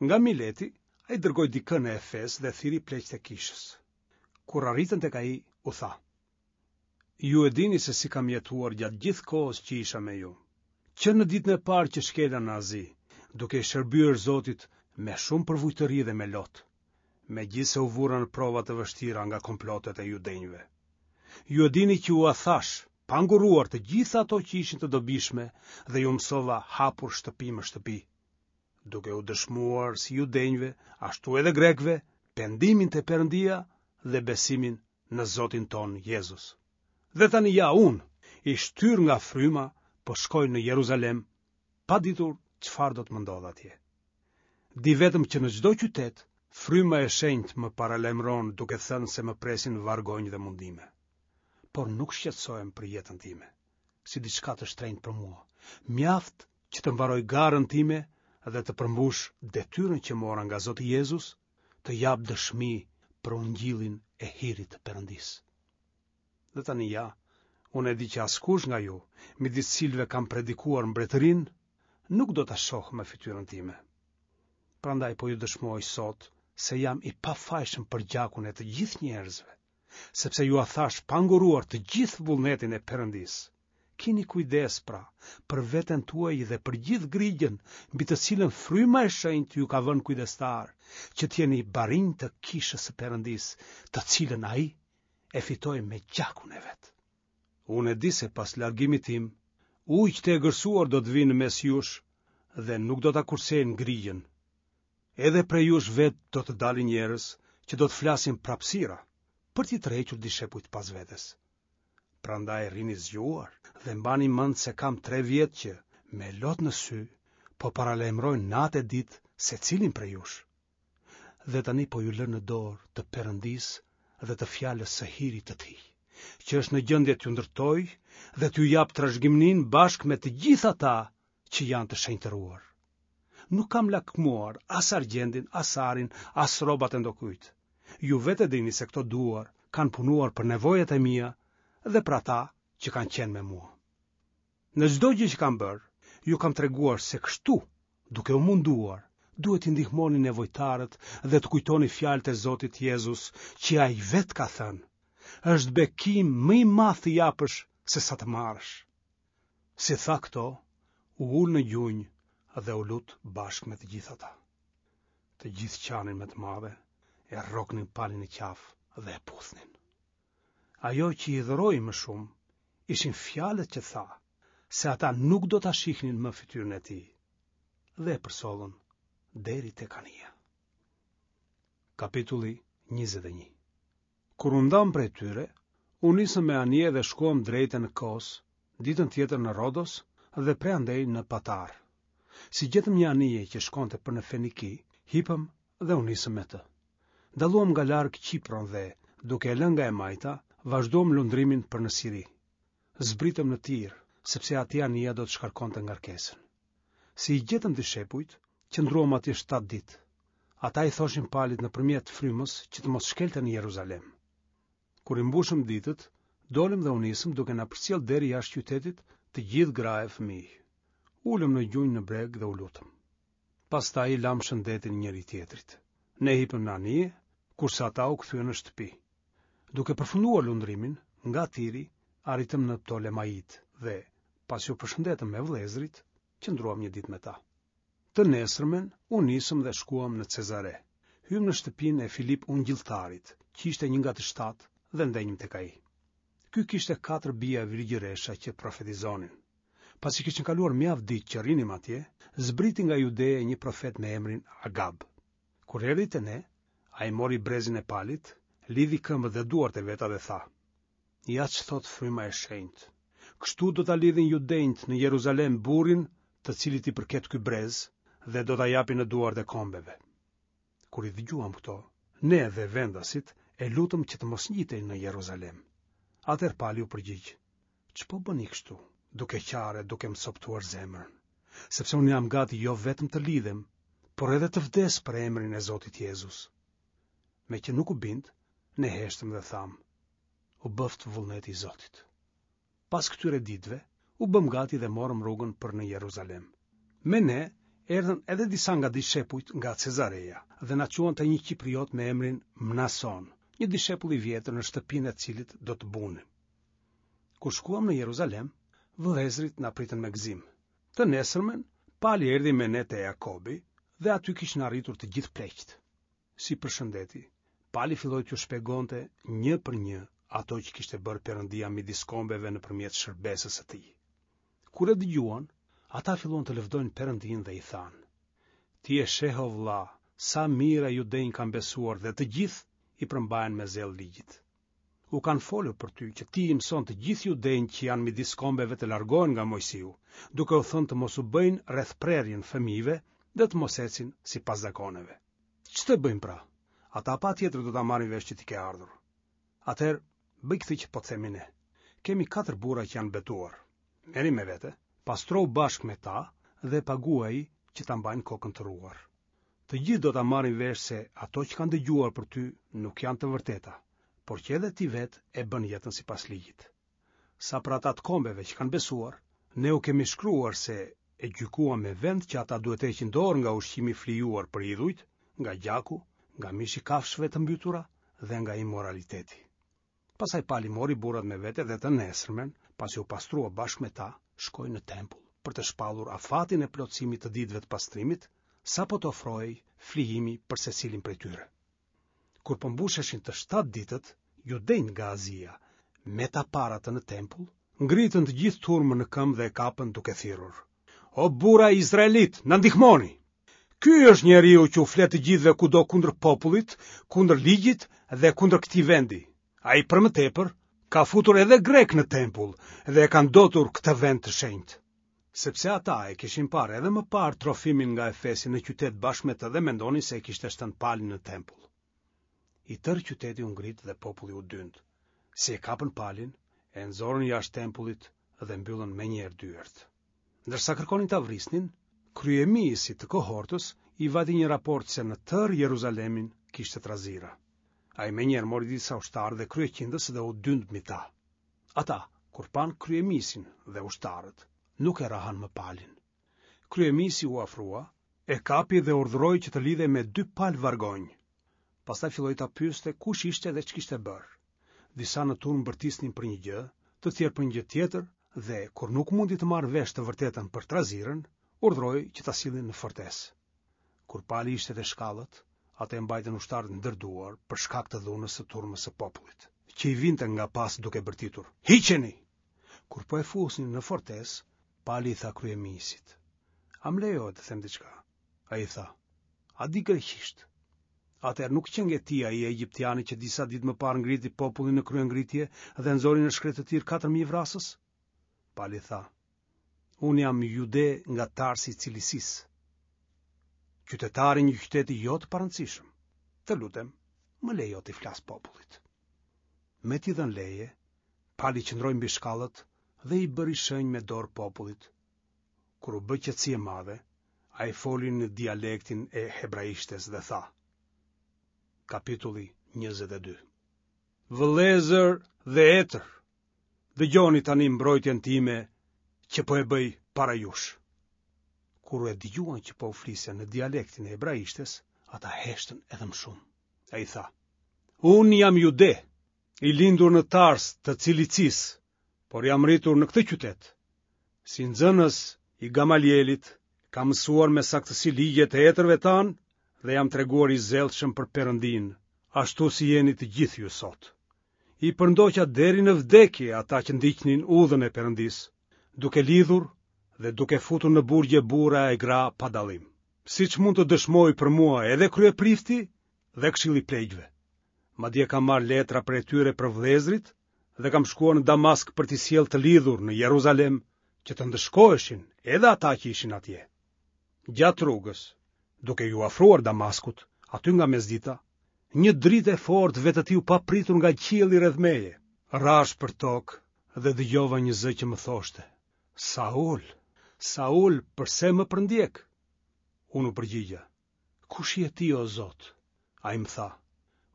Nga Mileti, ai dërgoi dikë në Efes dhe thirri pleqtë e kishës. Kur arritën tek ai, u tha: Ju e dini se si kam jetuar gjatë gjithë kohës që isha me ju. Që në ditën e parë që shkela në Azi, duke i shërbyer Zotit me shumë përvujtëri dhe me lot, megjithëse u vura në prova të vështira nga komplotet e judenjve. Ju e dini që ua thashë, pa ngurruar të gjitha ato që ishin të dobishme dhe ju mësova hapur shtëpi më shtëpi, duke u dëshmuar si judenjve, ashtu edhe grekëve, pendimin te Perëndia dhe besimin në Zotin tonë Jezus. Dhe tani ja unë, i shtyrë nga fryma, po shkoj në Jeruzalem, pa ditur çfarë do të më ndodhë atje. Di vetëm që në çdo qytet, fryma e shenjtë më paralajmëron duke thënë se më presin vargonj dhe mundime. Por nuk shqetësohem për jetën time, si diçka të shtrenjtë për mua. Mjaft që të mbaroj garën time dhe të përmbush detyrën që mora nga Zoti Jezus, të jap dëshmi për ungjillin e hirit të Perëndisë. Dhe tani ja, unë e di që askush nga ju, midis cilëve kam predikuar mbretërinë, nuk do ta shohë më fytyrën time. Prandaj po ju dëshmoj sot se jam i pafajshëm për gjakun e të gjithë njerëzve, sepse jua thashë pa ngurruar të gjithë vullnetin e Perëndisë. Kini kujdes, pra, për veten tuaj dhe për gjithë grigjën, mbi të cilën fryma e shenjtë ju ka vënë kujdestarë, që të jeni barinj të kishës së Perëndisë, të cilën ai e fitoi me gjakun e vet. Unë e di se pas largimit tim, ujq të egërsuar do të vijnë në mes jush dhe nuk do ta kursejnë grigjën. Edhe prej jush vetë do të dalin njerëz që do të flasin prapësira, për t'i tërhequr dishepujt pas vetes. Prandaj rrini zgjuar dhe mbani mend se kam tre vjet që, me lot në sy, po paralajmëroj natë e ditë secilin prej jush. Dhe tani po ju lë në dorë të Perëndisë dhe të fjalës së hirit të tij, që është në gjendje t'ju ndërtojë dhe t'ju japë trashëgiminë bashkë me të gjithë ata që janë të shenjtëruar. Nuk kam lakmuar as argjendin, as arin, as rrobat e ndokujt. Ju vetë e dini se këto duar kanë punuar për nevojat e mia dhe për ata që kanë qenë me mua. Në çdo gjë që kam bërë, ju kam treguar se kështu, duke u munduar, duhet t'i ndihmoni nevojtarët dhe të kujtoni fjalët e Zotit Jezus që ai vetë ka thënë. Është bekim më i madh të japësh se sa të marrësh. Si tha këto, u ul në gjunjë dhe u lut bashkë me të gjithë ata. Të gjithë qanin me të madhe, e rroknin Palin në qafë dhe e puthnin. Ajo që i hidhëroi më shumë, ishin fjalët që tha, se ata nuk do ta shihnin më fytyrën e tij, dhe e përcollën deri tek anija. Kapitulli 21 Kur u ndamë prej tyre, u nisëm me anije dhe shkuam drejt e në Kos, ditën tjetër në Rodos dhe prej andej në Patarë. Si gjetëm një anije që shkonte për në Feniki, hipëm dhe u nisëm me të. Dalluam nga larg Qipron dhe, duke e lënë nga e majta, vazhduam lundrimin për në Siri. Zbritëm në Tir, sepse atje anija do të shkarkonte ngarkesën. Si i gjetëm dishepujt, qëndruam atje shtatë ditë. Ata i thoshin Palit nëpërmjet frymës që të mos shkelte në Jeruzalem. Kur i mbushëm ditët, dolëm dhe u nisëm duke na përcjellë deri jashtë qytetit të gjithë gra e fëmijë. U ulëm në gjunjë në breg dhe u lutëm. Pastaj i lamë shëndetin njëri-tjetrit. Ne hipëm në anije, kurse ata u kthyen në shtëpi. Duke përfunduar lundrimin, nga Tiri, arritëm në Ptolemaidë dhe, pasi u përshëndetëm me vëllezërit, qëndruam një ditë me ta. Të nesërmen, u nisëm dhe shkuam në Cezare. Hymë në shtëpinë e Filip Ungjilltarit, që ishte një nga të shtatë dhe ndenjëm tek ai. Ky kishte katër bija virgjëresha që profetizonin. Pasi kishin kaluar mjaft ditë që rrinim atje, zbriti nga Judeja një profet me emrin Agab. Kur erdhi te ne, ai mori brezin e Palit, lidhi këmbët dhe duart e veta dhe tha: Ja ç'thotë Fryma e Shenjtë. Kështu do ta lidhin judenjtë në Jeruzalem burrin të cilit i përket ky brez dhe do ta japin në duart e kombeve. Kur i dëgjuam këto, ne dhe vendasit e lutëm që të mos ngjitej në Jeruzalem. Atëherë Pali u përgjigj: Ç'po bëni kështu, duke qarë e duke më copëtuar zemrën? Sepse unë jam gati jo vetëm të lidhem, por edhe të vdes për emrin e Zotit Jezus. Meqë nuk u bind, ne heshtëm dhe thamë, u bëftë vullneti i Zotit. Pas këtyre ditëve, u bëmë gati dhe morëm rrugën për në Jeruzalem. Me ne erdhën edhe disa nga dishepujt nga Cezareja dhe na çuan te një qipriot me emrin Mnason, një dishepull i vjetër në shtëpinë e të cilit do të bunim. Kur shkuam në Jeruzalem, vëllezërit na pritën me gëzim. Të nesërmen, Pali erdhi me ne te Jakobi dhe aty kishin arritur të gjithë pleqtë. Si i përshëndeti, Pali filloi t'u shpjegonte një për një ato që kishte bërë Perëndia midis kombeve nëpërmjet shërbesës së tij. Kur e dëgjuan, ata filluan të lëvdojnë Perëndinë dhe i thanë: Ti e sheh o vëlla, sa mijëra judenj kanë besuar dhe të gjithë i përmbahen me zell ligjit. U kanë folur për ty që ti i mëson të gjithë judenjtë që janë midis kombeve të largohen nga Moisiu, duke u thënë të mos u bëjnë rrethprerjen fëmijëve dhe të mos ecin sipas zakoneve. Ç'të bëjmë pra? Ata patjetër do ta marrin vesh që ti ke ardhur. Atëherë, bëj këtë që po të themi ne. Kemi katër burra që janë betuar. Merri me vete, pastrohu bashkë me ta dhe paguaji që ta mbajnë kokën të rruar. Të gjithë do ta marrin vesh se ato që kanë dëgjuar për ty nuk janë të vërteta, por që edhe ti vetë e bën jetën sipas ligjit. Sa për ata të kombeve që kanë besuar, ne u kemi shkruar se e gjykuam me vend që ata duhet të heqin dorë nga ushqimi i flijuar për idhujt, nga gjaku, nga mishi i kafshëve të mbytura dhe nga imoraliteti. Pastaj Pali mori burrat me vete dhe të nesërmen, pasi u pastrua bashkë me ta, shkoi në tempull për të shpallur afatin e plotësimit të ditëve të pastrimit, sapo të ofrohej flijimi për secilin prej tyre. Kur po mbusheshin të shtatë ditët, judenjtë nga Azia, me ta parë atë në tempull, ngritën të gjithë turmën në këmbë dhe e kapën duke thirrur: O burra izraelitë, na ndihmoni! Ky është njeriu që u flet të gjithëve kudo kundër popullit, kundër ligjit dhe kundër këtij vendi. Ai për më tepër ka futur edhe grekë në tempull dhe e ka ndotur këtë vend të shenjtë. Sepse ata e kishin parë edhe më parë Trofimin nga Efesi në qytet bashkë me të dhe mendonin se e kishte shtënë Palin në tempull. I tërë qyteti u ngrit dhe populli u dynd. Si e kapën Palin, e nxorën jashtë tempullit dhe mbyllën menjëherë dyert. Ndërsa kërkonin ta vrisnin, kryemijësit të kohortës i vajti një raport se në tërë Jeruzalemin kishte trazira. Ai menjëherë mori disa ushtarë dhe kryeqindës dhe u dynd mbi ta. Ata, kur panë kryemijësin dhe ushtarët, nuk e rrahën më Palin. Kryemijësi u afrua, e kapi dhe urdhëroi që të lidhej me dy palë vargonj. Pastaj filloi ta pyeste kush ishte dhe ç'kishte bërë. Disa në turmë bërtisnin për një gjë, të tjerë për një gjë tjetër dhe kur nuk mundi të marrë vesh të vërtetën për trazirën, urdhëroi që ta sillnin në fortesë. Kur Pali ishte te shkallët, atë e mbajtën ushtarët ndër duar për shkak të dhunës së turmës së popullit, që i vinte nga pas duke bërtitur: "Hiqeni!" Kur po e fusnin në fortesë, Pali i tha kryemijësit: "A më lejohet të them diçka?" Ai tha: "A di greqisht?" Atëherë nuk qenke ti ai egjiptiani që disa ditë më parë ngriti popullin në kryengritje dhe nxori në shkretëtirë 4000 vrasës? Pali tha, Unë jam jude nga Tarsi i Cilicisë, qytetar i një qyteti jo të parëndësishëm. Të lutem, më lejo t'i flas popullit. Me t'i dhënë leje, Pali qëndroi mbi shkallët dhe i bëri shenjë me dorë popullit. Kur u bë qetësi e madhe, ai foli në dialektin e hebraishtes dhe tha: Kapitulli 22. Vëllezër dhe etër, dëgjoni tani mbrojtjen time që po e bëj para jush. Kur e dëgjuan që po u fliste në dialektin e hebraishtes, ata heshtën edhe më shumë. Ai tha: Unë jam jude, i lindur në Tars të Cilicisë, por jam rritur në këtë qytet. Si nxënës i Gamalielit, kam mësuar me saktësi ligjet e etërve tanë dhe jam treguar i zellshëm për Perëndinë, ashtu si jeni të gjithë ju sot. I përndoqa deri në vdekje ata që ndiqnin udhën e Perëndisë, duke lidhur dhe duke futur në burgje burra e gra pa dallim. Siç mund të dëshmojë për mua edhe kryeprifti dhe këshilli i pleqve. Madje kam marrë letra prej tyre për vëllezërit dhe kam shkuar në Damask për t'i sjellë të lidhur në Jeruzalem që të ndëshkoheshin edhe ata që ishin atje. Gjatë rrugës, duke iu afruar Damaskut, aty nga mesdita, një dritë e fortë vetëtiu papritur nga qielli rreth meje. Rashë për tokë dhe dëgjova një zë që më thoshte: Saul, Saul, përse më përndjek? Unë u përgjigja: Kush je ti, o Zot? Ai më tha,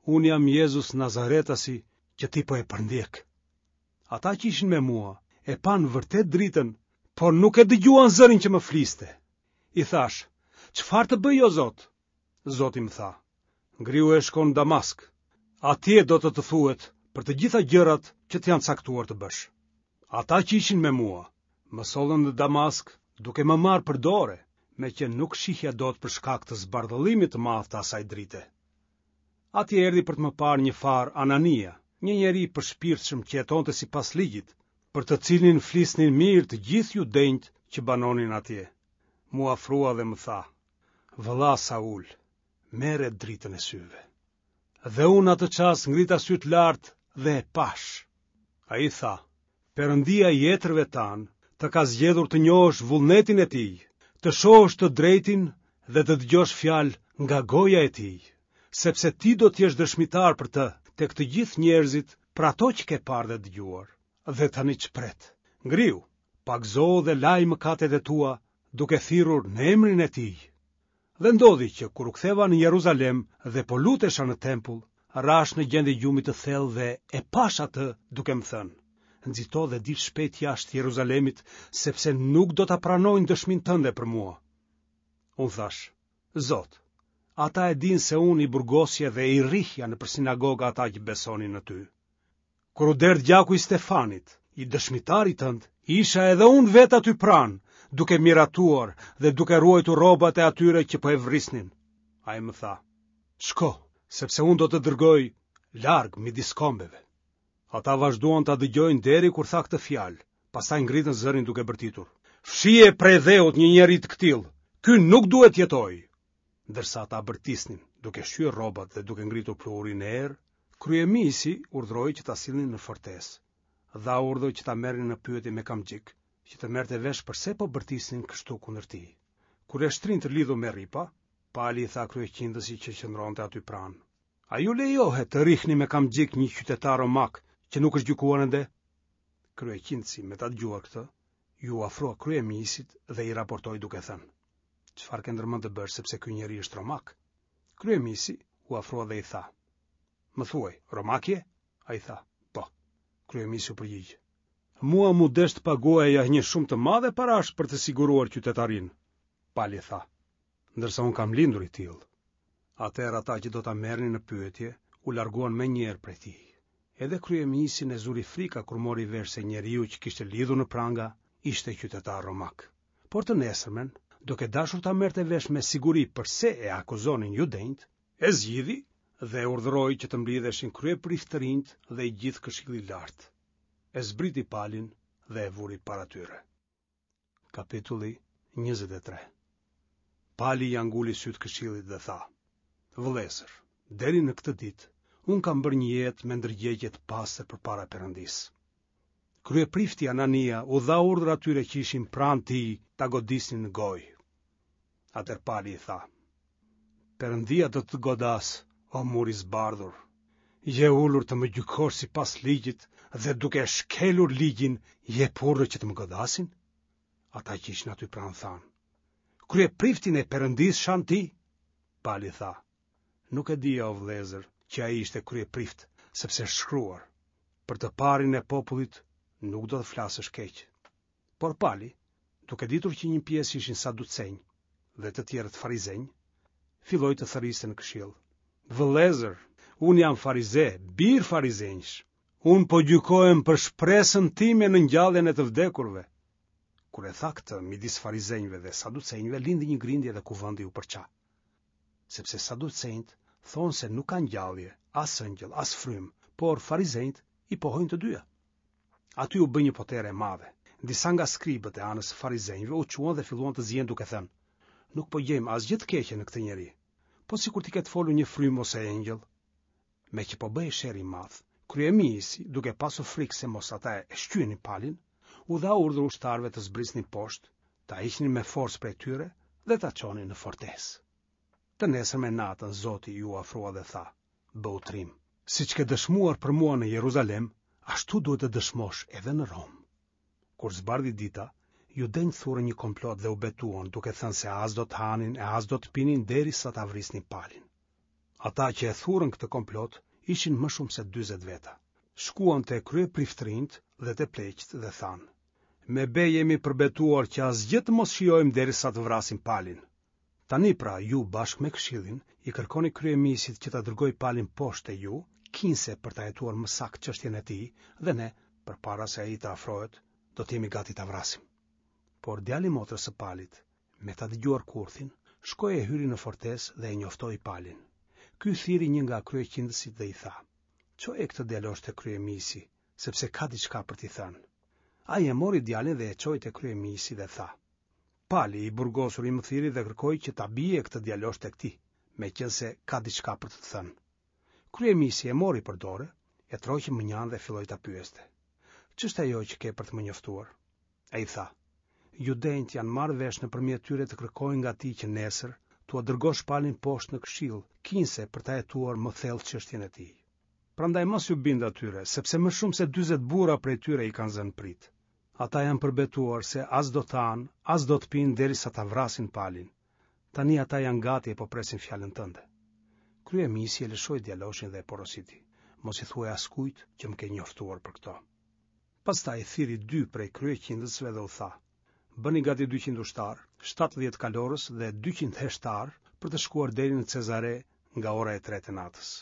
Unë jam Jezus Nazaretasi që ti po e përndjek. Ata që ishin me mua e panë vërtet dritën, por nuk e dëgjuan zërin që më fliste. I thashë, çfarë të bëj, o Zot? Zoti më tha, ngrihu e shko në Damask. Atje do të të thuhet për të gjitha gjërat që të janë caktuar të bësh. Ata që ishin me mua, më sollën në Damask duke më marrë për dore, meqë nuk shihja dot për shkak të zbardhëllimit të madh të asaj drite. Atje erdhi për të më parë një farë Anania, një njeri i përshpirtshëm që jetonte sipas ligjit, për të cilin flisnin mirë të gjithë judenjtë që banonin atje. M'u afrua dhe më tha, Vëlla Saul, merre dritën e syve. Dhe unë atë çast ngrita sytë lart dhe e pashë. Ai tha, Perëndia i etërve tanë të ka zgjedhur të njohësh vullnetin e tij, të shohësh të drejtin dhe të dëgjosh fjalë nga goja e tij, sepse ti do të jesh dëshmitar për të tek të gjithë njerëzit për ato që ke parë dhe dëgjuar. Dhe tani ç'pret? Ngrihu, pagëzohu dhe laji mëkatet e tua duke thirrur në emrin e tij. Dhe ndodhi që kur u ktheva në Jeruzalem dhe po lutesha në tempull, rashë në gjendje gjumi të thellë dhe e pashë atë duke më thënë, nxito dhe dil shpejt jashtë Jeruzalemit, sepse nuk do ta pranojnë dëshminë tënde për mua. Unë thashë, Zot, ata e dinë se unë i burgosja dhe i rrihja nëpër sinagoga ata që besonin në ty. Kur u derdh gjaku i Stefanit, i dëshmitarit tënd, isha edhe unë vetë aty pranë, duke miratuar dhe duke ruajtur rrobat e atyre që po e vrisnin. Ai më tha, shko, sepse unë do të dërgoj larg midis kombeve. Ata vazhduan ta dëgjojnë deri kur tha këtë fjalë, pastaj ngritën zërin duke bërtitur. Fshije prej dheut një njeri të këtillë, ky nuk duhet të jetojë. Ndërsa ata bërtisnin, duke shqyer rrobat dhe duke ngritur pluhurin në erë, kryemijësi urdhëroi që ta sillnin në fortesë. Dha urdhër që ta merrnin në pyetje me kamxhik, që të merrte vesh përse po bërtisnin kështu kundër tij. Kur e shtrinë të lidhur me rripa, Pali i tha kryeqindësit që qëndronte aty pranë. A ju lejohet të rrihni me kamxhik një qytetar romak që nuk është gjykuar ende? Kryeqindësi, me ta dëgjuar këtë, iu afrua kryemijësit dhe i raportoi duke thënë: Çfarë ke ndërmend të bësh sepse ky njeri është romak? Kryemijësi u afrua dhe i tha: Më thuaj, romak je? Ai tha: Po. Kryemijësi u përgjigj: Mua m'u desh të paguaja një shumë të madhe parash për të siguruar qytetarinë. Pali tha: Ndërsa unë kam lindur i tillë. Atëherë ata që do ta merrnin në pyetje u larguan menjëherë prej tij. Edhe kryemijësin e zuri frika kur mori vesh se njeriu që kishte lidhur në pranga ishte qytetar romak. Por të nesërmen, duke dashur ta merrte vesh me siguri përse e akuzonin judenjtë, e zgjidhi dhe urdhëroi që të mblidheshin kryepriftërinjtë dhe i gjithë këshilli i lartë. E zbriti Palin dhe e vuri para tyre. Kapitulli 23 Pali ia nguli sytë këshillit dhe tha: Vëllezër, Deri në këtë ditë, unë kam bërë një jetë me ndërgjegje të pastër përpara Perëndisë. Kryeprifti Anania u dha urdhër atyre që ishin pranë tij ta godisnin në gojë. Atëherë Pali i tha: Perëndia do të të godasë, o mur i zbardhur. Je ulur të më gjykosh sipas ligjit dhe duke shkelur ligjin, jep urdhër që të më godasin? Ata që ishin aty pranë thanë: Kryepriftin e Perëndisë shan ti? Pali tha: Nuk e dija o vëllezër që ai ishte kryeprift, sepse është shkruar: Për të parin e popullit nuk do të flasësh keq. Por Pali, duke ditur që një pjesë ishin saducenj dhe të tjerët farizenj, filloi të thërriste në këshill. Vëllezër, unë jam farize, bir farizenjsh. Unë po gjykohem për shpresën time në ngjalljen e të vdekurve. Kur e tha këtë, midis farizenjve dhe saducenjve lindi një grindje dhe kuvendi u përça. Sepse saducenjtë thonë se nuk ka ngjallje, as engjëll, as frymë, por farizenjtë i pohojnë të dyja. Aty u bë një potere e madhe. Disa nga skribët e anës së farizenjve u çuan dhe filluan të zihen duke thënë: Nuk po gjejmë asgjë të keqe në këtë njeri. Po sikur t'i ketë folur një frymë ose engjëll? Meqë po bëhej sherr i madh, kryemijësi, duke pasur frikë se mos ata e shqyenin Palin, u dha urdhër ushtarëve të zbrisnin poshtë, ta hiqnin me forcë prej tyre dhe ta çonin në fortesë. Të nesërmen natën Zoti iu afrua dhe tha: Bëhu trim, siç ke dëshmuar për mua në Jeruzalem, ashtu duhet të dëshmosh edhe në Romë. Kur zbardhi dita, judenjtë thurën një komplot dhe u betuan, duke thënë se as do të hanin e as do të pinin derisa ta vrisnin Palin. Ata që e thurën këtë komplot ishin më shumë se 40 veta. Shkuan te kryepriftërinjtë dhe te pleqtë dhe thanë: Me be jemi përbetuar që asgjë të mos shijojmë derisa të vrasim Palin. Tani pra ju bashkë me këshillin i kërkoni kryemijësit që ta dërgojë Palin poshtë te ju, kinse për ta hetuar më saktë çështjen e tij dhe ne, përpara se ai të afrohet, do të jemi gati ta vrasim. Por djali i motrës së Palit, me ta dëgjuar kurthin, shkoi e hyri në fortesë dhe e njoftoi Palin. Ky thirri një nga kryeqindësit dhe i tha: Çoje këtë djalosh te kryemijësi, sepse ka diçka për t'i thënë. Ai e mori djalin dhe e çoi te kryemijësi dhe tha: Pali, i burgosuri më thirri dhe kërkoi që ta bie këtë djalosh tek ti, meqenëse ka diçka për të të thënë. Kryemijësi e mori për dore, e tërhoqi mënjanë dhe filloi ta pyeste. Ç'është ajo që ke për të më njoftuar? Ai tha, Judenjtë janë marrë vesh nëpërmjet tyre të kërkojnë nga ti që nesër t'ua dërgosh Palin poshtë në këshill, kinse për ta hetuar më thellë çështjen e tij. Prandaj mos iu bind atyre, sepse më shumë se 40 burra prej tyre i kanë zënë pritë. Ata janë përbetuar se as do të hanë, as do të pinë derisa ta vrasin Palin. Tani ata janë gati e po presin fjalën tënde. Kryemijësi e lëshoi djaloshin dhe e porositi, mos i thuaj askujt që më ke njoftuar për këto. Pastaj thirri dy prej kryeqindësve dhe u tha, bëni gati 200 ushtarë, 70 kalorës dhe 200 heshtarë për të shkuar deri në Cezare nga ora e tretë e natës.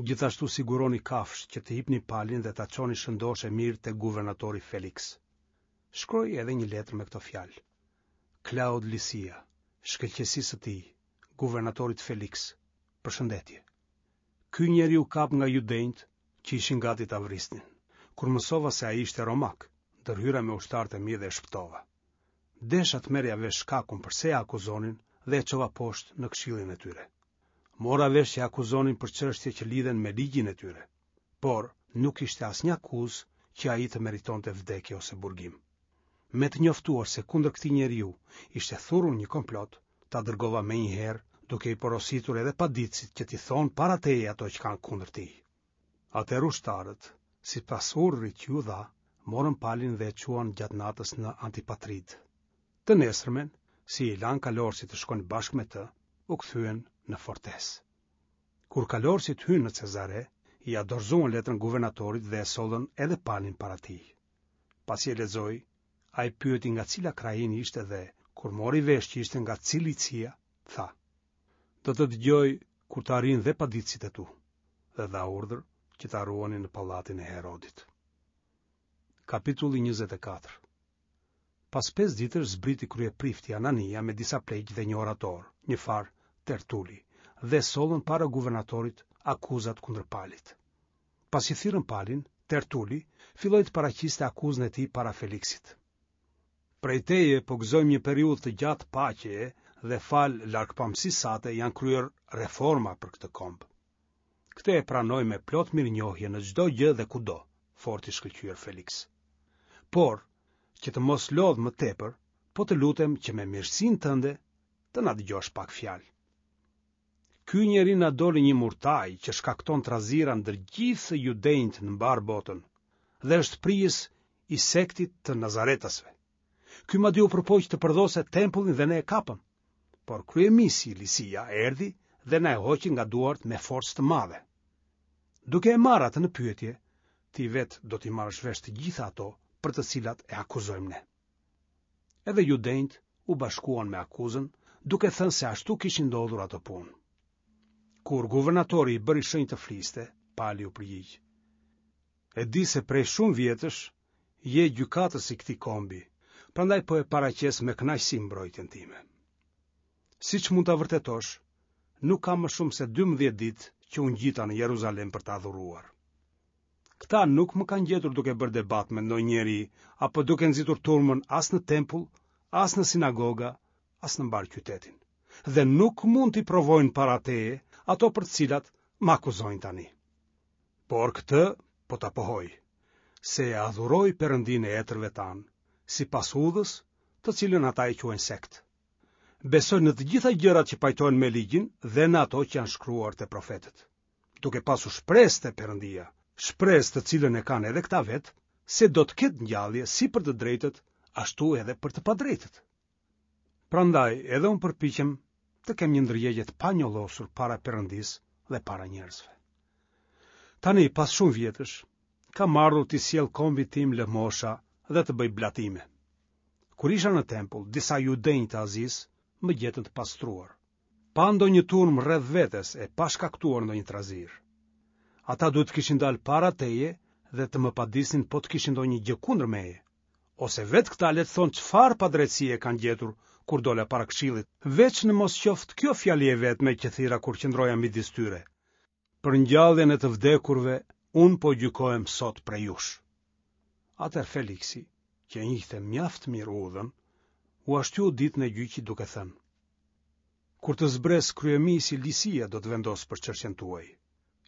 Gjithashtu siguroni kafshë që të hipni Palin dhe ta çoni shëndoshë e mirë te guvernatori Feliks. Shkroi edhe një letër me këto fjalë. Klaud Lisia, shkëlqesisë së tij, guvernatorit Feliks, përshëndetje. Ky njeri u kap nga judenjtë që ishin gati ta vrisnin. Kur mësova se ai ishte romak, ndërhyra me ushtarët e mi dhe e shpëtova. Desha të merrja vesh shkakun përse e akuzonin dhe e çova poshtë në këshillin e tyre. Mora vesh që e akuzonin për çështje që lidhen me ligjin e tyre, por nuk ishte asnjë akuzë që ai të meritonte vdekje ose burgim. Me të njoftuar se kundër këtij njeriu ishte thurur një komplot, ta dërgova menjëherë duke i porositur edhe paditësit që t'i thonë para teje ato që kanë kundër tij. Atëherë ushtarët, sipas urdhrit që iu dha, morën Palin dhe e çuan gjatë natës në Antipatrid. Të nesërmen, si i lanë kalorësit të shkojnë bashkë me të, u kthyen në fortesë. Kur kalorësit hynë në Cezare, ia dorëzuan letrën guvernatorit dhe e sollën edhe Palin para tij. Pasi e lexoi, ai pyeti nga cila krahinë ishte dhe, kur mori vesh që ishte nga Cilicia, tha: Do të dëgjoj kur të arrijnë dhe paditësit e tu, dhe dha urdhër që ta ruanin në pallatin e Herodit. Kapitulli 24 Pas pesë ditësh zbriti kryeprifti Anania me disa pleq dhe një orator, një farë Tertuli, dhe sollën para guvernatorit akuzat kundër Palit. Pasi thirrën Palin, Tertuli filloi të paraqiste akuzën e tij para Feliksit. Prej teje po gëzojmë një periudhë të gjatë paqeje dhe falë largpamësisë sate janë kryer reforma për këtë komb. Këtë e pranoj me plot mirënjohje në çdo gjë dhe kudo, fort i shkëlqyer Feliks. Por, që të mos lodh më tepër, po të lutem që me mirësinë tënde të na dëgjosh pak fjalë. Ky njeri na doli një murtajë që shkakton trazira ndër gjithë judenjtë në mbarë botën dhe është prijës i sektit të Nazaretasve. Ky madje u përpoq të përdhoste tempullin dhe ne e kapëm. Por kryemisi Lisia erdhi dhe na e hoqi nga duart me forcë të madhe. Duke e marrë atë në pyetje, ti vetë do t'i marrësh vesh të gjitha ato për të cilat e akuzojmë ne. Edhe judenjtë u bashkuan me akuzën, duke thënë se ashtu kishin ndodhur ato punë. Kur guvernatori i bëri shenjë të fliste, Pali u përgjigj. E di se prej shumë vjetësh je gjykatës i këtij kombi, prandaj po e paraqes me kënaqësi mbrojtjen time. Siç mund ta vërtetosh, nuk ka më shumë se 12 ditë që u ngjita në Jeruzalem për të adhuruar. Këta nuk më kanë gjetur duke bërë debat me ndonjë njeri apo duke nxitur turmën as në tempull, as në sinagoga, as në mbarë qytetin. Dhe nuk mund t'i provojnë para teje ato për të cilat më akuzojnë tani. Por këtë po ta pohoj, se e adhuroj Perëndinë e etërve tanë, sipas udhës, të cilën ata e quajnë sekt. Besoj në të gjitha gjërat që pajtohen me ligjin dhe në ato që janë shkruar te profetët. duke pasur shpresë te Perëndia, shpresë të cilën e kanë edhe këta vetë, se do të ketë ngjallje si për të drejtët, ashtu edhe për të padrejtët. Prandaj edhe unë përpiqem të kem një ndërgjegje të panjollosur para Perëndisë dhe para njerëzve. Tani, pas shumë vjetësh, kam ardhur t'i sjell kombit tim lëmosha dhe të bëj blatime. Kur isha në tempull, disa judenj të Azisë më gjetën të pastruar. pa ndonjë turmë rreth vetes e pa shkaktuar ndonjë trazirë. Ata duhet të kishin dalë para teje dhe të më padisnin po të kishin ndonjë gjë kundër meje. Ose vetë këta le të thonë çfarë padrejtësie kanë gjetur kur dola para këshillit, veç në mos qoftë kjo fjali e vetme që thirra kur qëndroja midis tyre. Për ngjalljen e të vdekurve, unë po gjykohem sot prej jush. Atëherë Feliksi, që e njihte mjaft mirë udhën, ua shtyu ditën e gjyqit duke thënë: Kur të zbresë kryemisi Lisia do të vendosë për çështjen tuaj.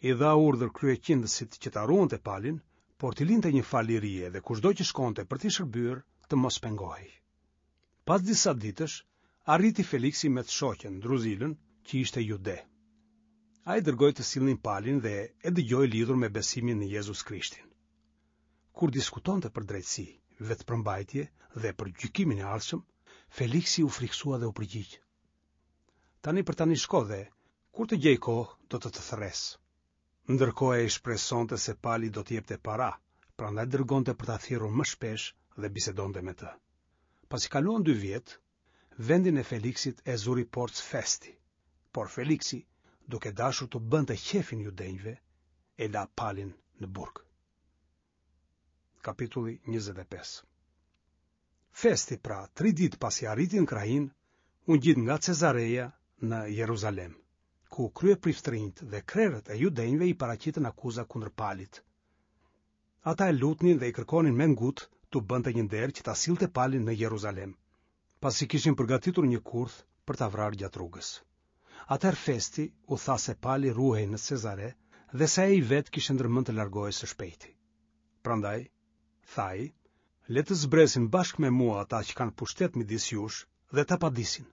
I dha urdhër kryeqindësit që ta ruante Palin, por t'i linte një farë lirie dhe kushdo që shkonte për t'i shërbyer të mos pengohej. Pas disa ditësh, arriti Feliksi me të shoqen, Druzilën, që ishte jude. Ai dërgoi të sillnin Palin dhe e dëgjoi lidhur me besimin në Jezus Krishtin. Kur diskutonte për drejtësi, vetëpërmbajtje dhe për gjykimin e ardhshëm, Feliksi u frikësua dhe u përgjigj. Tani për tani shko dhe, kur të gjej kohë, do të të thërras. Ndërkohë ai shpresonte se Pali do t'i jepte para, prandaj dërgonte për ta thirrur më shpesh dhe bisedonte me të. Pasi kaluan dy vjet, vendin e Feliksit e zuri Porc Festi, por Feliksi, duke dashur t'u bënte qejfin judenjve, e la Palin në burg. Kapitulli 25 Festi, pra, tri ditë pasi arriti në krahinë, u ngjit nga Cezareja në Jeruzalem, ku kryepriftërinjtë dhe krerët e judenjve i paraqitën akuza kundër Palit. Ata e lutnin dhe i kërkonin me ngut t'u bënte një nder që ta sillte Palin në Jeruzalem, pasi kishin përgatitur një kurth për ta vrarë gjatë rrugës. Atëherë Festi u tha se Pali ruhej në Cezare dhe se ai vetë kishte ndërmend të largohej së shpejti. Prandaj, tha ai, le të zbresin bashkë me mua ata që kanë pushtet midis jush dhe ta padisin,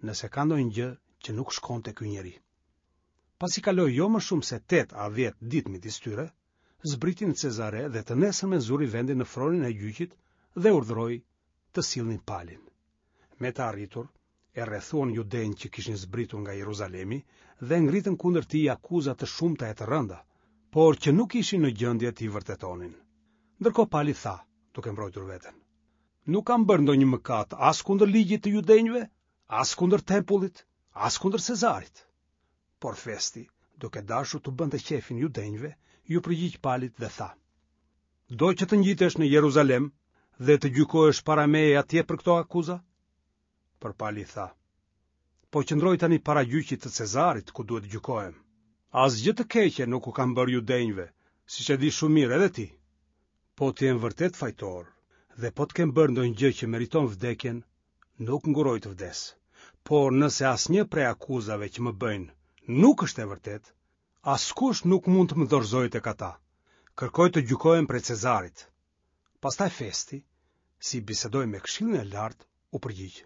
nëse ka ndonjë gjë që nuk shkon te ky njeri. Pasi kaloi jo më shumë se 8 a 10 ditë midis tyre, zbriti në Cezare dhe të nesërmen zuri vendin në fronin e gjyqit dhe urdhëroi të sillnin Palin. Me të arritur, e rrethuan judenjtë që kishin zbritur nga Jeruzalemi dhe ngritën kundër tij akuza të shumta e të rënda, por që nuk ishin në gjendje t'i vërtetonin. Ndërkohë Pali tha, duke mbrojtur veten: Nuk kam bërë ndonjë mëkat as kundër ligjit të judenjve, as kundër tempullit, as kundër Cezarit. Por Festi, duke dashur t'u bënte qejfin judenjve, iu përgjigj Palit dhe tha: Do që të ngjitesh në Jeruzalem dhe të gjykohesh para meje atje për këto akuza? Por Pali tha: Po qëndroj tani para gjyqit të Cezarit, ku duhet të gjykohem. Asgjë të keqe nuk u kam bërë judenjve, siç e di shumë mirë edhe ti. Po të jem vërtet fajtor dhe po të kem bërë ndonjë gjë që meriton vdekjen, nuk ngurroj të vdes. Por nëse asnjë prej akuzave që më bëjnë nuk është e vërtetë, Askush nuk mund të më dorëzojë tek ata. Kërkoj të gjykohem prej Cezarit. Pastaj Festi, si bisedoi me këshillin e lartë, u përgjigj.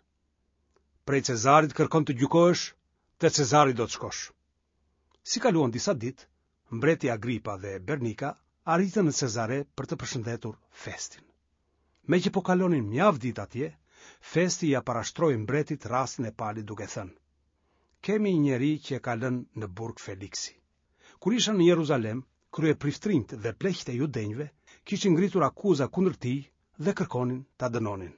Prej Cezarit kërkon të gjykohesh, te Cezari do të shkosh. Si kaluan disa ditë, mbreti Agripa dhe Bernika arritën në Cezare për të përshëndetur Festin. Meqë po kalonin mjaft ditë atje, Festi ia parashtroi mbretit rastin e Palit duke thënë: Kemi një njeri që e ka lënë në burg Feliksi. Kur isha në Jeruzalem, kryepriftërinjtë dhe pleqtë e judenjve kishin ngritur akuza kundër tij dhe kërkonin ta dënonin.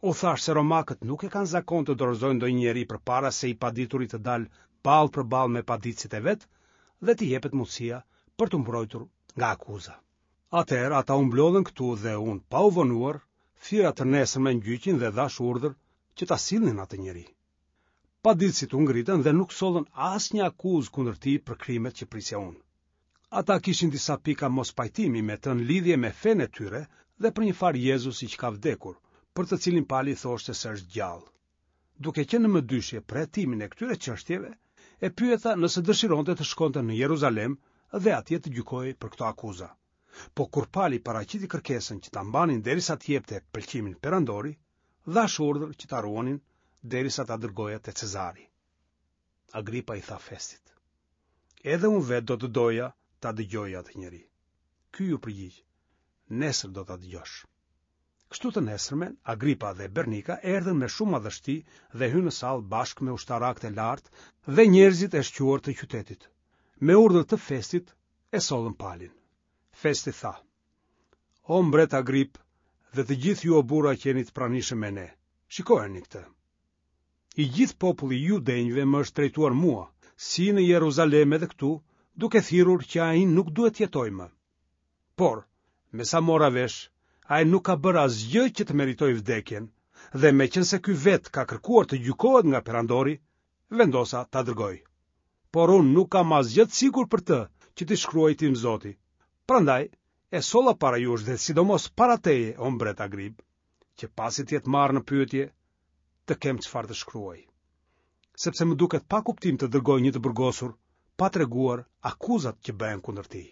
U thashë se romakët nuk e kanë zakon të dorëzojnë ndonjë njeri përpara se i padituri të dalë ballë për ballë me paditësit e vet dhe t'i jepet mundësia për t'u mbrojtur nga akuza. Atëherë ata u mblodhën këtu dhe unë pa u vonuar, thirra të nesërmen gjyqin dhe dhashë urdhër që ta sillnin atë njeri. Paditësit u ngritën dhe nuk sollën asnjë akuzë kundër tij për krimet që prisja unë. Ata kishin disa pika mospajtimi me të në lidhje me fenë e tyre dhe për një farë Jezusi që ka vdekur, për të cilin Pali thoshte se është gjallë. Duke qenë në mëdyshje për hetimin e këtyre çështjeve, e pyeta nëse dëshironte të shkonte në Jeruzalem dhe atje të gjykohej për këto akuza. Po kur Pali paraqiti kërkesën që ta mbanin derisa të jepte pëlqimin perandori, dhashë urdhër që ta ruanin derisa ta dërgoja te Cezari. Agripa i tha Festit: Edhe unë vetë do të doja ta dëgjoja atë njeri. Ky iu përgjigj: Nesër do ta dëgjosh. Kështu të nesërmen, Agripa dhe Bernika erdhën me shumë madhështi dhe hynë në sallë bashkë me ushtarakët e lartë dhe njerëzit e shquar të qytetit. Me urdhër të Festit e sollën Palin. Festi tha: O mbret Agrip dhe të gjithë ju o burra që jeni të pranishëm me ne, shikojeni këtë. I gjithë populli i judenjve më është drejtuar mua, si në Jeruzalem edhe këtu, duke thirrur që ai nuk duhet të jetojë më. Por, me sa mora vesh, ai nuk ka bërë asgjë që të meritojë vdekjen, dhe meqenëse ky vetë ka kërkuar të gjykohet nga perandori, vendosa ta dërgoj. Por unë nuk kam asgjë të sigurt për të që t'i shkruaj tim zoti. Prandaj, e solla para jush dhe sidomos para teje, o mbret Agrip, që pasi të jetë marrë në pyetje, të kem çfarë të shkruaj. Sepse më duket pa kuptim të dërgoj një të burgosur pa treguar akuzat që bëhen kundër tij.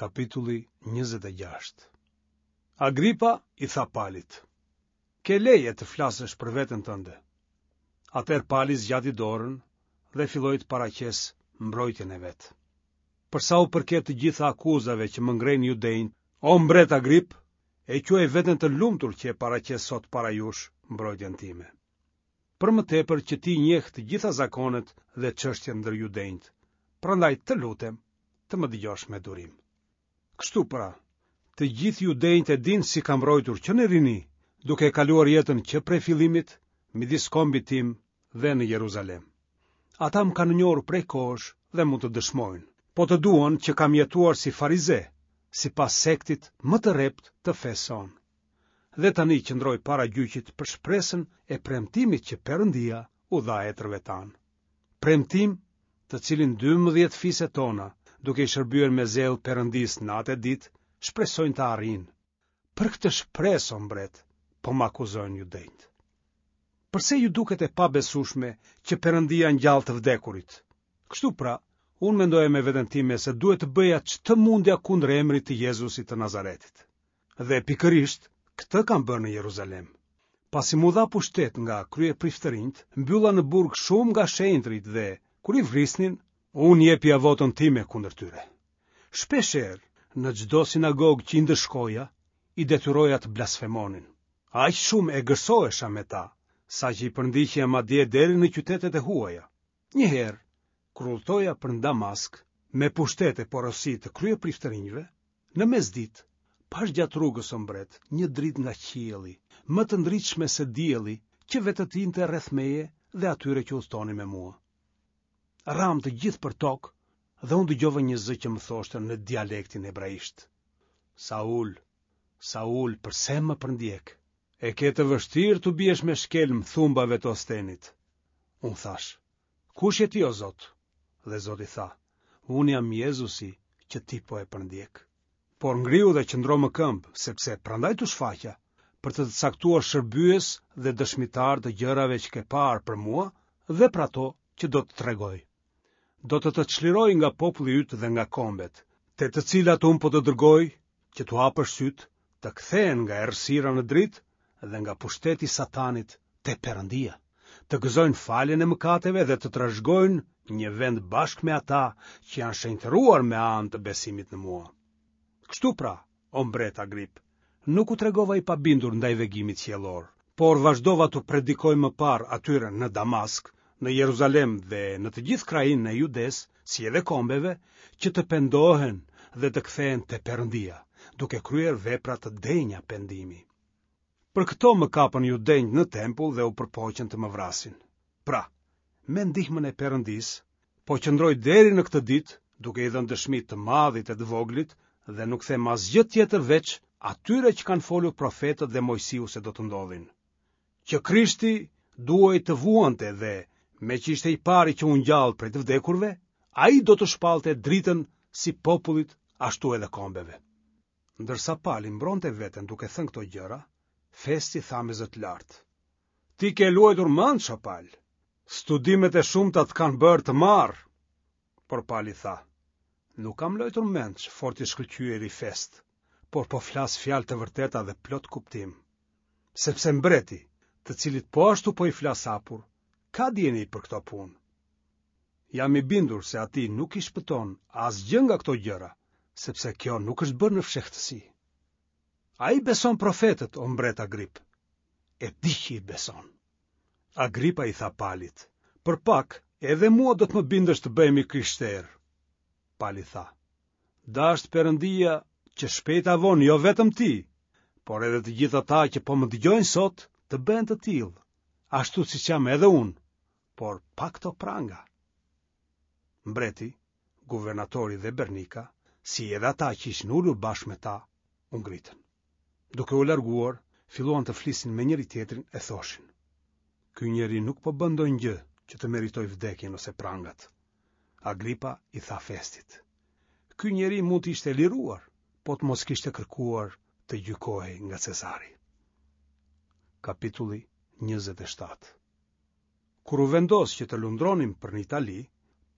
Kapitulli 26 Agripa i tha Palit: Ke leje të flasësh për veten tënde. Atëherë Pali zgjati dorën dhe filloi të paraqesë mbrojtjen e vet. Për sa u përket të gjitha akuzave që më ngrejnë judenjtë, o mbret Agrip, e quaj veten të lumtur që e paraqes sot para jush mbrojtjen time. Për më tepër që ti njeh të gjitha zakonet dhe çështjet ndër judenjtë, prandaj të lutem të më dëgjosh me durim. Kështu pra, të gjithë judenjtë e dinë si kam rrojtur që në rini, duke e kaluar jetën që prej fillimit midis kombit tim dhe në Jeruzalem. Ata më kanë njohur prej kohësh dhe mund të dëshmojnë, po të duan që kam jetuar si farize, sipas sektit më të rreptë të fesë sonë. Dhe tani qëndroj para gjyqit për shpresën e premtimit që Perëndia u dha etërve tanë. Premtim të cilin 12 fiset tona, duke i shërbyer me zell Perëndisë natë e ditë, shpresojnë ta arrijnë. Për këtë shpresë, o mbret, po më akuzojnë judenjtë. Përse ju duket e pabesueshme që Perëndia ngjall të vdekurit? Kështu pra, unë mendoja me veten time se duhet të bëja ç'të mundja kundër emrit të Jezusit të Nazaretit. Dhe pikërisht këtë kam bërë në Jeruzalem. Pasi m'u dha pushtet nga kryepriftërinjtë, mbylla në burg shumë nga shenjtërit dhe, kur i vrisnin, unë jepja votën time kundër tyre. Shpeshherë, në çdo sinagogë që i ndëshkoja, i detyroja të blasfemonin. Aq shumë egërsohesha me ta, saqë i përndiqja madje deri në qytetet e huaja. Një herë, kur udhëtoja për në Damask, me pushtet e porosi të kryepriftërinjve, në mesditë, pashë gjatë rrugës o mbret, një dritë nga qielli, më të ndritshme se dielli, që vetëtinte rreth meje dhe atyre që udhëtonin me mua. Ramë të gjithë për tokë dhe unë dëgjova një zë që më thoshte në dialektin hebraisht. Saul, Saul, përse më përndjek? E ke të vështirë t'u biesh me shkelm thumbave të ostenit. Unë thashë, kush je ti o Zot? Dhe Zoti tha, unë jam Jezusi që ti po e përndjek. Por ngrihu dhe qëndro më këmbë, sepse prandaj t'u shfaqa, për të të caktuar shërbyes dhe dëshmitar të gjërave që ke parë për mua dhe për ato që do të tregoj. do të të çlirojë nga populli yt dhe nga kombet, te të cilat unë po të dërgoj që t'u hapësh sytë, të kthehen nga errësira në dritë dhe nga pushteti i Satanit te Perëndia, të gëzojnë faljen e mëkateve dhe të trashëgojnë një vend bashkë me ata që janë shenjtëruar me anë të besimit në mua. Kështu pra, o mbret Agrip, nuk u tregova i pabindur ndaj vegimit qiellor, por vazhdova t'u predikoj më parë atyre në Damask, në Jeruzalem dhe në të gjithë krahinën e Judesë, si edhe kombeve, që të pendohen dhe të kthehen te Perëndia, duke kryer vepra të denja pendimi. Për këto më kapën judenjtë në tempull dhe u përpoqën të më vrasin. Pra, me ndihmën e Perëndisë, po qëndroj deri në këtë ditë, duke i dhënë dëshmi të madhit e të voglit dhe nuk them asgjë tjetër veç atyre që kanë folur profetët dhe Moisiu se do të ndodhin. Që Krishti duhej të vuante dhe, meqë ishte i pari që u ngjall prej të vdekurve, ai do të shpallte dritën si popullit ashtu edhe kombeve. Ndërsa Pali mbronte veten duke thënë këto gjëra, Festi tha me zë të lartë: Ti ke luajtur mendsh, o Pal. Studimet e shumta të kanë bërë të marrë. Por Pali tha: Nuk kam luajtur mendsh, fort i shkëlqyeri Fest, por po flas fjalë të vërteta dhe plot kuptim. Sepse mbreti, të cilit po ashtu po i flas hapur, ka dijeni për këto punë. Jam i bindur se atij nuk i shpëton asgjë nga këto gjëra, sepse kjo nuk është bërë në fshehtësi. Ai beson profetët, o mbret Agrip. E di që i beson. Agripa i tha Palit, për pak edhe mua do të më bindësh të bëhem i krishterë. Pali tha, dashtë Perëndia që shpejt a vonë jo vetëm ti, por edhe të gjithë ata që po më dëgjojnë sot të bëhen të tillë, ashtu siç jam edhe unë, por pa këto pranga. Mbreti, guvernatori dhe Bernika, si edhe ata që ishin ulur bashkë me ta, u ngritën. Duke u larguar, filluan të flisnin me njëri-tjetrin e thoshin. Ky njeri nuk po bën ndonjë gjë që të meritojë vdekjen ose prangat. Agripa i tha Festit. Ky njeri mund të ishte liruar, po të mos kishte kërkuar të gjykohej nga Cezari. Kapitulli 27 Kur u vendos që të lundronim për në Itali,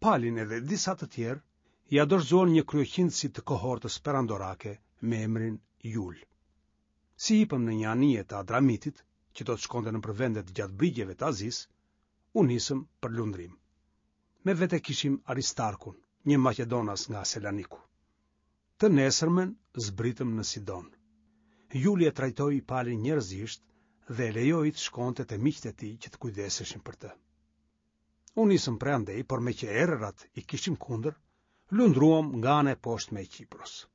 Palin edhe disa të tjerë ia dorëzuan një kryeqindësi të kohortës perandorake me emrin Jul. Si hipëm në një anije të Adramitit, që do të shkonte nëpër vendet gjatë brigjeve të Azisë, u nisëm për lundrim. Me vete kishim Aristarkun, një maqedonas nga Selaniku. Të nesërmen zbritëm në Sidon. Juli e trajtoi Palin njerëzisht dhe e lejoi të shkonte te miqtë e tij që të kujdeseshin për të. U nisëm prej andej, por meqë erërat i kishim kundër, lundruam nga ana e poshtme e Qipros.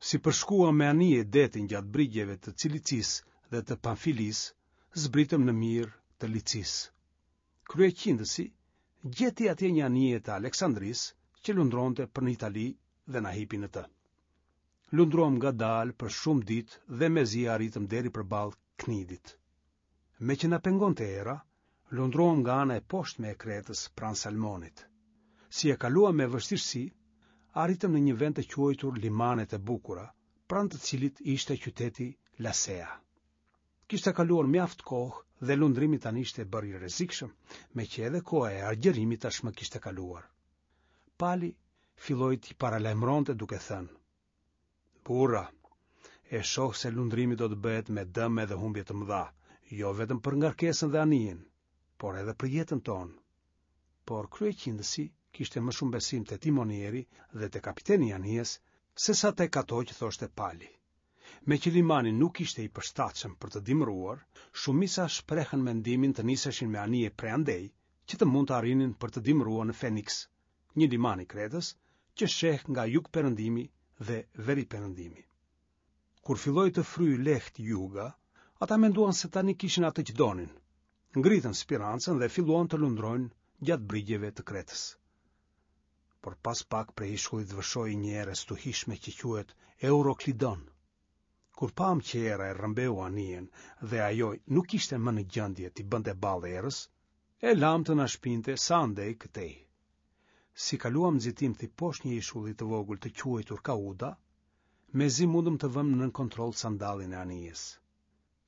Si përshkuam me anije detin gjatë brigjeve të Cilicisë dhe të Pamfilisë, zbritëm në Mirë të Licisë. Kryeqindësi gjeti atje një anije të Aleksandrisë që lundronte për në Itali dhe na hipi në të. Lundruam ngadalë për shumë ditë dhe mezi arritëm deri përballë Knidit. Meqë na pengonte era, lundruam nga ana e poshtme e Kretës pranë Salmonit. Si e kaluam me vështirësi, arritëm në një vend të quajtur Limanet e Bukura, pranë të cilit ishte qyteti Lasea. Kishte kaluar mjaft kohë dhe lundrimi tani ishte bërë i rrezikshëm, meqë edhe koha e agjërimit tashmë kishte kaluar. Pali filloi t'i paralajmëronte duke thënë: Burra, e shoh se lundrimi do të bëhet me dëme dhe humbje të mëdha, jo vetëm për ngarkesën dhe anijen, por edhe për jetën tonë. Por kryeqindësi kishte më shumë besim te timonieri dhe te kapiteni i anijes, sesa tek ato që thoshte Pali. Meqë limani nuk ishte i përshtatshëm për të dimëruar, shumica shprehën mendimin të niseshin me anije prej andej, që të mund të arrinin për të dimëruar në Feniks, një liman i Kretës, që sheh nga jugperëndimi dhe veriperëndimi. Kur filloi të fryjë lehtë juga, ata menduan se tani kishin atë që donin. Ngritën spirancën dhe filluan të lundrojnë gjatë brigjeve të Kretës. Por pas pak prej ishullit vërshoi një erë e stuhishme që quhet Euroklidon. Kur pamë që era e rrëmbeu anijen dhe ajo nuk ishte më në gjendje t'i bënte ballë erës, e lamë të na shpinte sa andej këtej. Si kaluam nxitimthi poshtë një ishulli të vogël të quajtur Kauda, mezi mundëm të vëmë nën kontroll sandallin e anijes.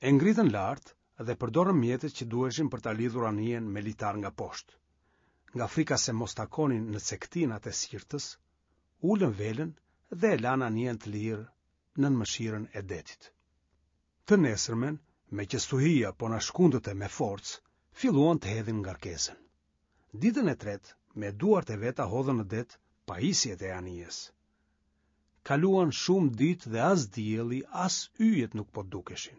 E ngritën lart dhe përdorëm mjetet që duheshin për ta lidhur anijen me litar nga poshtë. nga frika se mos takonin në cekëtinat e Sirtës, ulën velën dhe e lanë anijen të lirë nën mëshirën e detit. Të nesërmen, meqë stuhia po na shkundte me forcë, filluan të hedhin ngarkesën. Ditën e tretë, me duart e veta hodhën në det pajisjet e anijes. Kaluan shumë ditë dhe as dielli, as yjet nuk po dukeshin.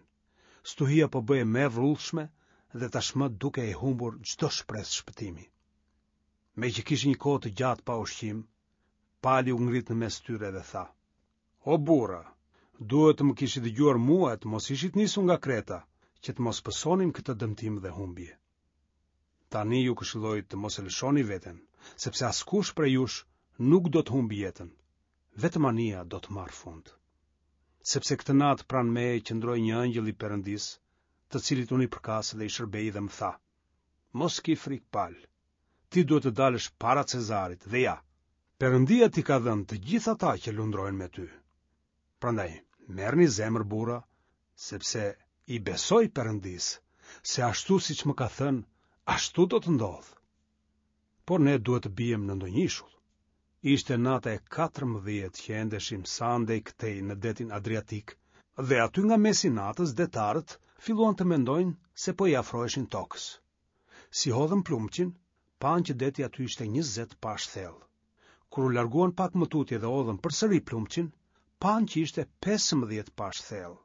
Stuhia po bëhej më e vrullshme dhe tashmë dukej e humbur çdo shpresë shpëtimi. Meqë kishin një kohë të gjatë pa ushqim, Pali u ngrit në mes tyre dhe tha: O burra, duhet të më kishit dëgjuar mua e të mos ishit nisur nga Kreta, që të mos pësonim këtë dëmtim dhe humbje. Tani ju këshilloj të mos e lëshoni veten, sepse askush prej jush nuk do të humbë jetën, vetëm anija do të marrë fund. Sepse këtë natë pranë meje qëndroi një ëngjëll i Perëndisë, të cilit unë i përkas dhe i shërbej dhe më tha: Mos ki frikë Pal, ti duhet të dalësh para Cezarit dhe ja, Perëndia t'i ka dhënë të gjithë ata që lundrojnë me ty. Prandaj, merrni zemër burra, sepse i besoj Perëndisë, se ashtu siç më ka thënë, ashtu do të ndodhë. Por ne duhet të biem në ndonjë ishull. Ishte nata e 14 që endeshim sa andej këtej në detin Adriatik dhe aty nga mesi i natës detarët filluan të mendojnë se po i afroheshin tokës. Si hodhën plumçin, panë që deti aty ishte 20 pash thellë. Kur u larguan pak më tutje dhe hodhën përsëri plumçin, panë që ishte 15 pash thellë.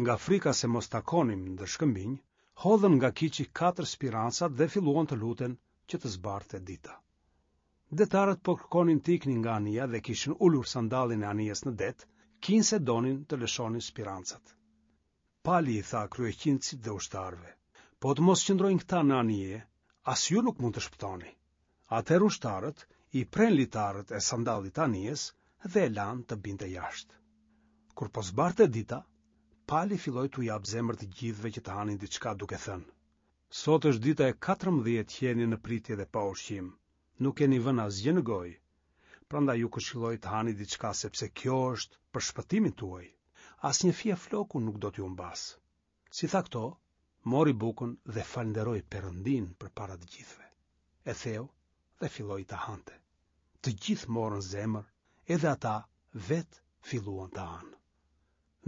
Nga frika se mos takonim ndër shkëmbinj, hodhën nga kiçi katër spirancat dhe filluan të luten që të zbardhte dita. Detarët po kërkonin të iknin nga anija dhe kishin ulur sandallin e anijes në det, kinse donin të lëshonin spirancat. Pali i tha kryeqindësit dhe ushtarëve, po të mos qëndrojnë këta në anije, as ju nuk mund të shpëtoni. Atëherë ushtarët i prenë litarët e sandallit të anijes dhe e lanë të binte jashtë. Kur po zbardhte dita, Pali filloi t'u japë zemër të gjithëve që të hanin diçka duke thënë, Sot është dita e 14 që jeni në pritje dhe pa ushqim. Nuk keni vënë asgjë në gojë. Prandaj ju këshilloj të hani diçka sepse kjo është për shpëtimin tuaj. Asnjë fije floku nuk do t'ju humbasë. Si tha këto, mori bukën dhe falënderoi Perëndinë përpara të gjithëve. E theu dhe filloi ta hante. Të gjithë morën zemër, edhe ata vetë filluan të hanë.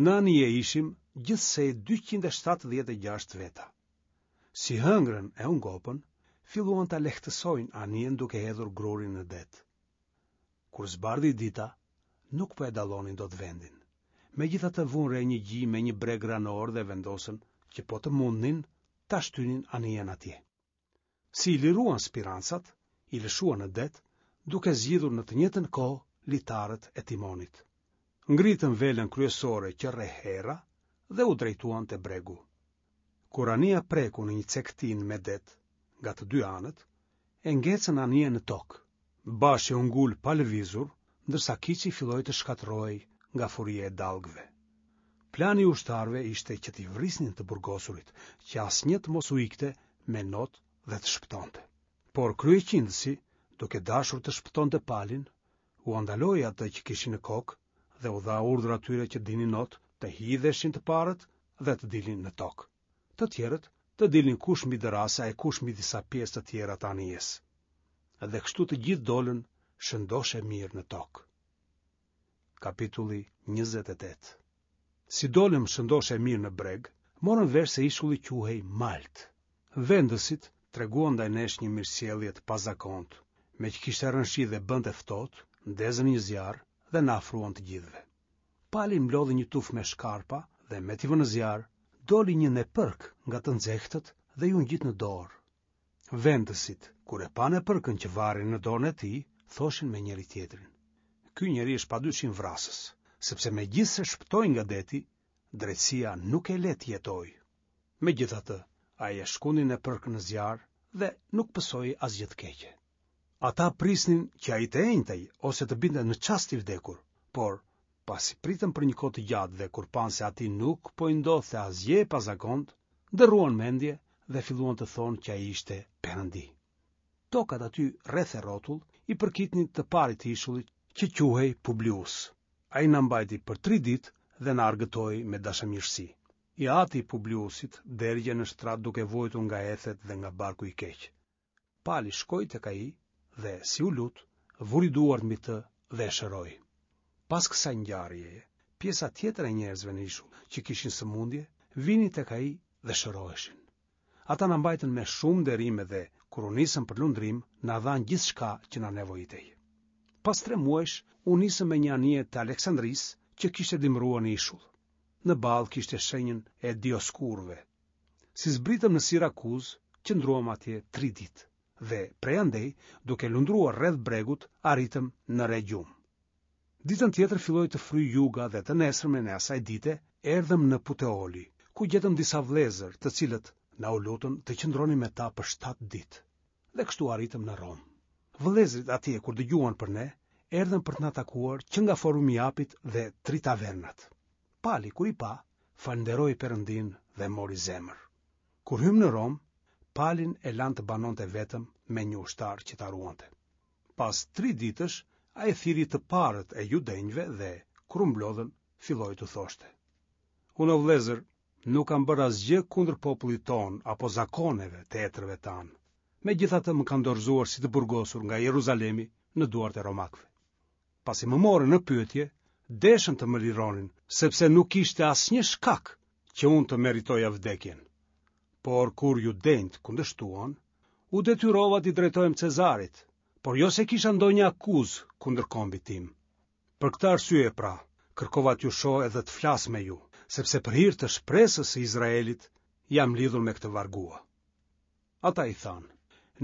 Në anije ishim gjithsej 276 veta. Si hëngrën e u ngopën, filluan ta lehtësojnë anijen duke hedhur grurin në det. Kur zbardhi dita, nuk po e dallonin dot vendin. Megjithatë vunë re një gji me një breg ranor dhe vendosën që po të mundnin ta shtynin anijen atje. Si i liruan spirancat, i lëshuan në det, duke zgjidhur në të njëjtën kohë litarët e timonit. Ngritën velën kryesore që rreh era dhe u drejtuan te bregu. Kur anija preku në një cekëtinë me det, nga të dy anët, e ngecën anijen në tokë. Bashi u ngul pa lëvizur, ndërsa kiçi filloi të shkatërrohej nga furia e dallgëve. Plani i ushtarëve ishte që t'i vrisnin të burgosurit, që asnjë të mos u ikte me not dhe të shpëtonte. Por kryeqindësi, duke dashur të shpëtonte Palin, ua ndaloi atë që kishin në kokë dhe u dha urdhër atyre që dinin not të hidheshin të parët dhe të dilnin në tokë. Të tjerët të dilnin kush mbi dërrasa e kush mbi disa pjesë të tjera të anijes. Dhe kështu të gjithë dolën shëndoshë e mirë në tokë. Kapitulli 28 Si dolëm shëndoshë e mirë në breg, morëm vesh se ishulli quhej Maltë. Vendësit treguan ndaj nesh një mirësjellje të pazakontë, meqë kishte rënë shi dhe bënte ftohtë, ndezën një zjarr dhe na afruan të gjithëve. Pali mblodhi një tufë me shkarpa dhe me t'i vënë zjarr, doli një nepërkë nga të nxehtët dhe iu ngjit në dorë. Vendësit, kur e panë nepërkën që varej në dorën e tij, thoshin me njëri-tjetrin. Ky njeri është padyshim vrasës, sepse megjithëse shpëtoi nga deti, drejtësia nuk e le të jetojë. Megjithatë, ai e shkundi nepërkën në zjarr dhe nuk pësoi asgjë të keqe. Ata prisnin që ai të enjtej ose të binte në çast i vdekur, por pasi pritën për një kohë të gjatë dhe kur panë se atij nuk po i ndodhte asgjë e pazakontë, ndërruan mendje dhe filluan të thonë që ai ishte perëndi. Tokat aty rreth e rrotull i përkitnin të parit të ishullit që quhej Publius. Ai na mbajti për tri ditë dhe na argëtoi me dashamirësi. I ati i Publiusit dergjej në shtrat duke vuajtur nga ethet dhe nga barku i keq. Pali shkoi tek ai dhe, si u lut, vuri duart mbi të dhe e shëroi. Pas kësaj ngjarjeje, pjesa tjetër e njerëzve në ishull që kishin sëmundje, vinin tek ai dhe shëroheshin. Ata na mbajtën me shumë nderime dhe, kur u nisëm për lundrim, na dhanë gjithçka që na nevojitej. Pas tre muajsh, u nisëm me një anije të Aleksandrisë që kishte dimëruar në ishull. Në ballë kishte shenjën e Dioskurëve. Si zbritëm në Sirakuzë, qëndruam atje tri ditë dhe prej andej, duke lundruar rreth bregut, arritëm në Regjium. Ditën tjetër filloi të fryjë juga dhe të nesërmen e asaj dite erdhëm në Puteoli, ku gjetëm disa vëllezër, të cilët na u lutën të qëndronim me ta për shtatë ditë. Dhe kështu arritëm në Romë. Vëllezërit atje kur dëgjuan për ne, erdhën për të na takuar që nga Forumi i Apit dhe Tri Tavernat. Pali kur i pa, falënderoi Perëndinë dhe mori zemër. Kur hymë në Romë, Palin e lanë të banonte vetëm me një ushtar që ta ruante. Pas tri ditësh, ai thirri të parët e judenjve dhe, kur u mblodhën, filloi t'u thoshte. Unë o vëllezër, nuk kam bërë asgjë kundër popullit tonë apo zakoneve të etërve tanë. Megjithatë më kanë dorëzuar si të burgosur nga Jeruzalemi në duart e romakëve. Pasi më morën në pyetje, deshën të më lironin, sepse nuk kishte asnjë shkak që unë të meritoja vdekjen. Por kur judenjtë kundërshtuan, u detyrova t'i drejtohem Cezarit, por jo se kisha ndonjë akuzë kundër kombit tim. Për këtë arsye pra, kërkova t'ju shoh edhe të flas me ju, sepse për hir të shpresës së Izraelit jam lidhur me këtë vargua. Ata i thanë,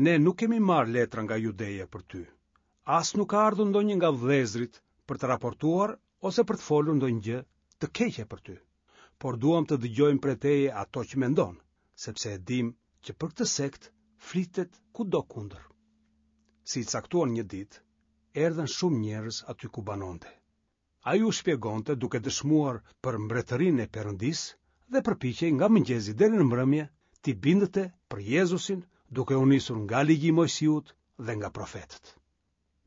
ne nuk kemi marrë letra nga Judeja për ty. As nuk ka ardhur ndonjë nga vëllezërit për të raportuar ose për të folur ndonjë gjë të keqe për ty. Por duam të dëgjojmë prej teje ato që mendon, sepse e dimë që për këtë sekt flitet kudo kundër. Si i caktuan një ditë, erdhën shumë njerëz aty ku banonte. Ai u shpjegonte duke dëshmuar për mbretërinë e Perëndisë dhe përpiqej nga mëngjesi deri në mbrëmje t'i bindte për Jezusin duke u nisur nga ligji i Moisiut dhe nga profetët.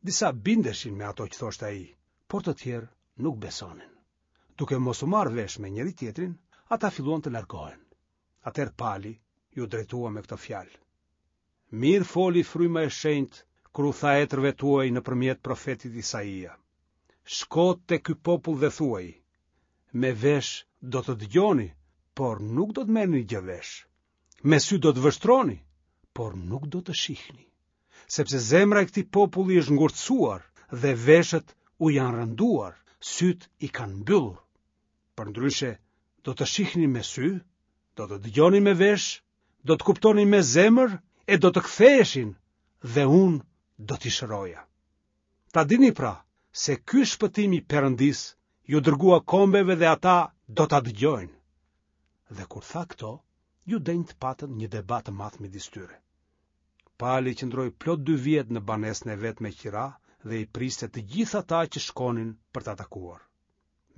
Disa bindeshin me ato që thoshte ai, por të tjerë nuk besonin. Duke mos u marrë vesh me njëri-tjetrin, ata filluan të largohen. Atëherë Pali iu drejtua me këto fjalë. Mirë foli fryma e shenjtë kur u tha etërve tuaj nëpërmjet profetit Isaia. Shko te ky popull dhe thuaj, me vesh do të dëgjoni, por nuk do të merrni gjë vesh. Me sy do të vështroni, por nuk do të shihni. Sepse zemra e këtij populli është ngurtësuar dhe veshët u janë rënduar, sytë i kanë mbyllur. Përndryshe, do të shihnin me sy, do të dëgjonin me vesh, do të kuptonin me zemër e do të ktheheshin dhe unë do t'i shëroja. Ta dini pra se ky shpëtim i Perëndisë iu dërgua kombeve dhe ata do ta dëgjojnë. Dhe kur tha këto, judenjtë patën një debat të madh midis tyre. Pali qëndroi plot dy vjet në banesën e vet me qira dhe i priste të gjithë ata që shkonin për ta takuar.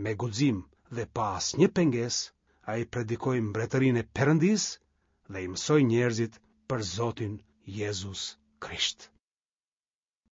Me guxim dhe pa asnjë pengesë, ai predikoi mbretërinë e Perëndisë dhe i mësoi njerëzit për Zotin Jezus Krisht.